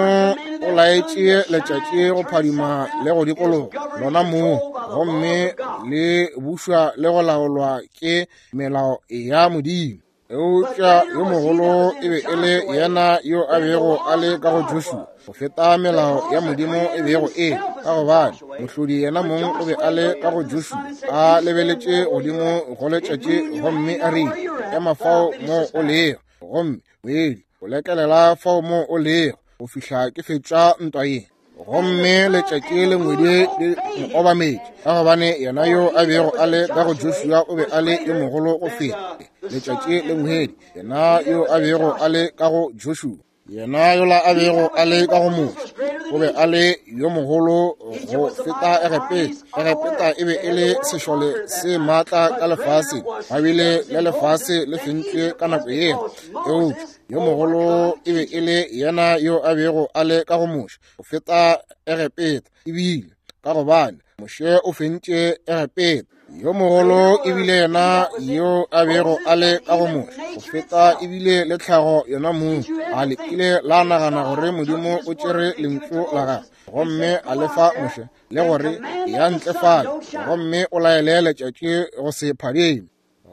o laetše letšatši go phadima le go dikologa lona moo, gomme le bušwa le go laolwa ke melao ya Modimo. Eupša yo mogolo e be e le yena yo a bego a le ka go Joshua go feta melao ya Modimo e bego e, ka gobane mohlodi yena mong o be a le ka go Joshua, a lebeletše godimo go letšatši gomme a rile, ema fao mo o lego, gomme moedi o lekelela fao mo o lego go fihla ke fetša ntwa ye. Gomme letšatši le ngwedi le mo obametše, ka gobane yena yo a bego a le ka go Joshua o be a le yo mogolo go feta letšatši le ngwedi, yena yo a bego a le ka go Joshua, yena yola a bego a le ka go Moshe O be a le yo mogolo go feta Egepeta. Egepeta e be e le sešole se maatla ka lefaseng, ba bile le lefase le fentšwe ka nako yeo. Eupša yo mogolo e be e le yena yo a bego a le ka go Moshe go feta Egepeta, ebile ka gobane Moshe o fentše Egepeta. Yo mogolo ebile yena yo a bego a le ka go Moshe go feta ebile le tlhago yona mong. A le kile la nagana gore Modimo o tšere lentšu la gagwe gomme a le fa Moshe, le gore ya ntle fale gomme o laele letšatši go se phadime,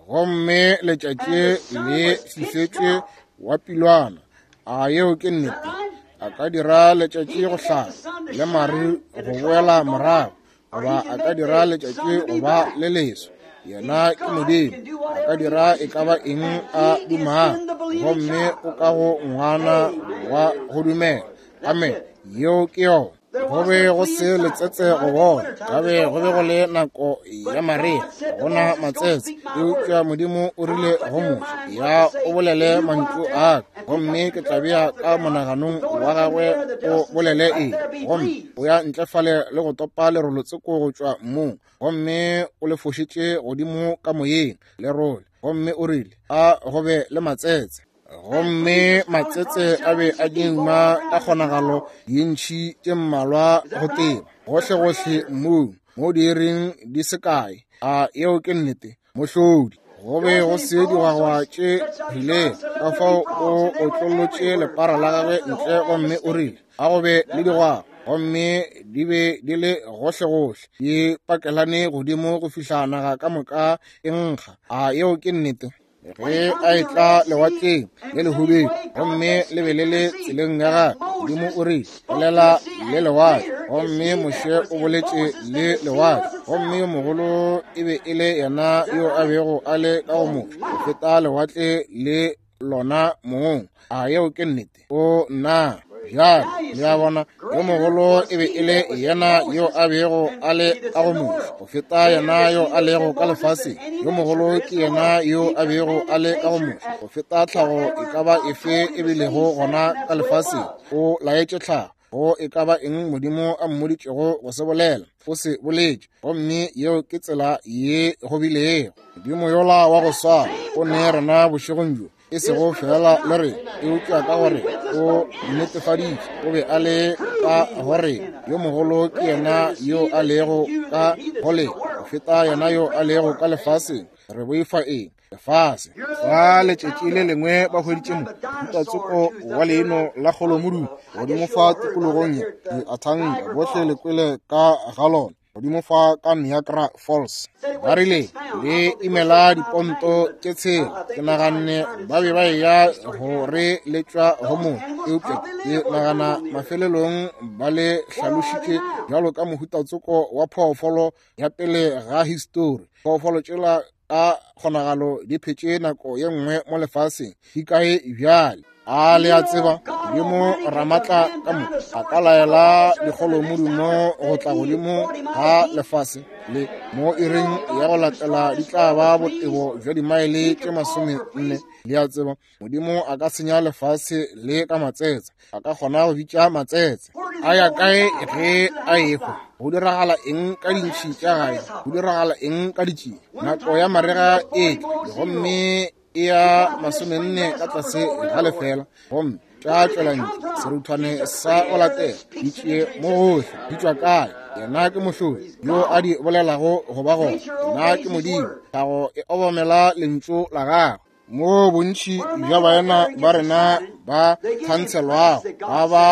gomme letšatši le fifetše wa pilwana? A yeo ke nnete? A ka dira letšatši go hlaba le maru go boela morago, goba a ka dira letšatši go ba le leso. Yena ke Modimo, a ka dira e ka ba eng a dumago, gomme o ka go ngwana wa go dumela. Amen. Yeo ke yona. Go be go se letsetse go bona, ka be go be go le nako ya marea, go na matsetse. Eupša Modimo o rile go Moshe, ya o bolele mantšu a ka, gomme ke tla bea ka monaganong wa gagwe o bolele eng. Gomme o ya ntle fale le go topa lerolo tsoko go tšwa mmung, gomme o le fošitše godimo ka moyeng lerole, gomme o rile a go be le matsetse. Gomme matsetse a be a dingwa ka kgonagalo dintšhi tše mmalwa go teba gohlegohle mmung mo diiring di se kae. A yeo ke nnete? Mohlodi. Go be go se digwagwa tše rilego, ka fao o otlolotše lepara la gagwe ntle gomme o rile a go be le digwagwa, gomme di be di le gohlegohle, di pakelane godimo go fihla naga ka moka e nkga. A yeo ke nnete? Ge a etla lewatleng le lehubedu gomme le be le le tseleng ya gagwe, Modimo o rile bolela le lewatle, gomme Moshe o boletše le lewatle. Gomme yo mogolo e be e le yena yo a bego a le ka go Moshe go feta lewatle le lona mong. A yeo ke nnete? O nna bjale le a bona, yo mogolo e be e le yena yo a bego a le ka go Moshe go feta yena yo a lego ka lefaseng. Yo mogolo ke yena yo a bego a le ka go Moshe go feta tlhago e ka ba efe e bilego gona ka lefaseng. O laetše tlhago go e ka ba eng Modimo a mmoditšego go se bolela, o se boletše, gomme yeo ke tsela ye go bilego. Modimo yola wa go swana o ne rena bošegong bjo, e sego fela le re, eupša ka gore o netefaditše o be a le ka gore yo mogolo ke yena yo a lego ka go le go feta yena yo a lego ka lefaseng. Re boifa eng? Lefase. Fa letšatši le lengwe ba hweditše mohutatsoko wa leino la kgolomodumo godimo fa tikologong ye, diathanka bohle le kwele ka ga lona godimo fa ka Niagara Falls. Ba rile le imela diponto tše 6. Ke naganne ba be ba eya go re le tšwa go motho, eupša ke nagana mafelelong ba le hlalošitše bjalo ka mohutatsoko wa phoofolo ya pele ga histori. Phoofolo tšela ka kgonagalo di phetše nako ye nngwe mo lefaseng, di kae bjale? A le a tseba, Modimo Ramatla ka mo a ka laela dikgolomodumo go tla godimo ga lefase le mo iring ya go latela di tla ba botebo bja dimaele tše 40. Le a tseba, Modimo a ka senya lefase le ka matsetse, a ka kgona go bitša matsetse. A ya kae ge a ehwa? Go diragala eng ka dintšhi tša gae? Go diragala eng ka ditšie? Nako ya marega e tla, gomme e ya 40 ka tlase ga lefela, gomme tša tšwela ntle seruthwane sa go latela ditšie mo gohle. Di tšwa kae? Yena ke mohlodi yo a di bolelago go ba gona. Yena ke Modimo, tlhago e obamela lentšu la gagwe. Mo bontši bja baena ba rena ba thantshelwago ba ba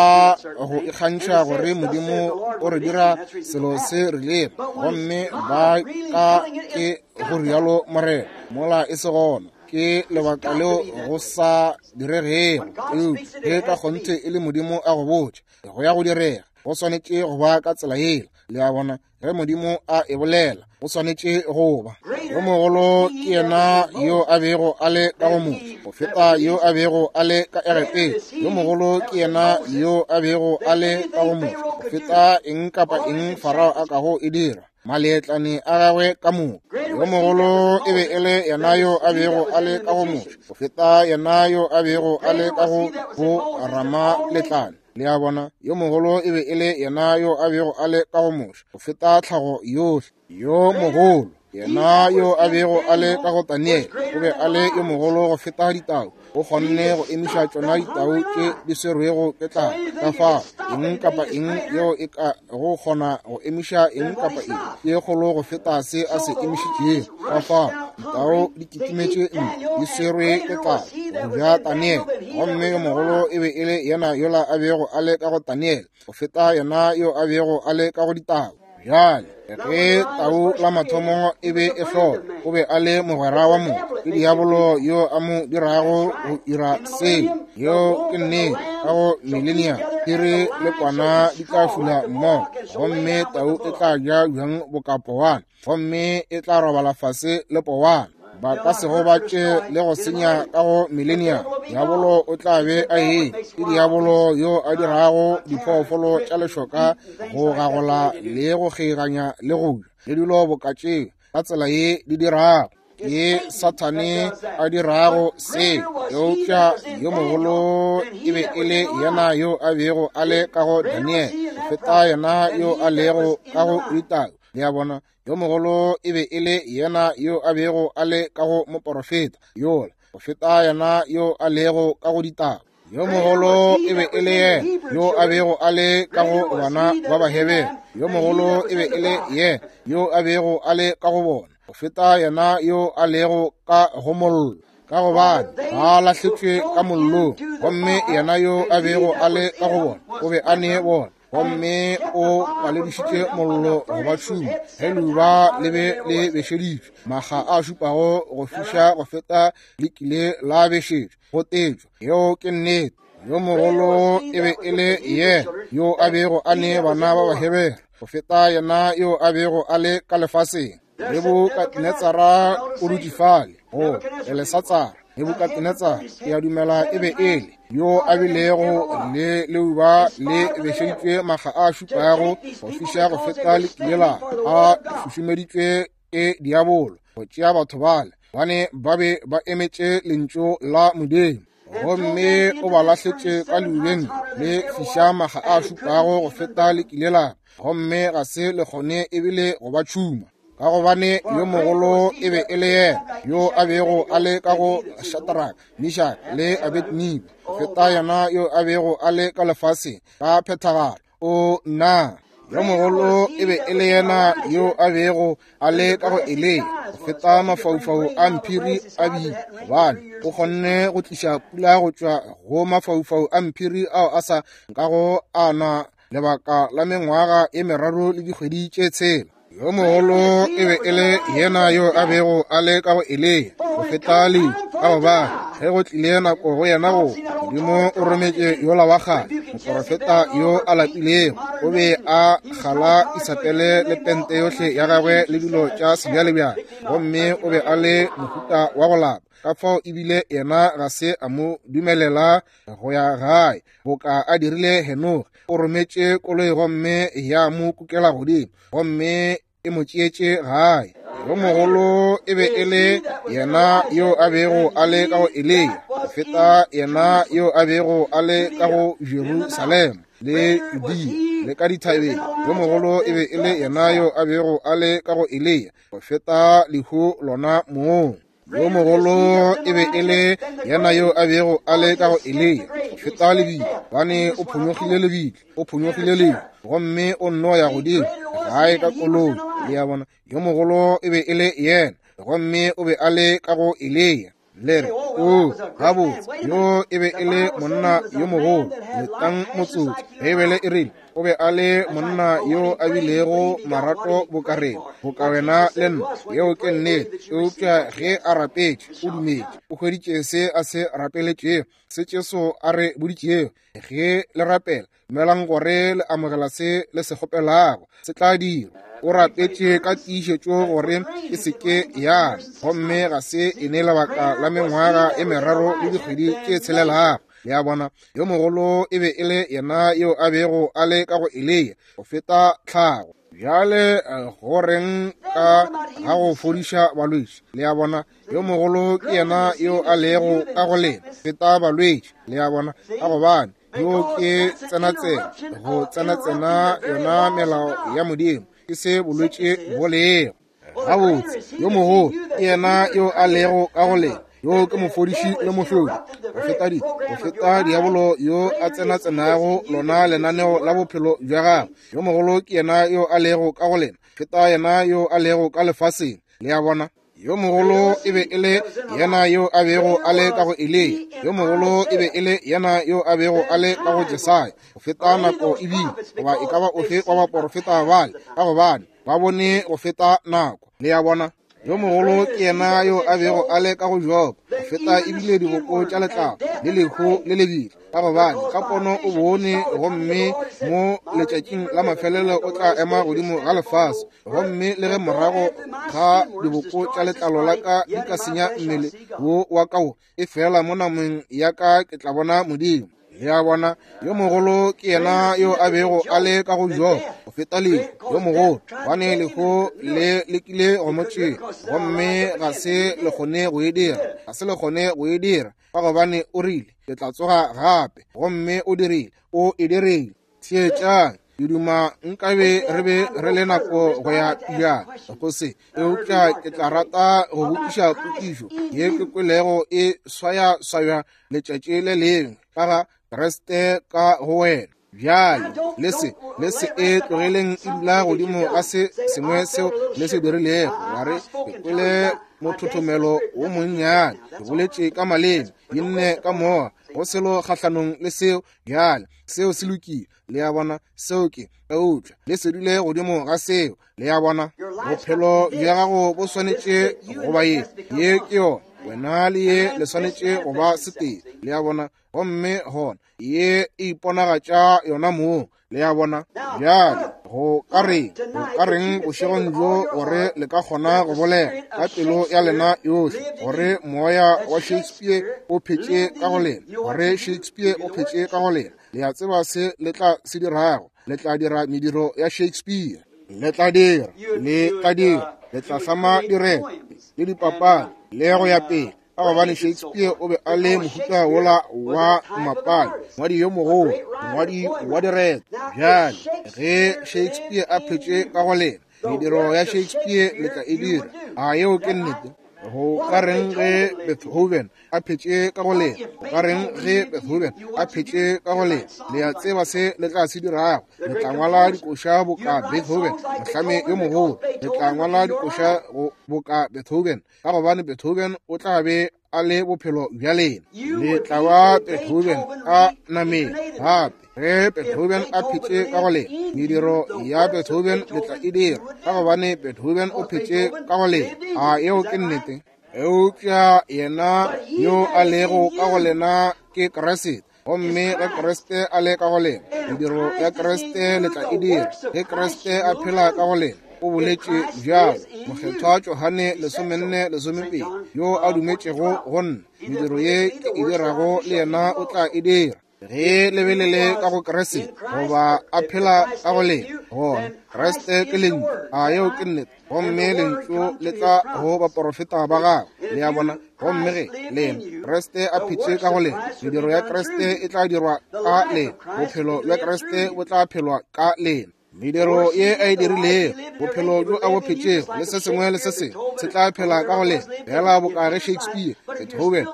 go ikgantšha gore Modimo o re dira selo se rilego, gomme ba ka ke go rialo Morena, mola e se gona. Ke lebaka leo go sa diregego. Eupša ge ka kgonthe e le Modimo a go botša go ya go direga, go swanetše go ba ka tsela yela. Le a bona, ge Modimo a e bolela, go swanetše go ba. Yo mogolo ke yena yo a bego a le ka go Moshe go feta yo a bego a le ka Egepeta. Yo mogolo ke yena yo a bego a le ka go Moshe go feta eng kapa eng Farao a kago e dira, maleetlane a gagwe ka moka. Yo mogolo e be e le yena yo a bego a le ka go Moshe go feta yena yo a bego a le ka go bo Ramaletlane. Le a bona, yo mogolo e be e le yena yo a bego a le ka go Moshe go feta tlhago yohle. Yo mogolo, yena yo a bego a le ka go Daniele, o be a le yo mogolo go feta ditau. O kgonne go emiša tšona ditau tše di swerwego ke tlala. Ka fao, eng kapa eng yeo e ka go kgona go emiša eng kapa eng ke kgolo go feta se a se emišitšego. Ka fao, ditau di kitimetše ntle, di swerwe ke tlala go ja Daniele. Gomme yo mogolo e be e le yena yola a bego a le ka go Daniele go feta yena yo a bego a le ka go ditau. Bjale, ge tau la mathomo e be e hlola, o be a le mogwera wa motho, ke diabolo yo a mo dirago go ira seo. Yeo ke nnete. Ka go millennium, phiri le kwana di tla fula mmogo, gomme tau e tla ja bjang boka powana, gomme e tla robala fase le powana. Ba ka se gobatše le go senya ka go millennium. Diabolo o tla be a eme. Ke diabolo yo a dirago diphoofolo tša lešoka go gagola le go kgeiganya le go ja le dilo boka tšeo ka tsela ye di dirago. Ke Sathane a dirago se. Eupša yo mogolo e be e le yena yo a bego a le ka go Daniele go feta yena yo a lego ka go ditau. Le a bona, yo mogolo e be e le yena yo a bego a le ka go moporofeta yola go feta yena yo a lego ka go ditau. Yo mogolo e be e le yena yo a bego a le ka go bana ba Bahebere. Yo mogolo e be e le yena yo a bego a le ka go bona go feta yena yo a lego ka go mollo, ka gobane ba lahletšwe ka mollong. Gomme yena yo a bego a le ka go bona o be a ne bona, gomme o paledišitše mollo go ba tšhuma ge leuba le be le bešeditšwe makga a šupago go fiša go feta le kile la bešetšwa go tetšwa. Yeo ke nnete. Yo mogolo e be e le yena yo a bego a ne bana ba Bahebere go feta yena yo a bego a le ka lefaseng. Nebukadinetsara o dutše fale go Belesatsara. Nebukadinetsara, ke a dumela e be e le yo a bilego le leuba le bešeditšwe makga a šupago go fiša go feta le kile la a šušumeditšwe ke diabolo go tšea batho bale, bane ba be ba emetše lentšu la Modimo. Gomme o ba lahletše ka leubeng le fiša makga a šupago go feta le kile la, gomme ga se le kgone ebile go ba tšhuma, ka gobane yo mogolo e be e le yena yo a bego a le ka go Shadrach, Meshach le Abednego go feta yena yo a bego a le ka lefaseng ka phethagalo. O nna, yo mogolo e be e le yena yo a bego a le ka go Eliya go feta mafaufau a mphiri a bile, gobane o kgonne go tliša pula go tšwa go mafaufau a mphiri ao a sa nkago a na lebaka la mengwaga e meraro le dikgwedi tše 6. Yo mogolo e be e le yena yo a bego a le ka go Eliya go feta lehu, ka gobane ge go tlile nako go yena go Modimo o rometše yola wa kgale moporofeta yo a lapilego. O be a gala Isabele le pente yohle ya gagwe le dilo tša sebjalebjale, gomme o be a le mohuta wa go lapa. Ka fao ebile yena ga se a mo dumelela go ya gae boka a dirile Henoge. O rometše koloi gomme ya mo kukela godimo, gomme e mo tšeetše gae. Yo mogolo e be e le yena yo a bego a le ka go Eliya go feta yena yo a bego a le ka go Jerusalema le Judea le ka dithabeng. Yo mogolo e be e le yena yo a bego a le ka go Eliya go feta lehu lona mong. Yo mogolo e be e le yena yo a bego a le ka go Eliya go feta lebitla, gobane o phonyokgile lebitla, o phonyokgile lehu, gomme o nno ya godimo gae ka koloi. Le a bona, yo mogolo e be e le yena, gomme o be a le ka go Eliya. Le re, o gabotse, yo e be e le monna yo mogolo. Letang motsotso. Beibele e rile o be a le monna yo a bilego marato bokareng boka wena le nna. Yeo ke nnete. Eupša ge a rapetše, o dumetše, o hweditše se a se rapeletšego, se Jesu a re boditšego. Ge le rapela, dumelang gore le amogela se le se kgopelago, se tla dirwa. O rapetše ka tiišetšo gore e se ke ya, gomme ga se e ne lebaka la mengwaga e meraro le dikgwedi tše tshelelago. Le a bona, yo mogolo e be e le yena yo a bego a le ka go Eliya go feta tlhago. Bjale go reng ka ga go fodiša balwetši? Le a bona, yo mogolo ke yena yo a lego ka go lena feta balwetši. Le a bona, ka gobane Yo ke tsenatsena, go tsenatsena yona melao ya Modimo, ke se bolwetši bo lego. Gabotse, yo mogolo ke yena yo a lego ka go lena, yo ke mofodiši le mohlodi, go feta diabolo yo a tsenatsenago lona lenaneo la bophelo bja gagwe. Yo mogolo ke yena yo a lego ka go lena, feta yena yo a lego ka lefaseng. Le a bona? Yo mogolo e be e le yena yo a bego a le ka go Eliya. Yo mogolo e be e le yena yo a bego a le ka go Jesaya, go feta nako ebile goba e ka ba ofe wa baporofeta bale, ka gobane ba bone go feta nako. Le a bona? Yo mogolo ke yena yo a bego a le ka go Job, go feta ebile diboko tša letlalo le lehu le lebitla, ka gobane ka pono o bone, gomme mo letšatšing la mafelelo o tla ema godimo ga lefase, gomme le ge morago ga diboko tša letlalo la ka di ka senya mmele wo wa ka wo, e fela mo nameng ya ka ke tla bona Modimo. Le a bona? Yo mogolo ke yena yo a bego a le ka go Job, go feta lehu. Yo mogolo, gobane lehu le lekile go mo tšea, gomme ga se le kgone go e dira, ga se le kgone go e dira, ka gobane o rile, ke tla tsoga gape, gomme o dirile, o e dirile. Theetšang, ke duma nkabe re be re le nako go ya pejana go se, eupša ke tla rata go botšiša potšišo ye ke kwelego e swayaswaywa letšatši le lengwe ka ga Kriste ka go wena. Bjale le se e tlogeleng e dula godimo ga se sengwe seo le se dirilego. Wa re, ke kwele mothothomelo wo monnyane, ke boletše ka maleme, ke nne ka moya, go selo kgahlanong le seo. Bjale seo se lokile, le a bona, seo ke, eupša le se dule godimo ga seo. Le a bona? Bophelo bja gago bo swanetše go ba ye, ye ke yona, wena le ye le swanetše go ba setee. Le a bona? Gomme gona ye e iponagatša yona mong. Le a bona? Bjale go ka reng bošegong bjo gore le ka kgona go bolela ka pelo ya lena yohle gore moya wa Shakespeare o phetše ka go lena, gore Shakespeare o phetše ka go lena? Le a tseba se le tla se dirago? Le tla dira mediro ya Shakespeare. Le tla dira, le tla hlama direto le dipapadi le go ya pele, ka gobane Shakespeare o be a le mohuta wola wa mapadi, ngwadi yo mogolo, ngwadi wa direto. Bjale ge Shakespeare a phetše ka go lena, mediro ya Shakespeare le tla e dira. A yeo ke nnete? Go ka reng ge Beethoven a phetše ka go lena? Go ka reng ge Beethoven a phetše ka go lena? Le a tseba se le tla se dirago? Le tla ngwala dikoša boka Beethoven, mohlami yo mogolo. Le tla ngwala dikoša boka Beethoven, ka gobane Beethoven o tla be a le bophelo bja lena. Le tla ba Beethoven a nameng gape. Ge Beethoven a phetše ka go lena, mediro ya Beethoven le tla e dira, ka gobane Beethoven o phetše ka go lena. A yeo ke nnete? Eupša yena yo a lego ka go lena ke Kriste, gomme ge Kriste a le ka go lena, mediro ya Kriste le tla e dira. Ge Kriste a phela ka go lena, o boletše bjalo Mokgethwa Johane 14:12, yo a dumetšego go nna, mediro ye ke e dirago le yena o tla e dira. Ge le be le le ka go Kriste, goba a phela ka go lena, gona Kriste ke lentšu. A yeo ke nnete? Gomme lentšu le tla go baporofeta ba gagwe. Le a bona? Gomme ge lena Kriste a phetše ka go lena, mediro ya Kriste e tla dirwa ka lena, bophelo bja Kriste bo tla phelwa ka lena. Mediro ye a e dirilego, bophelo bjo a bo phetšego, le se sengwe le se sengwe se tla phela ka go lena, fela boka ge Shakespeare, Beethoven,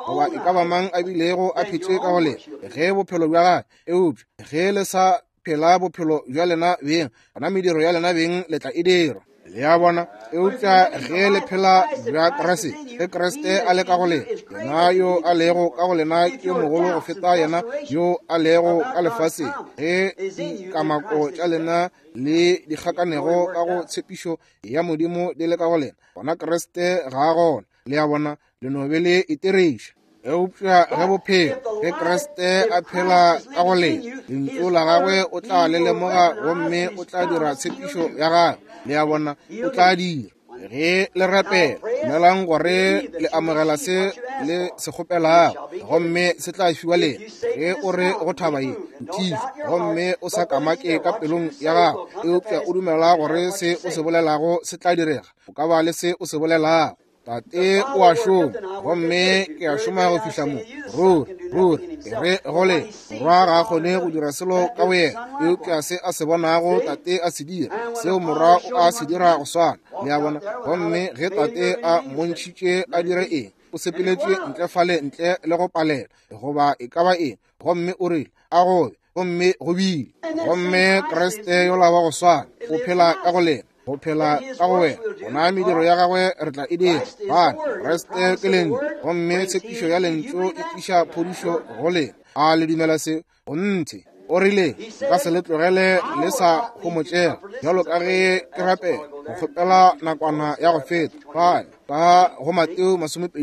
goba e ka ba mang a bilego a phetše ka go lena, ge bophelo bja gagwe. Eupša ge le sa phela bophelo bja lena beng, gona mediro ya lena beng le tla e dira. Le a bona? Eupša ge le phela bja Kriste, ge Kriste a le ka go lena, yena yo a lego ka go lena ke yo mogolo go feta yena yo a lego ka lefaseng. Ge dikamako tša lena le dikgakanego ka go tshepišo ya Modimo di le ka go lena, gona Kriste ga a gona. Le a bona? Le no be le itiriša. Eupša ge bophelo, ge Kriste a phela ka go lena, lentšu la gagwe o tla le lemoga, gomme o tla dira tshepišo ya gagwe. Le a bona? O tla dira. Ge le rapela, dumelang gore le amogela se le se kgopelago, gomme se tla fiwa lena. Ge o re go thaba ye, nthiše, gomme o sa kamake ka pelong ya gago, eupša o dumela gore se o se bolelago se tla direga, o ka ba le se o se bolelago. Tate o a šoma, gomme ke a šoma go fihla mo. Ruri, ruri, ke re go le, Morwa ga a kgone go dira selo ka boyena, eupša se a se bonago Tate a se dira, seo Morwa o a se dira go swana. Le a bona? Gomme ge Tate a mmontšhitše a dire eng, o sepeletše ntle fale ntle le go palela, goba e ka ba eng, gomme o rile, a gobe, gomme go bile. Gomme Kriste yola wa go swana o phela ka go lena, go phela ka go wena. Gona mediro ya gagwe re tla e dira. Bana, Kriste ke Lentšu, gomme tshepišo ya Lentšu e tliša phodišo go lena. A le dumela se? Gonthe. O rile, nka se le tlogele le sa homotšega, bjalo ka ge ke rapela go kgopela nakwana ya go feta. Fale ka go Mateo 24,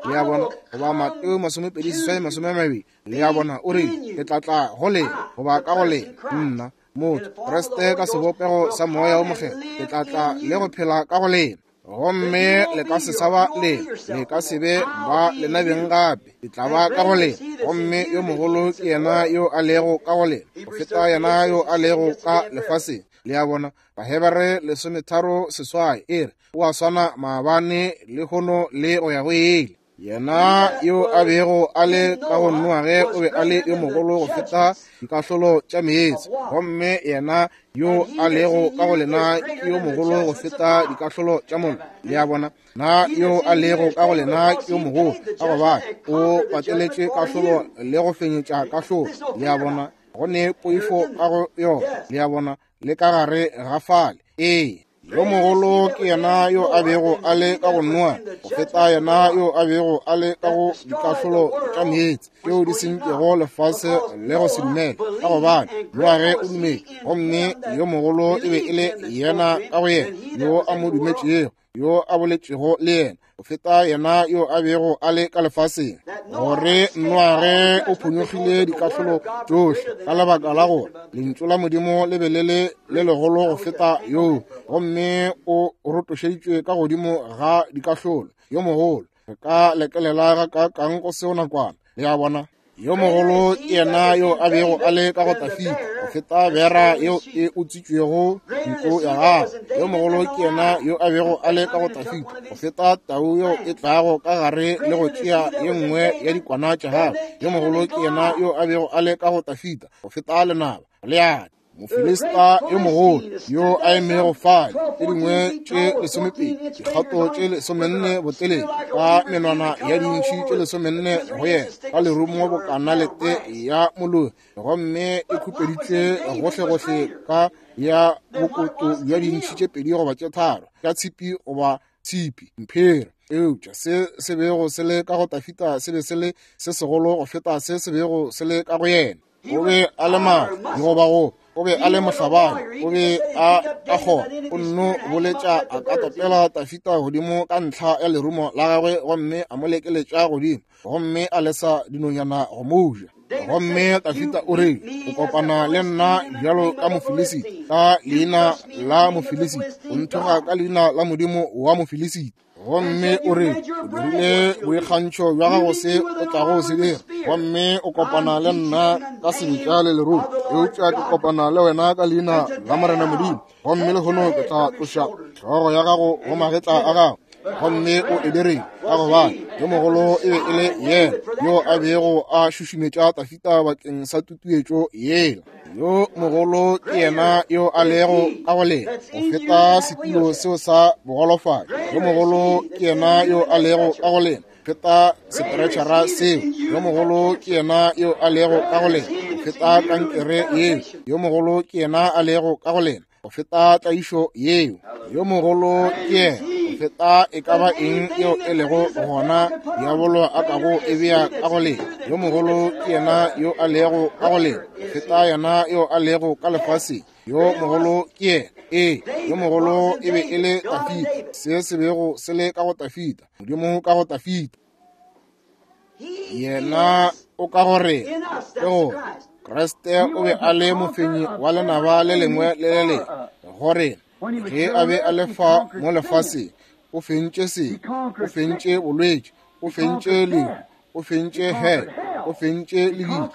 le a bona, goba Mateo 28 20, le a bona, o rile, ke tla tla go lena, goba ka go lena, nna, motho, Kriste ka sebopego sa Moya o Mokgethwa, ke tla tla le go phela ka go lena. Gomme le ka se sa ba lena, le ka se be ba lena beng gape, ke tla ba ka go lena. Gomme yo mogolo ke yena yo a lego ka go lena go feta yena yo a lego ka lefaseng. Le a bona? Bahebere 13:8 e re, o a swana maabane, lehono le go ya go ile. Yena yo a bego a le ka go Noage o be a le yo mogolo go feta dikahlolo tša meetse, gomme yena yo a lego ka go lena ke yo mogolo go feta dikahlolo tša mollo. Le a bona? Na yo a lego ka go lena ke yo mogolo, ka gobane o pateletše kahlolo le go fenyetša kahlolo. Le a bona? Go ne poifo ka go yona. Le a bona? Le ka gare ga fale. Ee. Yo mogolo ke yena yo a bego a le ka go Noa go feta yena yo a bego a le ka go dikahlolo tša meetse tšeo di sentšego lefase le go se dumele, ka gobane Noage o dumetše, gomme yo mogolo e be e le yena ka go yena yo a mo dumetšego, yo a boletšego le yena, go feta yena yo a bego a le ka lefaseng. Gore Noage o phonyokgile dikahlolo tšohle ka lebaka la gore lentšu la Modimo le be le le le legolo go feta yoo, gomme o rotošeditšwe ka godimo ga dikahlolo. Yo mogolo, re ka lekelela ga kaakang go seo nakwana. Le a bona? Yo mogolo ke yena yo a bego a le ka go Tafita go feta bera yeo e utswitšwego ntlo ya gagwe. Yo mogolo ke yena yo a bego a le ka go Tafita go feta tau yeo e tlago ka gare le go tšea ye nngwe ya dikwana tša gagwe. Yo mogolo ke yena yo a bego a le ka go Tafita go feta lenaba Goliate. Mofilista yo mogolo yo a emego fale, tše dingwe tše 12, dikgato tše 14 botelele, ka menwana ya dintšhi tše 14 go yena, ka lerumo bokana lete ya moloi, gomme e khupeditšwe gohlegohle ka ya bokoto bja dintšhi tše 2 goba tše 3 tša tshipi goba tshipi mphero. Eupša se se bego se le ka go Tafita se be se le se segolo go feta se se bego se le ka go yena. O be a le maatla goba go o be a le mohlabani, o be a ka kgona o nno boletša a ka topela Tafita godimo ka ntlha ya lerumo la gagwe, gomme a mo lekeletša godimo, gomme a lesa dinonyana go mo ja. Gomme Tafita o rile, o kopana le nna bjalo ka Mofilisita, ka leina la Mofilisita, o nthoga ka leina la Modimo wa Mofilisita. Gomme o re, o dirile boikgantšho bja gago se o tlago se dira, gomme o kopana le nna ka sebetša le lerumo, eupša ke kopana le wena ka leina la Morena Modimo, gomme lehono ke tla tloša hlogo ya gago go magetla a gago. Gomme o e dirile, ka gobane yo mogolo e be e le yena yo a bego a šušumetša Tafita bakeng sa tutuetšo yela. Yo mogolo ke yena yo a lego ka go lena go feta setulo seo sa bogolofadi. Yo mogolo ke yena yo a lego ka go lena feta sepretšhara seo. Yo mogolo ke yena yo a lego ka go lena go feta kankere yeo. Yo mogolo ke yena a lego ka go lena go feta tlaišo yeo. Yo mogolo ke yena go feta e ka ba eng yeo e lego gona diabolo a kago e bea ka go lena. Yo mogolo ke yena yo a lego ka go lena go feta yena yo a lego ka lefaseng. Yo mogolo ke yena. Ee, yo mogolo e be e le Tafita, se se bego se le ka go Tafita, Modimo ka go Tafita. Yena o ka go rena, ke gore Kriste o be a le mofenyi wa lenaba le lengwe le le lengwe go rena. Ge a be a le fa mo lefaseng, o fentše sebe, o fentše bolwetši, o fentše lehu, o fentše hell, o fentše lebitla,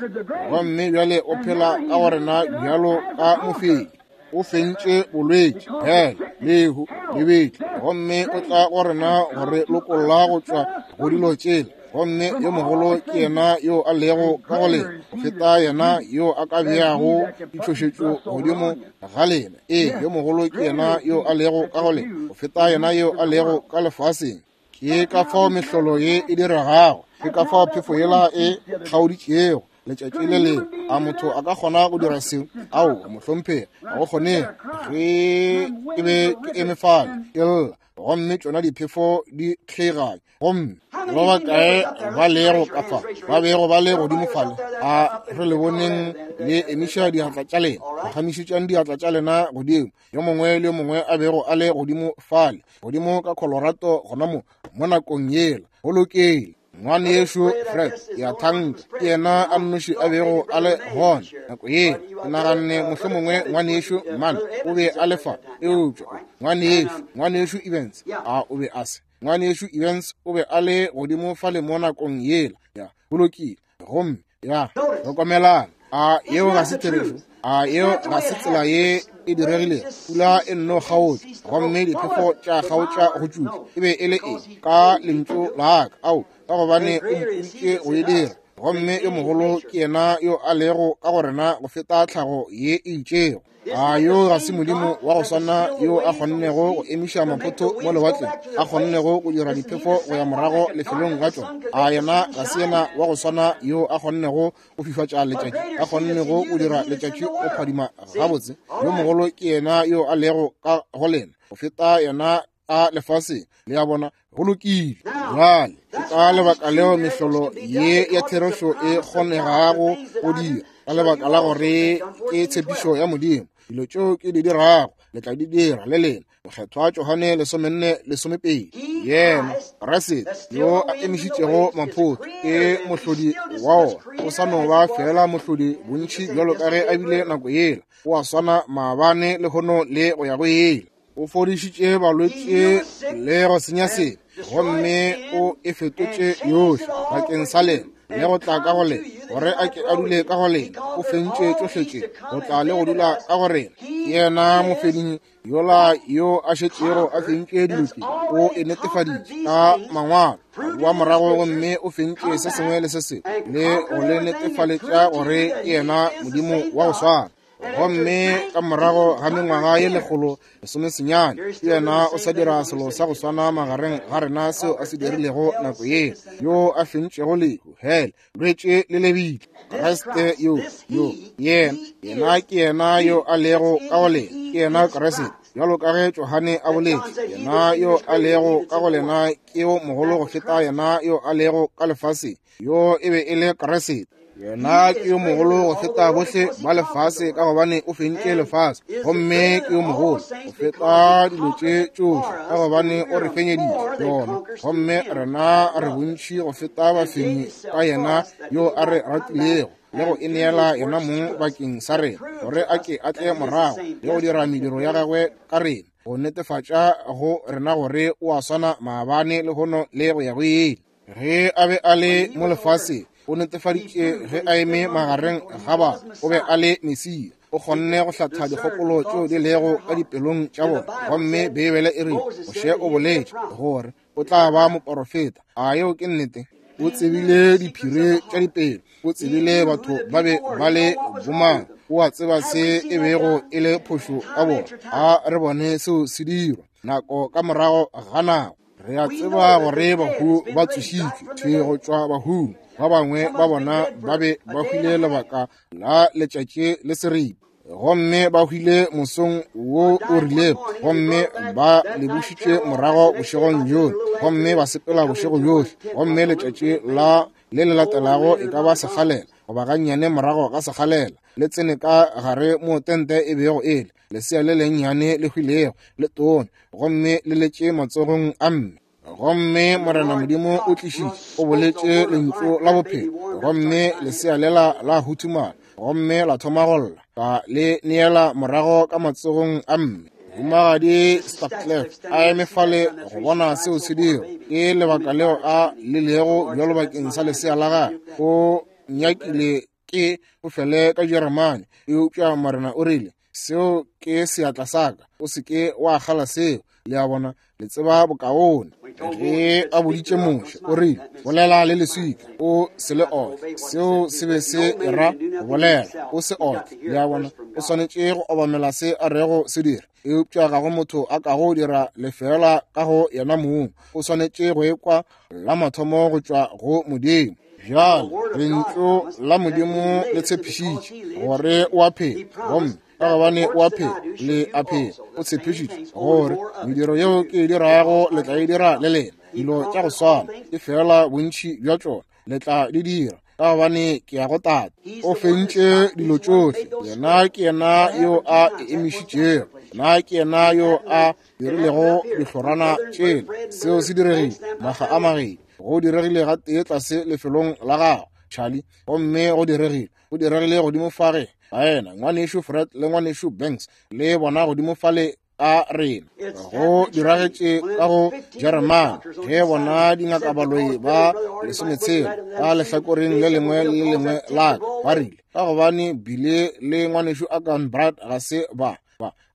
gomme bjale o phela ka go rena bjalo ka mofenyi. O fentše bolwetši, hele, lehu, lebitla, gomme o tla go rena go re lokolla go tšwa go dilo tšela. Gomme yo mogolo ke yena yo a lego ka go lena go feta yena yo a ka beago ditšhošetšo godimo ga lena. Ee, yo mogolo ke yena yo a lego ka go lena go feta yena yo a lego ka lefaseng. Ke ka fao mehlolo ye e diregago, ke ka fao phefo yela e kgaoditšego letšatši le lengwe. A motho a ka kgona go dira seo? Aowa, mohlomphegi, ga go kgonege. Ge ke be ke eme fale ke lla, gomme tšona diphefo di kgeiganya, gomme ba bakae ba lego ka fa ba bego ba le godimo fale, a re le boneng le emiša diatla tša lena, phagamišetšang diatla tša lena godimo, yo mongwe le yo mongwe a bego a le godimo fale, godimo ka Colorado gona mo, mo nakong yela. Go lokile. Ngwanešu Fred, ke a thanka, ke yena a nnoši a bego a le gona nako yela. Ke naganne mohlomongwe ngwanešu Man o be a le fa, eupša ngwanešu Evans a o be a se. Ngwanešu Evans o be a le godimo fale mo nakong yela. Ya, go lokile. Gomme ya, hlokomelang, a yeo ga se therešo? A yeo ga se tsela ye e diregilego? Pula e nno kgaotša, gomme diphefo tša kgaotša go tšutla. E be e le eng? Ka lentšu la ka. Ao, ka gobane o mpoditše go e dira. Gomme yo mogolo ke yena yo a lego ka go rena go feta tlhago ye e itšego. A yo ga se Modimo wa go swana yo a kgonnego go emiša maphotho mo lewatleng, a kgonnego go dira diphefo go ya morago lefelong la tšona? A yena ga se yena wa go swana yo a kgonnego go fifatša letšatši, a kgonnego go dira letšatši go phadima gabotse? Yo mogolo ke yena yo a lego ka go lena go feta yena a lefaseng. Le a bona? Go lokile. Bjale ke ka lebaka leo mehlolo ye ya therešo e kgonegago go dira, ka lebaka la gore ke tshepišo ya Modimo. Dilo tšeo ke di dirago le tla di dira le lena. Mokgethwa Johane 14:12. Yena Kriste yo a emišitšego maphotho ke mohlodi wa ona, o sa no ba fela mohlodi bontši bjalo ka ge a bile nako yela. O a swana maabane, lehono le go ya go ile. O fodišitše balwetši le go senya sebe, gomme o e fetotše yohle bakeng sa lena le go tla ka go lena, gore a ke a dule ka go lena. O fentše tšohle tše go tla le go dula ka go rena. Ke yena mofenyi yola yo a šetšego a fentše dilo tše. O e netefaditše ka mangwalo, a boa morago gomme o fentše se sengwe le se sengwe le go le netefaletša gore ke yena Modimo wa go swana. Gomme ka morago ga mengwaga ye 119, yena o sa dira selo sa go swana magareng ga rena seo a se dirilego nako ye, yo a fentšego lehu, hele, lwetše le lebitla. Kriste yo, yo, yena, yena ke yena yo a lego ka go lena, ke yena Kriste. Bjalo ka ge Johane a boletše, yena yo a lego ka go lena ke yo mogolo go feta yena yo a lego ka lefaseng. Yo e be e le Kriste. Yena ke yo mogolo go feta bohle ba lefase, ka gobane o fentše lefase. Gomme ke yo mogolo go feta dilo tše tšohle, ka gobane o re fenyeditše yona. Gomme rena re bontši go feta bafenyi ka yena yo a re ratilego le go e neela yena mong bakeng sa rena, gore a ke a tle morago le go dira mediro ya gagwe ka rena, go netefatša go rena gore o a swana maabane, lehono le go ya go ile. Ge a be a le mo lefaseng, o netefaditše ge a eme magareng ga batho, o be a le Mesia. O kgonne go hlatha dikgopolo tšeo di lego ka dipelong tša bona. Gomme Beibele e rile, Moshe o boletše gore o tla ba moporofeta. A yeo ke nnete? O tsebile diphiri tša dipelo, o tsebile batho ba be ba le bomang, o a tseba se e bego e le phošo ka bona. A re bone seo se dirwa nako ka morago ga nako. Re a tseba gore bahu ba tsošitšwe thwi go tšwa bahung. Ba bangwe ba bona ba be ba hwile lebaka la letšatši le seripa, gomme ba hwile mosong wo o rilego, gomme ba lebušitšwe morago bošegong bjohle, gomme ba sepela bošego bjohle, gomme letšatši la le le latelago e ka ba sekgalela goba gannyane morago ga sekgalela, le tsene ka gare mo tente e bego e le lesea le lennyane le hwilego le tone, gomme le letše matsogong a mme. Gomme Morena Modimo o tlišitše, o boletše lentšu la bophelo, gomme lesea lela la huthumala, gomme la thoma go lla, ka le neela morago ka matsogong a mme. Mohumagadi Stacklef a eme fale go bona seo se dira. Ke lebaka leo a lelego bjalo bakeng sa lesea la gagwe. O nyakile ke o fele ka Jeremane, eupša Morena o rile, Seo ke seatla sa ka. O se ke wa kgala seo. Le a bona, le tseba bokaone. Ge a boditše Moshe, o rile, bolela le leswika, o se le otle. Seo se be se era go bolela, o se otle. Le a bona, o swanetše go obamela se a rego se dira. Eupša ga go motho a kago dira lefeela ka go yena mong. O swanetše go ekwa la mathomo go tšwa go Modimo. Bjale, lentšu la Modimo le tshepišitše gore o a phela, gomme ka gobane o a phela, le a phela. O tshepišitše gore mediro yeo ke e dirago le tla e dira le lena, dilo tša go swana, e fela bontši bja tšona le tla di dira, ka gobane ke ya go Tate. O fentše dilo tšohle. Yena ke yena yo a e emišitšego. Yena ke yena yo a dirilego dihlorana tšela. Seo se diregile makga a mabedi. Go diregile gatee tlase lefelong la gago, Charlie, gomme go diregile. Go diregile godimo fa ge baena, ngwanešu Fred le ngwanešu Banks, le bona godimo fale a rena. Go diragetše ka go Jeremane ge bona dingakabaloi ba 16 ka lehlakoreng le lengwe le le lengwe la ka ba rile, ka gobane bile le ngwanešu Akan Brad ga se ba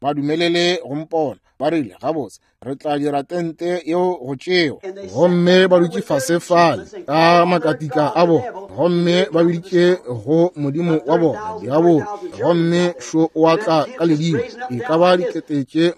ba dumelele go mpona. Ba rile, gabotse, re tla dira tente yeo go tšewa. Gomme ba dutše fase fale ka makatika a bona, gomme ba biditše go modimo wa bona diabolo, gomme šo o a tla ka ledimo, e ka ba 30,000,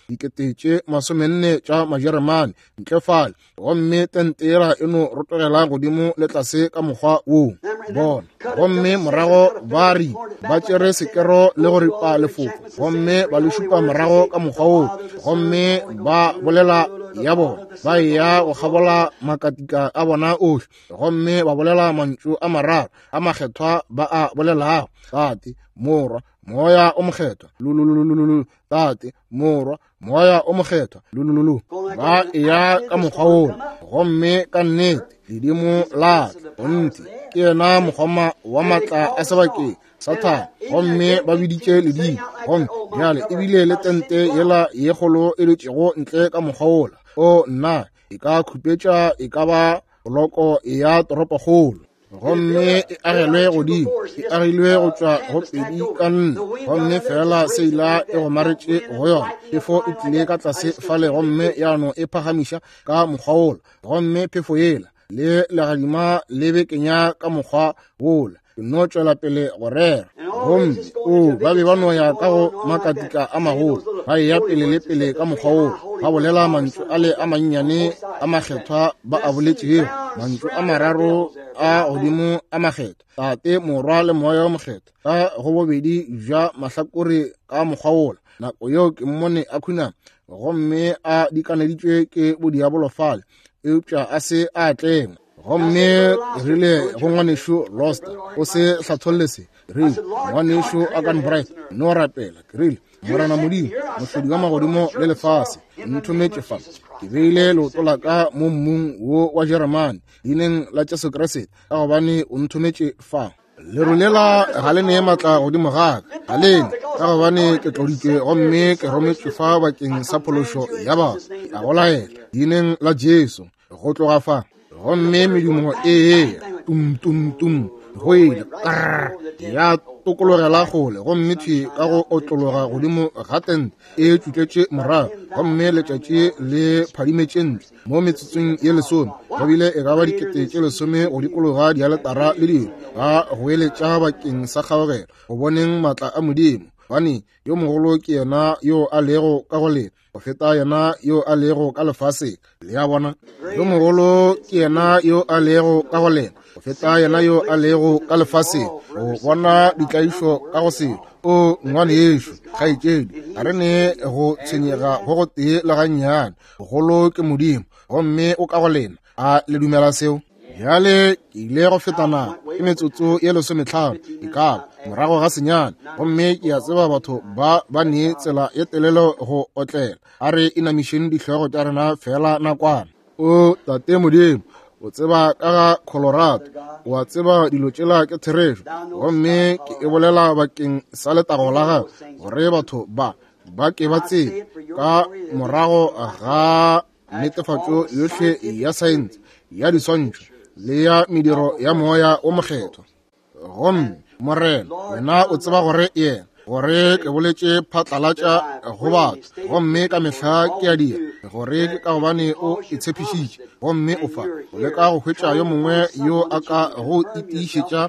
40,000 tša Majeremane ntle fale, gomme tente yela e no rotogela godimo le tlase ka mokgwa woo bona. Gomme morago ba ri ba tšere sekero le go ripa lefoko, gomme ba le šupa morago ka mokgwa woo, gomme ba bolela ya bona, ba eya go kgabola makatika a bona ohle, gomme ba bolela mantšu a mararo a makgethwa ba a bolelago, Tate, Morwa, Moya o Mokgethwa, lululululu, Tate, Morwa, Moya o Mokgethwa, lulululu. Ba eya ka mokgwa wola, gomme ka nnete ledimo la kgonthe ke yena mokgoma wa maatla a sebakeng Sathane, gomme ba biditše ledimo. Gomme bjale ebile le tente yela ye kgolo e dutšego ntle ka mokgwa wola, o nna, e ka khupetša e ka ba poloko ya toropokgolo, gomme e agelwe godimo, e agilwe go tšwa go 2 ka 4, gomme fela seila e gomaretše go yona. Phefo e tlile ka tlase fale gomme ya no e phagamiša ka mokgwa wola, gomme phefo yela le legadima le bekenya ka mokgwa wola. Ke no tšwela pele go rera, gomme o ba be ba no ya ka go makatika a magolo, ba eya pele le pele ka mokgwa wola, ba bolela mantšu ale a mannyane a makgethwa ba a boletšego, mantšu a mararo a godimo a makgethwa, Tate, Morwa le Moya o Mokgethwa, ka go bobedi bja mahlakore ka mokgwa wola. Nako yeo ke mmone a khunama, gomme a dikaneditšwe ke bodiabolo fale, eupša a se a tlengwa. Gomme rile go ngwanešu Loster, o se hlatholle se. Rile, ngwanešu Akan Bright, no rapela. Ke rile, Morena Modimo, mohlodi wa magodimo le lefase, nthometše fa. Ke beile leoto la ka mo mmung wo wa Jeremane, leineng la Jesu Kriste, ka gobane o nthometše fa. Leru lela ga le nee maatla godimo ga ka, ga le ne, ka gobane ke tloditšwe gomme ke rometšwe fa bakeng sa phološo ya batho. Ke a go laela, leineng la Jesu, go tloga fa. Gomme medumo e eya tum tum tum, go ile krrr, ya tokologela kgole, gomme thwi ka go otlologa godimo ga tente e tšutletše morago, gomme letšatši le phadimetše ntle mo metsotsong ye 10. Go bile e ka ba 10,000 go dikologa dialetara le dilo, ba goeletša bakeng sa kgaogelo, go boneng maatla a Modimo, gobane yo mogolo ke yena yo a lego ka go lena go feta yena yo a lego ka lefaseng. Le a bona, yo mogolo ke yena yo a lego ka go lena go feta yena yo a lego ka lefaseng. Go bona ditlaišo ka go selo, o ngwanešu, kgaetšedi, ga re ne go tshwenyega go gotee le gannyane. Bogolo ke Modimo, gomme o ka go lena. A le dumela seo? Bjale ke ile go feta nako ke metsotso ye 15 e ka morago ga senyane, gomme ke a tseba batho ba ba ne tsela ye telele go otlela. A re inamišeng dihlogo tša rena fela nakwana. O Tate Modimo, o tseba ka ga Colorado, o a tseba dilo tšela ke therešo, gomme ke e bolela bakeng sa letago la gago, gore batho ba ba ke ba tsebe ka morago ga netefatšo yohle ya saense, ya diswantšho le ya mediro ya Moya o Mokgethwa. Gomme Morena, wena o tseba gore yena gore ke boletše phatlalatša go batho, gomme ka mehla ke a dira, gore ke ka gobane o e tshepišitše, gomme o fa o leka go hwetša yo mongwe yo a ka go itiišetša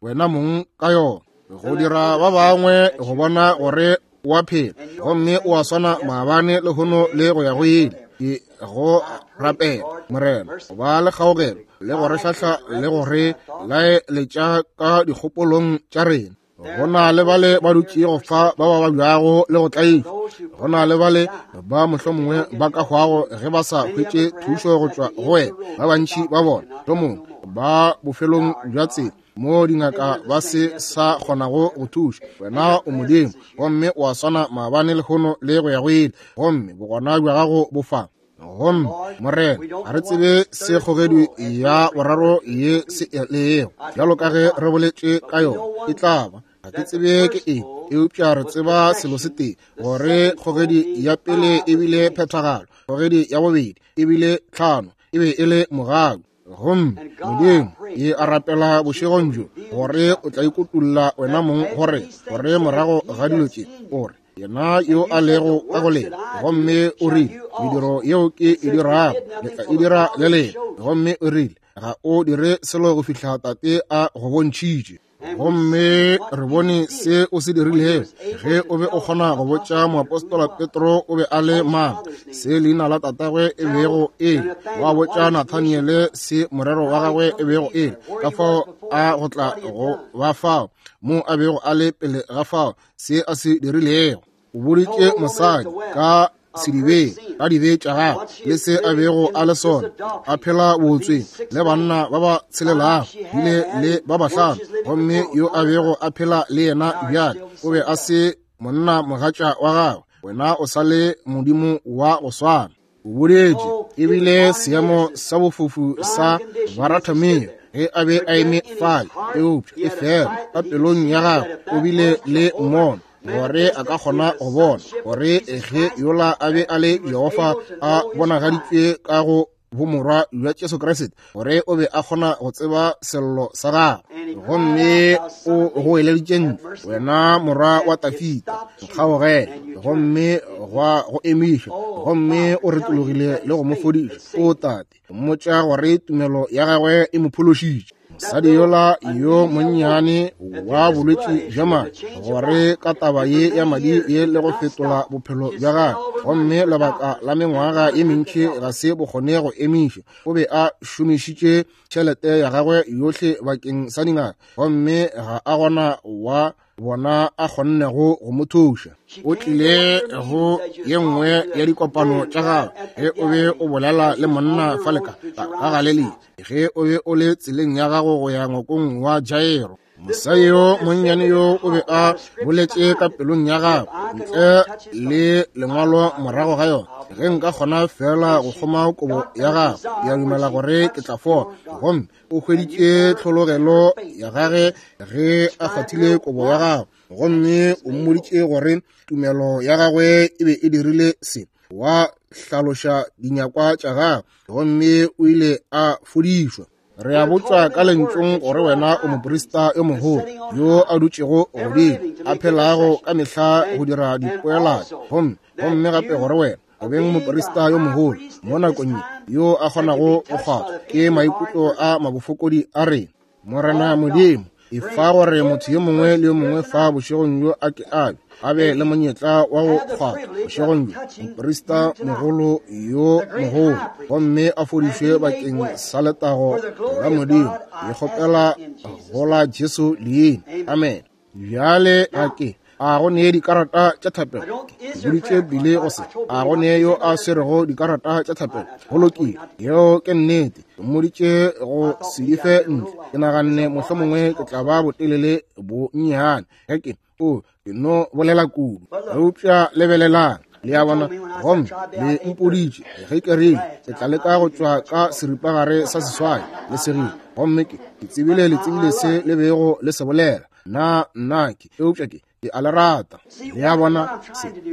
wena mong ka yona, go dira ba bangwe go bona gore o a phela, gomme o a swana maabane, lehono le go ya go ile. Ke go rapela, Morena, go ba le kgaogelo le go re hlahla le go re laeletša ka dikgopolong tša rena. Go na le bale ba dutšego fa ba ba babjago le go tlaišwa. Go na le bale ba mohlomongwe ba ka hwago ge ba sa hwetše thušo go tšwa go wena. Ba bantši ba bona mohlomongwe ba bofelong bja tsela mo dingaka ba se sa kgonago go thuša. Wena o Modimo, gomme o a swana maabane, lehono le go ya go ile, gomme bogona bja gago bo fa. Gomme Morena, ga re tsebe se kgogedi ya boraro ye se lego, bjalo ka ge re boletše ka yona, e tla ba. Ga ke tsebe ke eng, eupša re tseba selo se tee, gore kgogedi ya pele e bile phethagalo, kgogedi ya bobedi e bile tlhano, e be e le mogau. Gomme Modimo, ke a rapela bošegong bjo gore o tla ikutulla wena mong gore, gore morago ga dilo tše, o re yena yo a lego ka go lena, gomme o rile, mediro yeo ke e dirago le tla e dira le lena. Gomme o rile, ga o dire selo go fihla Tate a go bontšhitše. Gomme re bone se o se dirilego ge o be o kgona go botša moapostola Petro o be a le mang, se leina la tatagwe e bego e le, wa botša Nathaniele se morero wa gagwe e bego e le, ka fao a go tla go ba fao mo a bego a le pele ga fao, se a se dirilego. O boditše mosadi ka sedibeng ka dibe tša gagwe le se a bego a le sona, a phela bootsweng le banna ba ba tshelelago bile le ba bahlano, gomme yo a bego a phela le yena bjale o be a se monna mogatša wa gagwe. Wena o sa le Modimo wa go swana. O boletše ebile seemo sa bofofu sa Baratameo ge a be a eme fale, eupša e fela ka pelong ya gagwe o bile le mmono gore a ka kgona go bona gore ge yola a be a le Jehofa a bonagaditšwe ka go bomorwa bja Jesu Kriste, gore o be a kgona go tseba sello sa gagwe. Gomme o goeleditše ntle, wena morwa wa Tafita, nkgaogele. Gomme gwa go emiša, gomme o retologile le go mo fodiša. O Tate, mmotša gore tumelo ya gagwe e mo phološitše. Mosadi yola yo monnyane wa bolwetši bja madi, gore ka taba ye ya madi ye le go fetola bophelo bja gagwe, gomme lebaka la mengwaga ye mentši ga se bo kgone go emiša. O be a šomišitše tšhelete ya gagwe yohle bakeng sa dingaka, gomme ga a gona wa bona a kgonnego go mo thuša. O tlile go ye nngwe ya dikopano tša gagwe ge o be o bolela le monna fale ka Galilea, ge o be o le tseleng ya gago go ya ngwakong wa Jairo. Mosadi yo monnyane yo o be a boletše ka pelong ya gagwe ntle le lengwalo morago ga yona, ge nka kgona fela go kgoma kobo ya gagwe, ke a dumela gore ke tla fola. Gomme o hweditše tlhologelo ya gage ge a kgwathile kobo ya gagwe, gomme o mmoditše gore tumelo ya gagwe e be e dirile se, wa hlaloša dinyakwa tša gagwe, gomme o ile a fodišwa. Re a botšwa ka lentšong gore wena o moprista yo mogolo yo a dutšego godimo, a phelago ka mehla go dira dipoelano, gomme gape gore wena o beng moprista yo mogolo mo nakong ye yo a kgonago go kgwathwa ke maikutlo a mabofokodi a rena. Morena Modimo, e fa gore motho yo mongwe le yo mongwe fa bošegong bjo a ke a be a be le monyetla wa go kgwathwa bošegong bjo moprista mogolo yo mogolo, gomme a fodišwe bakeng sa letago la Modimo. Ke kgopela go la Jesu leina. Amen. Bjale ga ke a go nee dikarata tša thapelo. Ke boditše bile go se a go nee yo a swerego dikarata tša thapelo. Go lokile, yeo ke nnete. Ke mmoditše go se di fe ntle. Ke naganne mohlomongwe ke tla ba botelele bo nnyane ge ke o ke no bolela kudu. Eupša lebelelang, le a bona, gomme le mpoditše ge ke rile ke tla leka go tšwa ka seripagare sa seswai le segile, gomme ke tsebile le tsebile se le bego le se bolela. Na nna ke, eupša ke a le rata. Le a bona,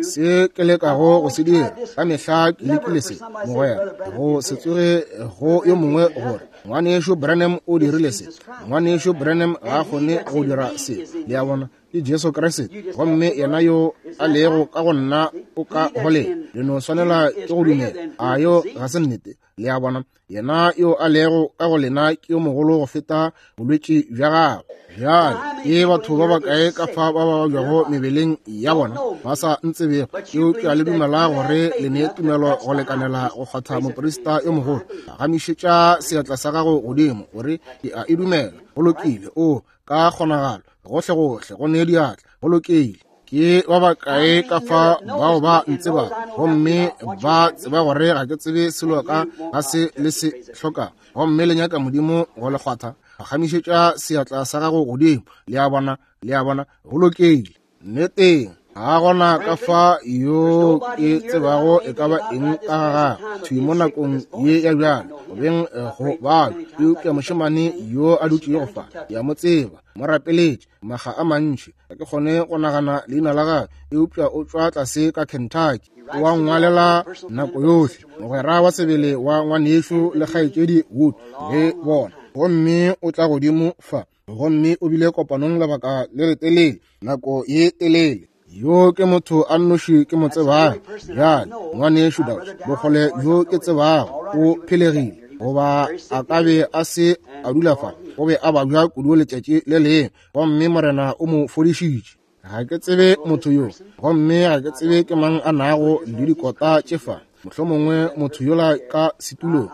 se ke lekago go se dira ka mehla ke lekile se, mogwera, go se tsoge go yo mongwe gore Ngwanešu Branham o dirile se, Ngwanešu Branham ga a kgone go dira se. Le a bona, ke Jesu Kriste, gomme yena yo a lego ka go nna o ka go lena. Le no swanela ke go dumela. A yo ga se nnete? Le a bona, yena yo a lego ka go lena ke yo mogolo go feta bolwetši bja gago. Bjale ke batho ba bakae ka fa ba ba babjago mebeleng ya bona ba sa ntsebego, eupša le dumela gore le ne tumelo go lekanela go kgwatha moprista yo mogolo? Gamišetša seatla sa gago godimo gore ke a e dumela. Go lokile. O ka kgonagalo gohlegohle go ne diatla. Go lokile. Ke ba bakae ka fa bao ba ntseba gomme ba tseba gore ga ke tsebe selo ka ga se le se hloka, gomme le nyaka Modimo go le kgwatha? Gamišetša seatla sa gago godimo. Le a bona? Le a bona? Go lokile. Nneteng, ga gona ka fa yo ke tsebago e ka ba eng ka ga gagwe thwi mo nakong ye ya bjale, go beng go balo, eupša mošemane yo a dutšego fa, ke a mo tseba, mo rapeletše makga a mantši. Ga ke kgone go nagana leina la gagwe, eupša o tšwa tlase ka Kentucky. O a nngwalela nako yohle, mogwera wa sebele wa ngwanešu le kgaetšedi Wood le bona. Gomme o tla godimo fa, gomme o bile kopanong lebaka le letelele, nako ye telele. Yo ke motho a nnoši ke mo tsebago. Bjale, ngwanešu Dauch, bokgole bjo ke tsebago, o phelegile, goba a ka be a se a dula fa, o be a babja kudu letšatši le lengwe, gomme Morena o mo fodišitše. Ga ke tsebe motho yo, gomme ga ke tsebe ke mang a nago le dikota tše fa, mohlomongwe motho yola ka setulong,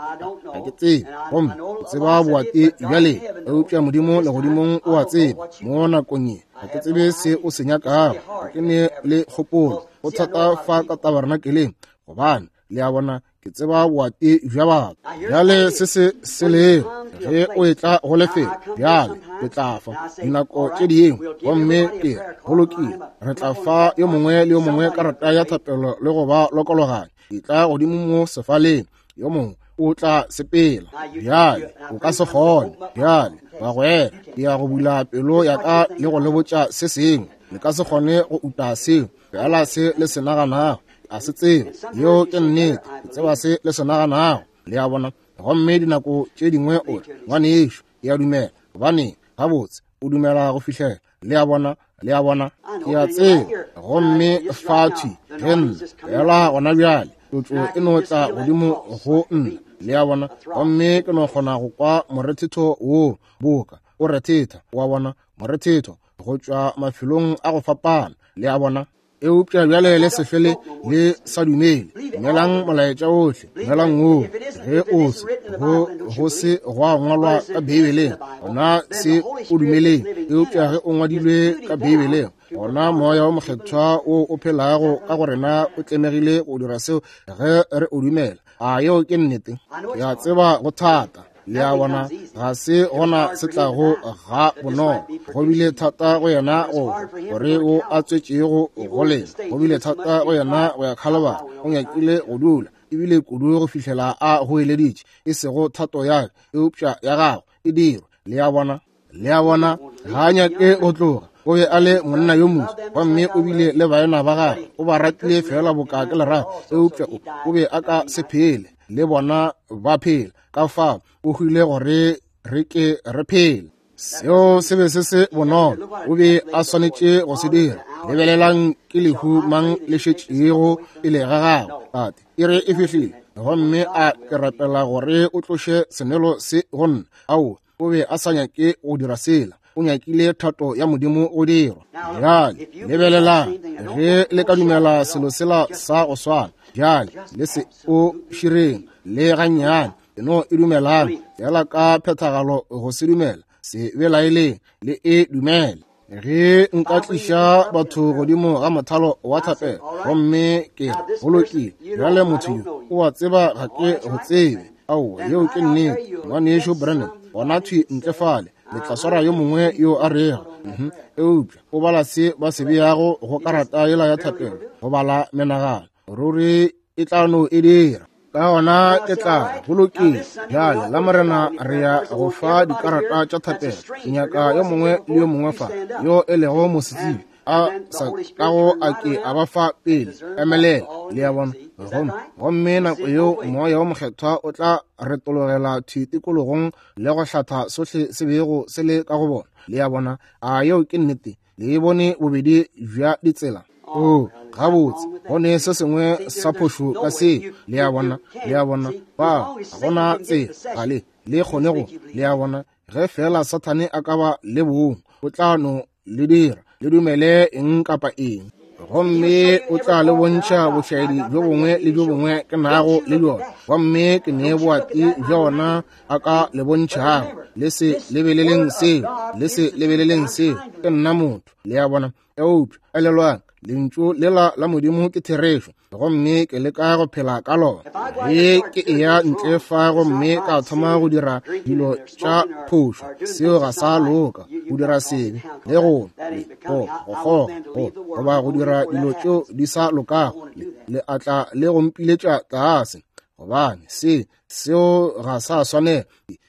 ga ke tsebe, gomme ke tseba boate bjale, eupša Modimo legodimong o a tseba. Mo nakong ye ga ke tsebe se o se nyakago, ga ke ne le kgopolo. Go thata fa ka tabernakeleng, gobane le a bona, ke tseba boate bja batho. Bjale se se se lego ge o etla go lefelo, bjale ke tla fa dinako tše dingwe, gomme ke go lokile, re tla fa yo mongwe le yo mongwe karata ya thapelo le go ba lokologanya. Ke tla godimo mo sefaleng, yo mongwe o tla sepela. Bjale o ka se kgone. Bjale bagwera, ke ya go bula pelo ya ka le go le botša se sengwe. Le ka se kgone go uta seo, fela se le se naganago a se tsebe. Yeo ke nnete. Ke tseba se le se naganago. Le a bona? Gomme dinako tše dingwe o re, ngwanešu, ke a dumela. Gobane gabotse o dumela go fihlela. Le a bona? Le a bona? Ke a tseba. Gomme fa thwi ge nna fela gona bjale, tlotšo e no tla godimo go nna. Le a bona? Gomme ke no kgona go kwa morethetho wo boka o rethetha, wa bona, morethetho go tšwa mafelong a go fapana. Le a bona? Eupša bjale le se fele le sa dumele. Dumelang molaetša ohle, dumelang woo. Ge o se go se gwa ngwalwa ka Beibeleng, gona se o dumeleng. Eupša ge o ngwadilwe ka Beibeleng, gona Moya wo Mokgethwa wo o phelago ka go rena o tlemegile go dira seo ge re o dumela. A yeo ke nnete? Ke a tseba go thata. Le a bona, ga se gona se tlago ga bonolo. Go bile thata go yena go gore o a tswetšego go lena. Go bile thata go yena go ya Khalabari. O nyakile go dula ebile kudu go fihlela a goeleditše, e sego thato ya ka, eupša ya gago e dirwe. Le a bona? Le a bona, ga a nyake go tloga. O be a le monna yo moswa, gomme o bile le baena ba gagwe. O ba ratile fela boka ke lerato, eupša o be a ka se phele le bona ba phela. Ka fao o hwile gore re ke re phele. Seo se be se se bonolo, o be a swanetše go se dira. Lebelelang ke lehu mang le šetšego pele ga gagwe. Tate, e re e fihlile, gomme a ke rapela gore o tloše senwelo se go nna. Aowa, o be a sa nyake go dira sela, o nyakile thato ya Modimo go dirwa. Bjale lebelelang, ge le ka dumela selo sela sa go swana, bjale le se o šireng le gannyane, e no e dumelang fela ka phethagalo. Go se dumela, se belaeleng, le e dumele. Ge nka tliša batho godimo ga mothalo wa thapelo, gomme ke go lokile, bjale motho yo o a tseba ga ke go tsebe. Aowa, yeo ke nnete, ngwanešu Branham. Gona thwi ntle fale le tla swara yo mongwe yo a rego, eupša o bala se ba se beago go karata yela ya thapelo, go bala menagano. Ruri e tla no e dira. Ka gona ke tla go lokile. Bjale la Morena re ya go fa dikarata tša thapelo. Ke nyaka yo mongwe le yo mongwe fa yo e lego mosetsebje. a sa kago a ke a ba fa pele. Emelela, le a bona. Gomme nako yeo Moya wo Mokgethwa o tla retologela thwi tikologong le go hlatha sohle se bego se le ka go bona. Le a bona? A yeo ke nnete? Le e bone bobedi bja ditsela. O, gabotse, go ne se sengwe sa phošo ka seo. Le a bona? Le a bona? Ba, ga gona tsela, ga le, le kgone go. Le a bona? Ge fela Sathane a ka ba le bong, o tla no le dira le dumele eng kapa eng, gomme o tla le bontšha bošaedi bjo bongwe le bjo bongwe ke nago le bjona, gomme ke ne boati bja ona a ka le bontšhago. Le se lebeleleng seo, le se lebeleleng seo. Ke nna motho, le a bona. Eupša elelwang, lentšu lela la Modimo ke therešo, gomme ke leka go phela ka lona. Ge ke eya ntle fa gomme ka thoma go dira dilo tša phošo, seo ga sa loka, go dira sebe le go go go goba go dira dilo tšeo di sa lokago, le atla le go mpiletša tlase, gobane se seo ga sa swanela.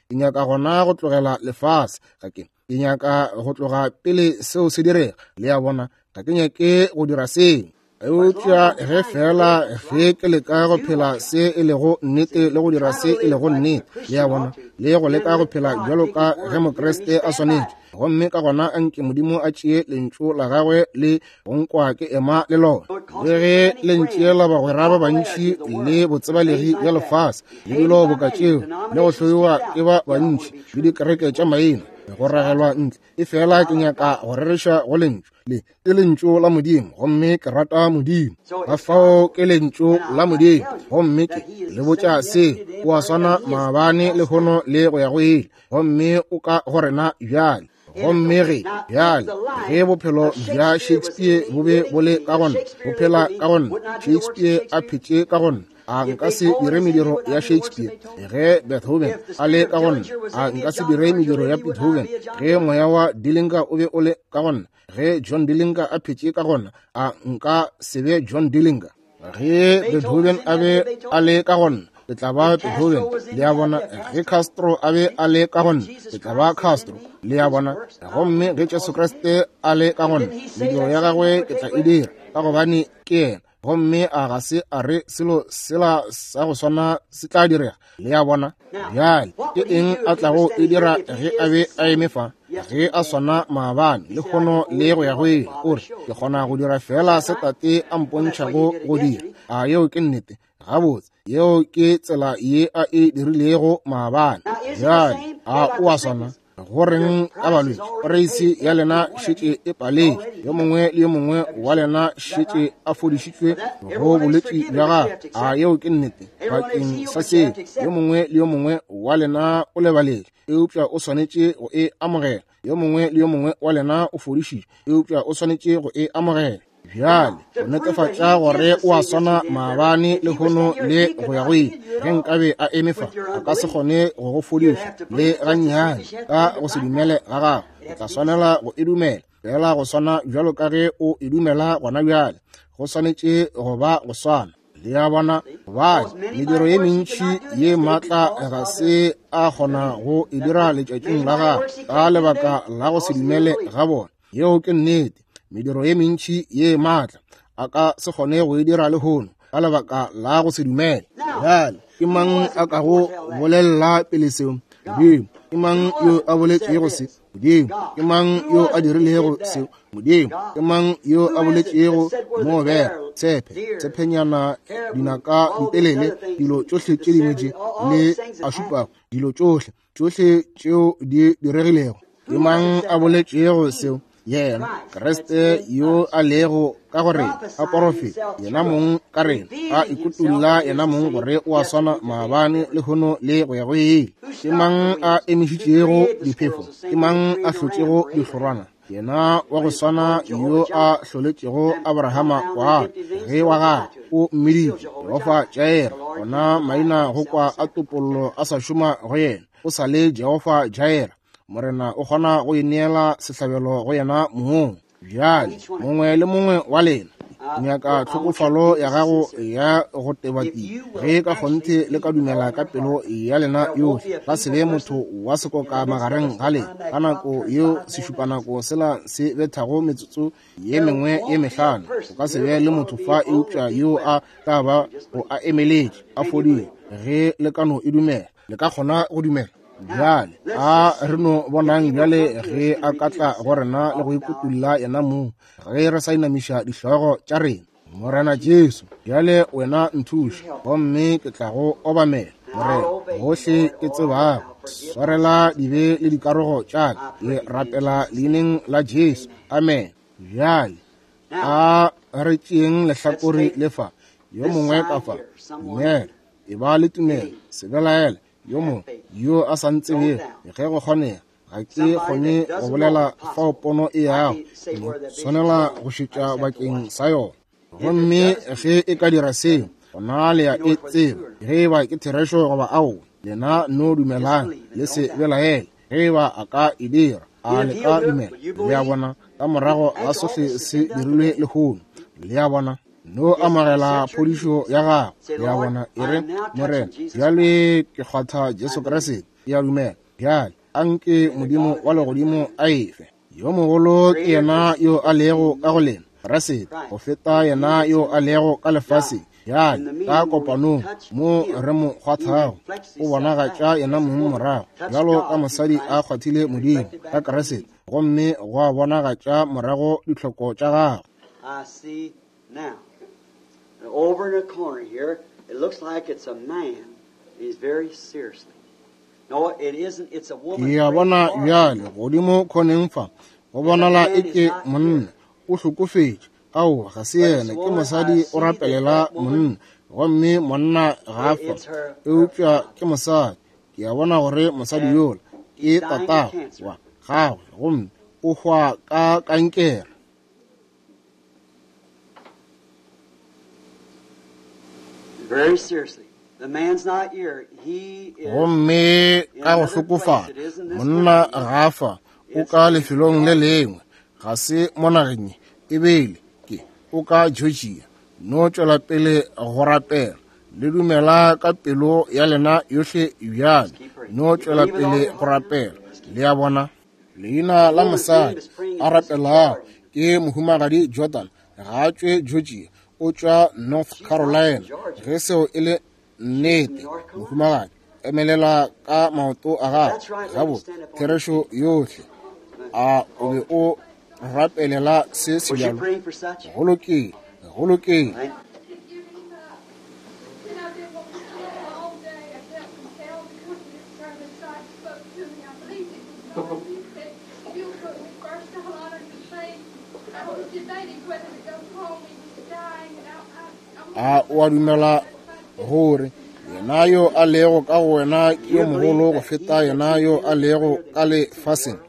Ke nyaka gona go tlogela lefase, ga ke ke nyaka go tloga pele seo se direga. Le a bona? Ga ke nyake go dira seo. Eupša ge fela ge ke leka go phela se e lego nnete le go dira se e lego nnete, le a bona, le go leka go phela bjalo ka ge Mokriste a swanetše, gomme ka gona anke Modimo a tšee lentšu la gagwe le go nkwa ke ema le lona. Le ge le ntšeela bagwera ba bantši le botsebalegi bja lefase le dilo boka tšeo, le go hloiwa ke ba bantši le dikereke tša maina, go ragelwa ntle, e fela ke nyaka go rereša go lentšu le. Ke lentšu la Modimo, gomme ke rata Modimo. Ka fao ke lentšu la Modimo, gomme ke le botša se, o a swana maabane, lehono le go ya go ile, gomme o ka go rena bjale. Gomme ge bjale ge bophelo bja Shakespeare bo be bo le ka gona, bo phela ka gona, Shakespeare a phetše ka gona, a nka se dire mediro ya Shakespeare? Ge Beethoven a le ka gona, a nka se dire mediro ya Beethoven? Ge moya wa Dillinger o be o le ka gona, ge John Dillinger a phetše ka gona, a nka se be John Dillinger? Ge Beethoven a be a le ka gona, ke tla ba Beethoven. Le a bona? Ge Castro a be a le ka gona, ke tla ba Castro. Le a bona? Gomme ge Jesu Kriste a le ka gona, mediro ya gagwe ke tla e dira, ka gobane ke yena. Gomme a ga se a re selo sela sa go swana se tla direga? Le a bona? Bjale ke eng a tlago e dira ge a be a eme fa, ge a swana maabane, lehono le go ya go ile? O re, ke kgona go dira fela se Tate a mpontšhago go dira. A yeo ke nnete? Gabotse, yeo ke tsela ye a e dirilego maabane. Bjale a o a swana? Go reng ka balwetši? Poreisi ya lena šetše e paletše, yo mongwe le yo mongwe wa lena šetše a fodišitšwe go bolwetši bja gagwe. A yeo ke nnete? Bakeng sa seo, yo mongwe le yo mongwe wa lena o lebaletše, eupša o swanetše go e amogela. Yo mongwe le yo mongwe wa lena o fodišitšwe, eupša o swanetše go e amogela. Bjale go netefatša gore o a swana maabane, lehono le go ya go ile, ge nkabe a eme fa, a ka se kgone go go fodiša le gannyane ka go se dumele ga gago. O tla swanela go e dumela fela go swana bjalo ka ge o e dumela gona bjale. Go swanetše go ba go swana. Le a bona? Gobane mediro ye mentši ye maatla ga se a kgona go e dira letšatšing la gagwe ka lebaka la go se dumele ga bona. Yeo ke nnete. Mediro ye mentši ye maatla a ka se kgone go e dira lehono ka lebaka la go se dumele. Bjale ke mang a kago bolelela pele seo? Modimo. Ke mang yo a boletšego se? Modimo. Ke mang yo a dirilego seo? Modimo. Ke mang yo a boletšego mo bera, tshepe, tshepenyana, dinaka ditelele, dilo tšohle tše dingwe tše le a šupago, dilo tšohle, tšohle tšeo di diregilego? Ke mang a boletšego seo? Yena Kriste yo a lego ka go rena, a porofeta yena mong ka rena, a ikutulla yena mong gore o a swana maabane, lehono le go ya go ile. Ke mang a emišitšego diphefo? Ke mang a hlotšego dihlorwana? Yena wa go swana yo a hloletšego Abrahama kwana ge wa gagwe o mmiditše Jehofa Jaira, gona maina go kwa a topollo a sa šoma go yena, o sa le Jehofa Jaira. Morena o kgona go ineela sehlabelo go yena mong. Bjale mongwe le mongwe wa lena, Ke nyaka tlhokofalo ya gago ya go tebatiwa. Ge ka kgonthe le ka dumela ka pelo ya lena yohle, ka se be motho wa sekoka magareng ga lena. Ka nako yeo sešupanako sela se bethago metsotso ye mengwe ye mehlano, o ka se be le motho fa eupša yo a tla ba go a emeletše a fodile. Ge le ka no e dumela, le ka kgona go dumela. Bjale a re no bonang bjale ge a ka tla go rena le go ikutulla yena mong, ge re sa inamiša dihlogo tša rena. Morena Jesu, bjale wena nthuše, gomme ke tla go obamela. Morena, gohle ke tsebago, swarela dibe le dikarogo tša ka. Ke rapela leineng la Jesu. Amen. Bjale a re tšeeng lehlakore le fa, yo mongwe ka fa. Dumela, e ba le tumelo, se belaele. Yo mongwe yo a sa ntsebego, ge go kgonega, ga ke kgone go bolela fao pono e yago, ke swanela go šetša bakeng sa yona. Gomme ge e ka dira seo, gona le ya e tseba ge e ba ke therešo goba aowa. Lena no dumelang, le se belaele. Ge e ba a ka e dira, a le ka dumela? Le a bona, ka morago ga sohle se dirilwe lehono, le a bona, no amogela phodišo ya gago. Le a bona, e re, Morena, bjale ke kgwatha Jesu Kriste, ke a dumela. Bjale anke Modimo wa legodimo a efe. Yo mogolo ke yena yo a lego ka go lena, Kriste, go feta yena yo a lego ka lefaseng. Bjale ka kopanong mo re mo kgwathago, o bonagatša yena mong morago, bjalo ka mosadi a kgwathile Modimo ka Kriste, gomme gwa bonagatša morago ditlhoko tša gagwe. I see now. And over in the corner here, it looks like it's a man. He's very seriously. No, it isn't. It's a woman. Ke a bona bjale godimo khoneng fa, go bonala e ke monna o hlokofetše. Ao, ga se yena, ke mosadi o rapelela monna, gomme monna ga a fa, eupša ke mosadi. Ke a bona gore mosadi yola ke tatago wa gagwe, gomme o hwa ka kankere. Very seriously. The man's not here. He is Gomme ka go hlokofala, monna ga a fa, o ka lefelong le lengwe, ga se mo nageng ye, ebile ke o ka Georgia. No tšwela pele go rapela, le dumela ka pelo ya lena yohle bjale. No tšwela pele go rapela. Le a bona, leina la mosadi a rapelago ke Mohumagadi Jordan, ga a tšwe Georgia, o tšwa North Carolina. Ge seo e le nnete, mohumagadi, emelela ka maoto a gago. Gabotse, therešo yohle. A o be o rapelela se Was you sebjalo? praying for such? Go lokile, go lokile. Right? to give him up. And I've been wanting to all day. I felt compelled to come to this service. God spoke to me. I believed it was God. He said, if you'll put me first, I'll honor your faith. I was debating whether to go home. He was dying, and I A o a dumela gore yena yo a lego ka go wena ke yo mogolo go feta yena yo a lego ka lefaseng?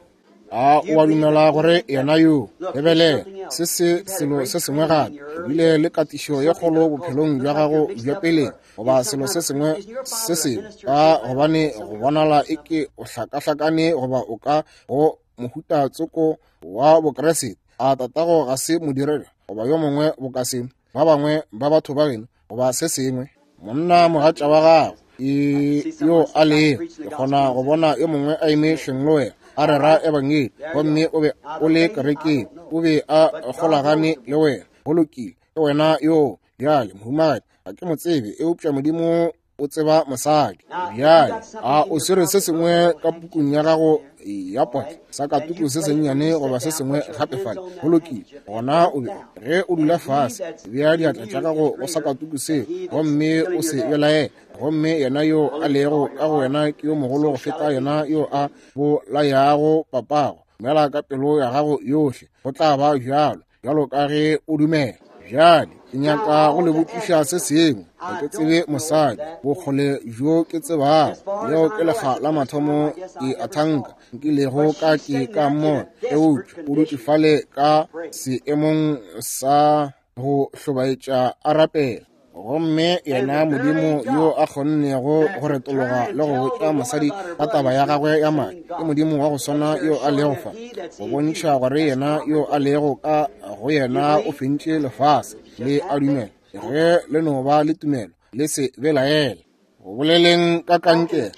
A o a dumela gore yena yo, lebelela, se se selo se sengwe gape, o bile le katišo ye kgolo bophelong bja gago bja peleng, goba selo se sengwe se sengwe, ka gobane go bonala e ke o hlakahlakane goba o ka go mohuta tsoko wa Bokriste. A tatago ga se modiredi goba yo mongwe boka se, ba bangwe ba batho ba geno goba se sengwe? Monna mogatša wa gago e yo a lego, ke kgona go bona yo mongwe a eme hleng le wena a rera ebangedi, gomme o be o le kerekeng, o be a golagane le wena. Go lokile, ke wena yo bjale, mohumagadi. Ga ke mo tsebe, eupša Modimo o tseba mosadi. Bjale a o swere se sengwe ka pukung ya gago ya potla, sa katuku se sennyane goba se sengwe gape fale? Go lokile, gona o be ge o dula fase, bea diatla tša gago go sa katuku seo, gomme o se belaele. Gomme yena yo a lego ka go wena ke yo mogolo go feta yena yo a bolayago papago. Dumela ka pelo ya gago yohle, go tla ba bjalo, bjalo ka ge o dumela. Bjale ke nyaka go le botšiša se sengwe. Ga ke tsebe mosadi, bokgole bjo ke tsebago, leo ke lekga la mathomo ke a thanka nkilego ka ke ka mmona, eupša o dutše fale ka seemong sa go hlobaetša a rapela. Gomme yena Modimo yo a kgonnego go retologa le go botša mosadi ka taba ya gagwe ya madi, ke Modimo wa go swana yo a lego fa go bontšha gore yena yo a lego ka go yena o fentše lefase. Le a dumela? Ge le no ba le tumelo, le se belaele. Go boleleng ka kankere,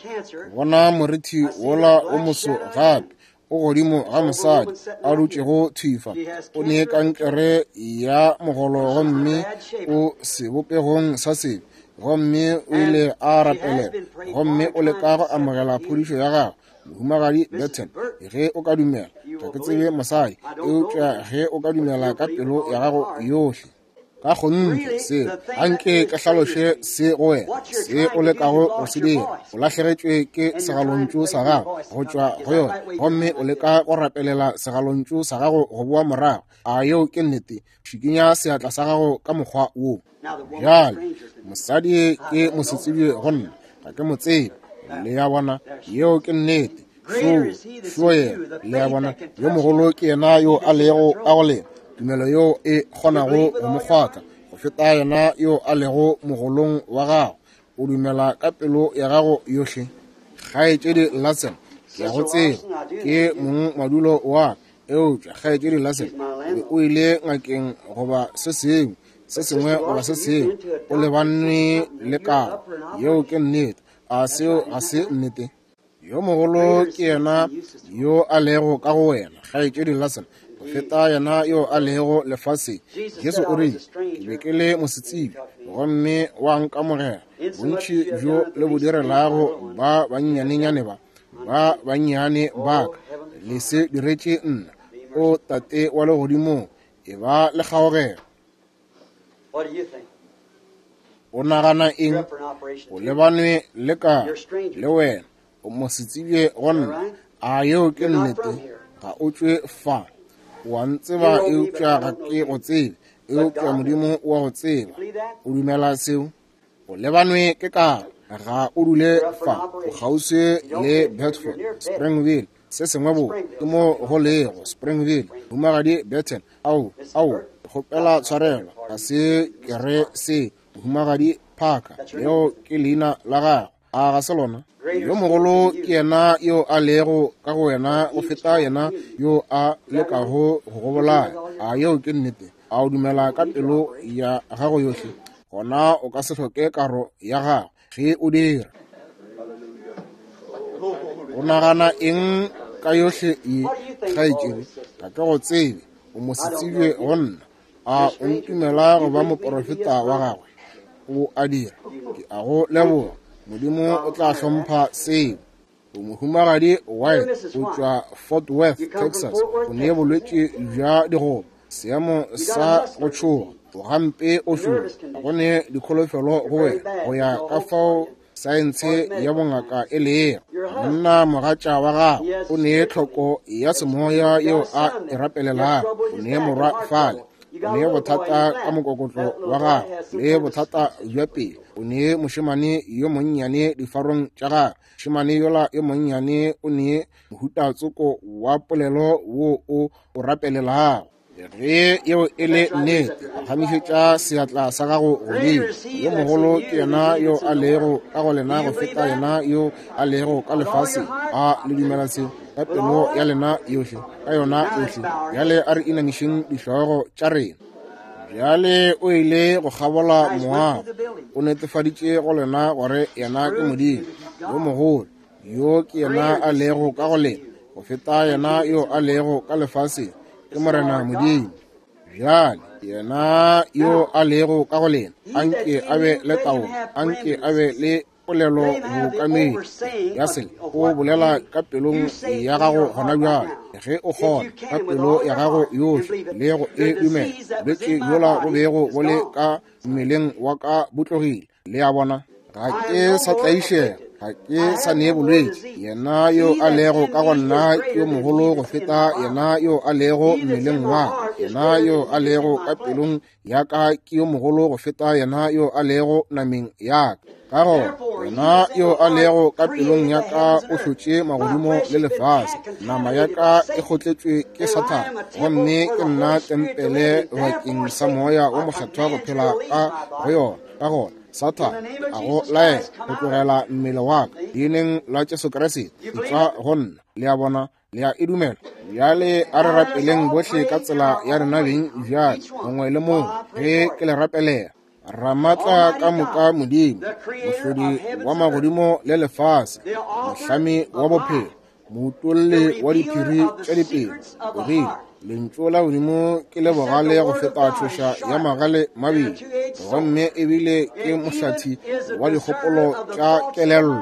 bona morithi wola o moso gape o godimo ga mosadi a dutšego thifa. O ne kankere ya mogolo gomme o sebopegong sa sebe, gomme o ile a rapelela, gomme o leka go amogela phodišo ya gagwe. Mohumagadi Burton, ge o ka dumela, ga ke tsebe mosadi, eupša ge o ka dumela ka pelo ya gago yohle, ka kgonthe se anke ke hlaloše se go wena, se o lekago go se dira. O lahlegetšwe ke segalontšu sa gago go tšwa go yona, gomme o leka go rapelela segalontšu sa gago go boa morago. A yeo ke nnete? Šikinya seatla sa gago ka mokgwa wo. Bjale, mosadi ke mosetsebje go nna, ga ke mo tsebe. Le ya bona, yeo ke nnete. Šo yena, le ya bona, yo mogolo ke yena yo a lego ka go lena, tumelo yo e kgonago go mo kgwatha go feta yena yo a lego mogolong wa gago. O dumela ka pelo ya gago yohle. Kgaetšedi Larson, ke a go tseba, ke mong madulo wa ka, eupša kgaetšedi Larson, o ile ngakeng goba se sengwe, se sengwe goba se sengwe, o lebane le karo. Yeo ke nnete. A seo ga se nnete? Yo mogolo ke yena yo a lego ka go wena, kgaetšedi Larson, go feta yena yo a lego lefaseng. Jesu o rile, ke be ke le mosetsebje, gomme wa nkamogela. Bontši bjo le bo direlago ba bannyanenyane ba, ba bannyane ba ka, le se diretše nna. O Tate wa legodimong, e ba le kgaogelo. O nagana eng? O lebanwe le ka le wena, o mosetsebje go nna. A yeo ke nnete? Ga o tšwe fa. O a ntseba, eupša ga ke go tsebe, eupša Modimo o a go tseba. O dumela seo? O lebanwe ke karo, ga o dule fa, o kgauswi le Bedford, Springville, se sengwe bo ke mo go lego Springville. Mohumagadi Burton, ao, ao, kgopela tshwarelo, ga se ke re se. Mohumagadi Parker, leo ke leina la gagwe, a ga se lona? Yo mogolo ke yena yo a lego ka go wena go feta yena yo a lekago go go bolaya. A yeo ke nnete? A o dumela ka pelo ya gago yohle? Gona o ka se hloke karo ya gago ge o dira. O nagana eng ka yohle ye, kgaetšedi? Ga ke go tsebe, o mosetsebje go nna. A o ntumela go ba moporofeta wa gagwe? O a dira. Ke a go leboga. Modimo o tla hlompha seo. O mohumagadi White, o tšwa Fort Worth, Texas. O ne bolwetši bja digoba, seemo sa go tšhoga, o gampe o šoro. Ga go ne dikholofelo go wena go ya ka fao saense ya bongaka e lego. Monna mogatša wa gago o ne tlhoko ya semoya yeo a e rapelelago. O ne morwa fale, o ne bothata ka mokokotlo wa gago le bothata bja pelo. O ne mošemane yo monnyane difarong tša gagwe. Mošemane yola yo monnyane o ne mohuta tsoko wa polelo wo o o rapelelago. Ge yeo e le nnete, phagamišetša seatla sa gago godimo. Yo mogolo ke yena yo a lego ka go lena go feta yena yo a lego ka lefaseng. A le dumela seo ka pelo ya lena yohle, ka yona yohle? Bjale a re inamišeng dihlogo tša rena. Bjale o ile go kgabola moago, o netefaditše go lena gore yena ke Modimo yo mogolo, yo ke yena a lego ka go lena go feta yena yo a lego ka lefaseng, ke Morena Modimo. Bjale yena yo a lego ka go lena, anke a be le taolo, anke a be le polelo bookamedi ya sele. O bolela ka pelong ya gago gona bjale, ge o kgona ka pelo ya gago yohle le go e dumela. Bolwetši bjola bo bego bo le ka mmeleng wa ka bo tlogile. Le a bona, ga ke sa tlaišega, ga ke sa ne bolwetši. Yena yo a lego ka go nna ke yo mogolo go feta yena yo a lego mmeleng wa ka. Yena yo a lego ka pelong ya ka ke yo mogolo go feta yena yo a lego nameng ya ka. Ka gona yena yo a lego ka pelong ya ka o hlotše magodimo le lefase. Nama ya ka e kgotletšwe ke Sathane, gomme ke nna tempele bakeng sa Moya wo Mokgethwa go phela ka go yona. Ka gona, Sathane, a go laela go tlogela mmele wa ka, leineng la Jesu Kriste, etšwa go nna. Le a bona? Le a e dumela? Bjale a re rapeleng bohle ka tsela ya rena beng bjale, mongwe le mongwe, ge ke le rapelela. Ramatla ka moka Modimo, Mohlodi wa magodimo le lefase, Mohlami wa bophelo, Moutolli wa diphiri tša dipelo, o rile, Lentšu la Modimo ke le bogale go feta tšhoša ya magale mabedi, gomme ebile ke mohlathi wa dikgopolo tša kelello.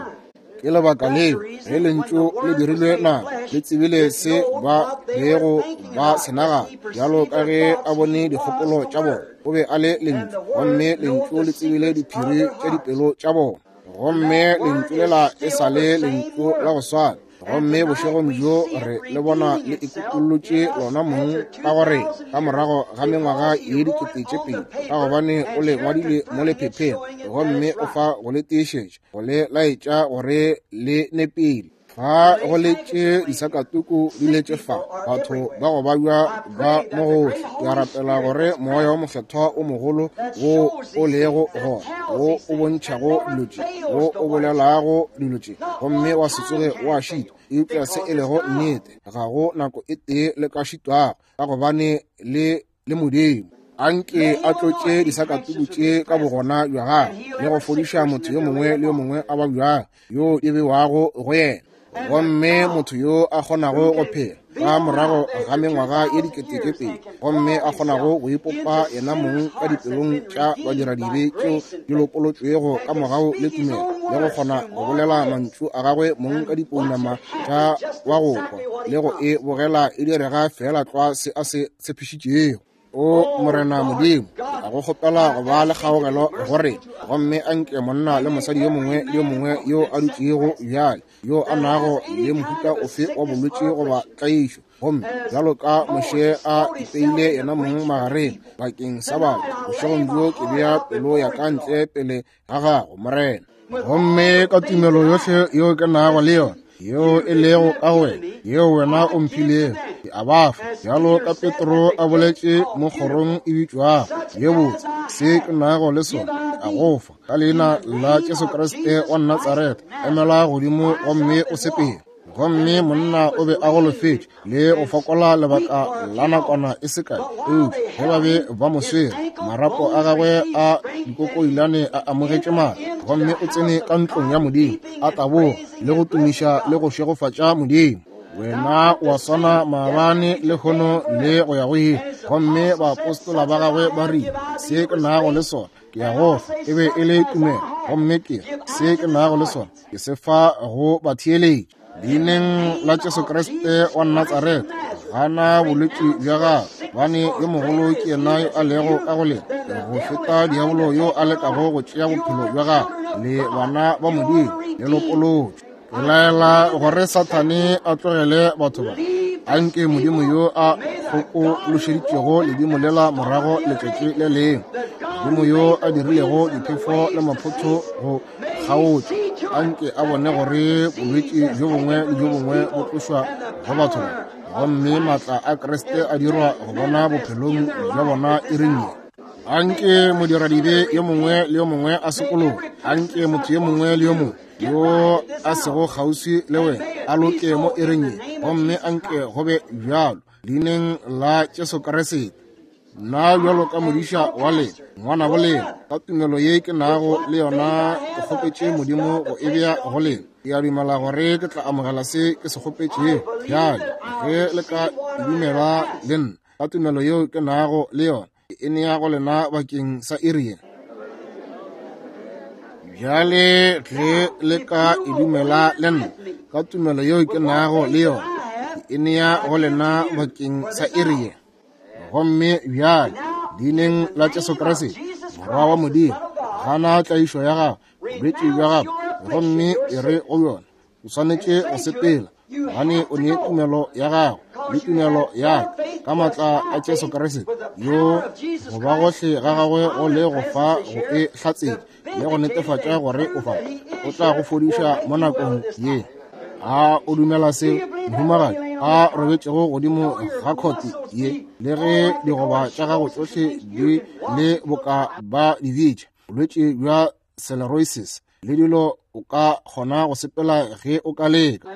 Ke lebaka leo ge lentšu le dirilwe nama, le tsebile se ba bego ba se nagana, bjalo ka ge a bone dikgopolo tša bona. O be a le lentšu, gomme lentšu le tsebile diphiri tša dipelo tša bona. Gomme lentšu lela e sa le lentšu la go swana. Gomme bošegong bjo re le bona le ikutollotše lona mong ka gore ka morago ga mengwaga ye 2000, ka gobane o le ngwadile mo lephepheng, gomme o fa go le tiišetša, go le laetša gore le nepile. Fa go letše disakatuku di letše fa, batho ba go babja ba mo gohle. Ke a rapela gore Moya wo Mokgethwa o mogolo wo o lego gona, wo o bontšhago dilo tše, wo o bolelago dilo tše, gomme wa se tsoge wa šitwa, eupša se e lego nnete, ga go nako e tee le ka šitwago, ka gobane le le Modimo. Anke a tlotše disakatuku tše ka bogona bja gagwe le go fodiša motho yo mongwe le yo mongwe a babjago yo di bewago go yena, gomme motho yo a kgonago go phela ka morago ga mengwaga ye 2000, gomme a kgonago go ipopa yena mong ka dipelong tša badiradibe tšeo di lopolotšwego ka mogau le tumelo, le go kgona go bolela mantšu a gagwe mong ka dipounama tša wa go kwa, le go e bogela e direga feela tlwa se a se tshepišitšego. O Morena Modimo, a go kgopela go ba le kgaogelo go rena, gomme a nke monna le mosadi yo mongwe le yo mongwe yo a dutšego bjale, yo a nago le mohuta ofe wa bolwetši goba tlaišo, gomme bjalo ka Moshe a ipeile yena mong magareng bakeng sa batho, bošegong bjo ke bea pelo ya ka ntle pele ga gago, Morena. Gomme ka tumelo yohle yeo ke nago le yona, yeo e lego ka go wena, yeo wena o mphilego, ke a ba fa, bjalo ka Petro a boletše mo kgorong e bitšwago ye botse, se ke nago le sona ke a go fa, ka leina la Jesu Kriste wa Natsaretha, emela godimo gomme o sepele. Gomme monna o be a golofetše le go fokola lebaka la nakwana e se kae, eupša ge ba be ba mo swere, marapo a gagwe a dikokoilane a amogetše matla, gomme o tsene ka ntlong ya Modimo, a taboga le go tumiša le go šegofatša Modimo. Wena wa swana maabane, lehono le go ya go ile. Gomme baapostola ba gagwe ba rile, Se ke nago le sona ke ya go fa. E be e le tumelo. Gomme ke se ke nago le sona ke se fa go batheeletši. Leineng la Jesu Kriste wa Natsaretha, gana bolwetši bja gago, gobane yo mogolo ke yena yo a lego ka go lena go feta diabolo yo a lekago go tšea bophelo bja gago. Le bana ba Modimo, le lopolotšwe. Ke laela gore Sathane a tlogele batho ba. Anke Modimo yo a kgokološeditšego ledimo lela morago letšatši le lengwe, Modimo yo a dirilego diphefo le maphotho go kgaotša, anke a bone gore bolwetši bjo bongwe le bjo bongwe bo tlošwa go batho ba, gomme maatla a Kriste a dirwa go bona bophelong bja bona iring ye. Anke modiradibe yo mongwe le yo mongwe a sokologe. Anke motho yo mongwe le yo mongwe yo a sego kgauswi le wena a loke mo iring ye, gomme anke go be bjalo leineng la Jesu Kriste. Nna bjalo ka modiša wa lena, ngwanabo lena, ka tumelo ye ke nago le yona ke kgopetše Modimo go e bea go lena. Ke a dumela gore ke tla amogela se ke se kgopetšego. Bjale ge le ka e dumela le nna, ka tumelo yeo ke nago le yona, ke e nea go lena bakeng sa iri ye. Bjale ge le ka e dumela le nna, ka tumelo yeo ke nago le yona, ke e nea go lena bakeng sa iri ye. Gomme bjale, leineng la Jesu Kriste, Morwa wa Modimo, gana tlaišo ya gago, bolwetši bja gago, gomme e re go bjona, o swanetše go sepela, gobane o ne tumelo ya gago le tumelo ya ka, ka maatla a Jesu Kriste, yo go ba gohle ga gagwe go le go fa go e hlatsetša le go netefatša gore o fa, o tla go fodiša mo nakong ye. A o dumela se, mohumagadi a robetšego godimo ga khote ye, le ge digoba tša gago tšohle di le boka ba di bitša? Bolwetši bja sclerosis le dilo, o ka kgona go sepela ge o ka leka.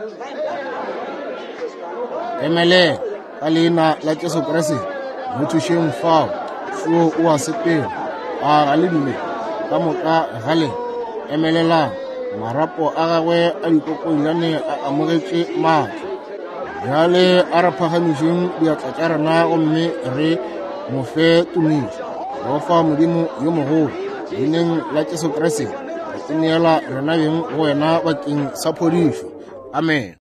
Emelela ka leina la Jesu Kriste, mo thušeng fao. Šo o a sepela. A ga le dumele? Ka moka ga lena emelelang. Marapo a gagwe a dikokonyane a amogetše maatla. Bjale a re phagamišeng diatla tša rena gomme re mo fe tumišo. Jehofa Modimo yo mogolo, leineng la Jesu Kriste, re ineela rena beng go wena bakeng sa phodišo. Amen.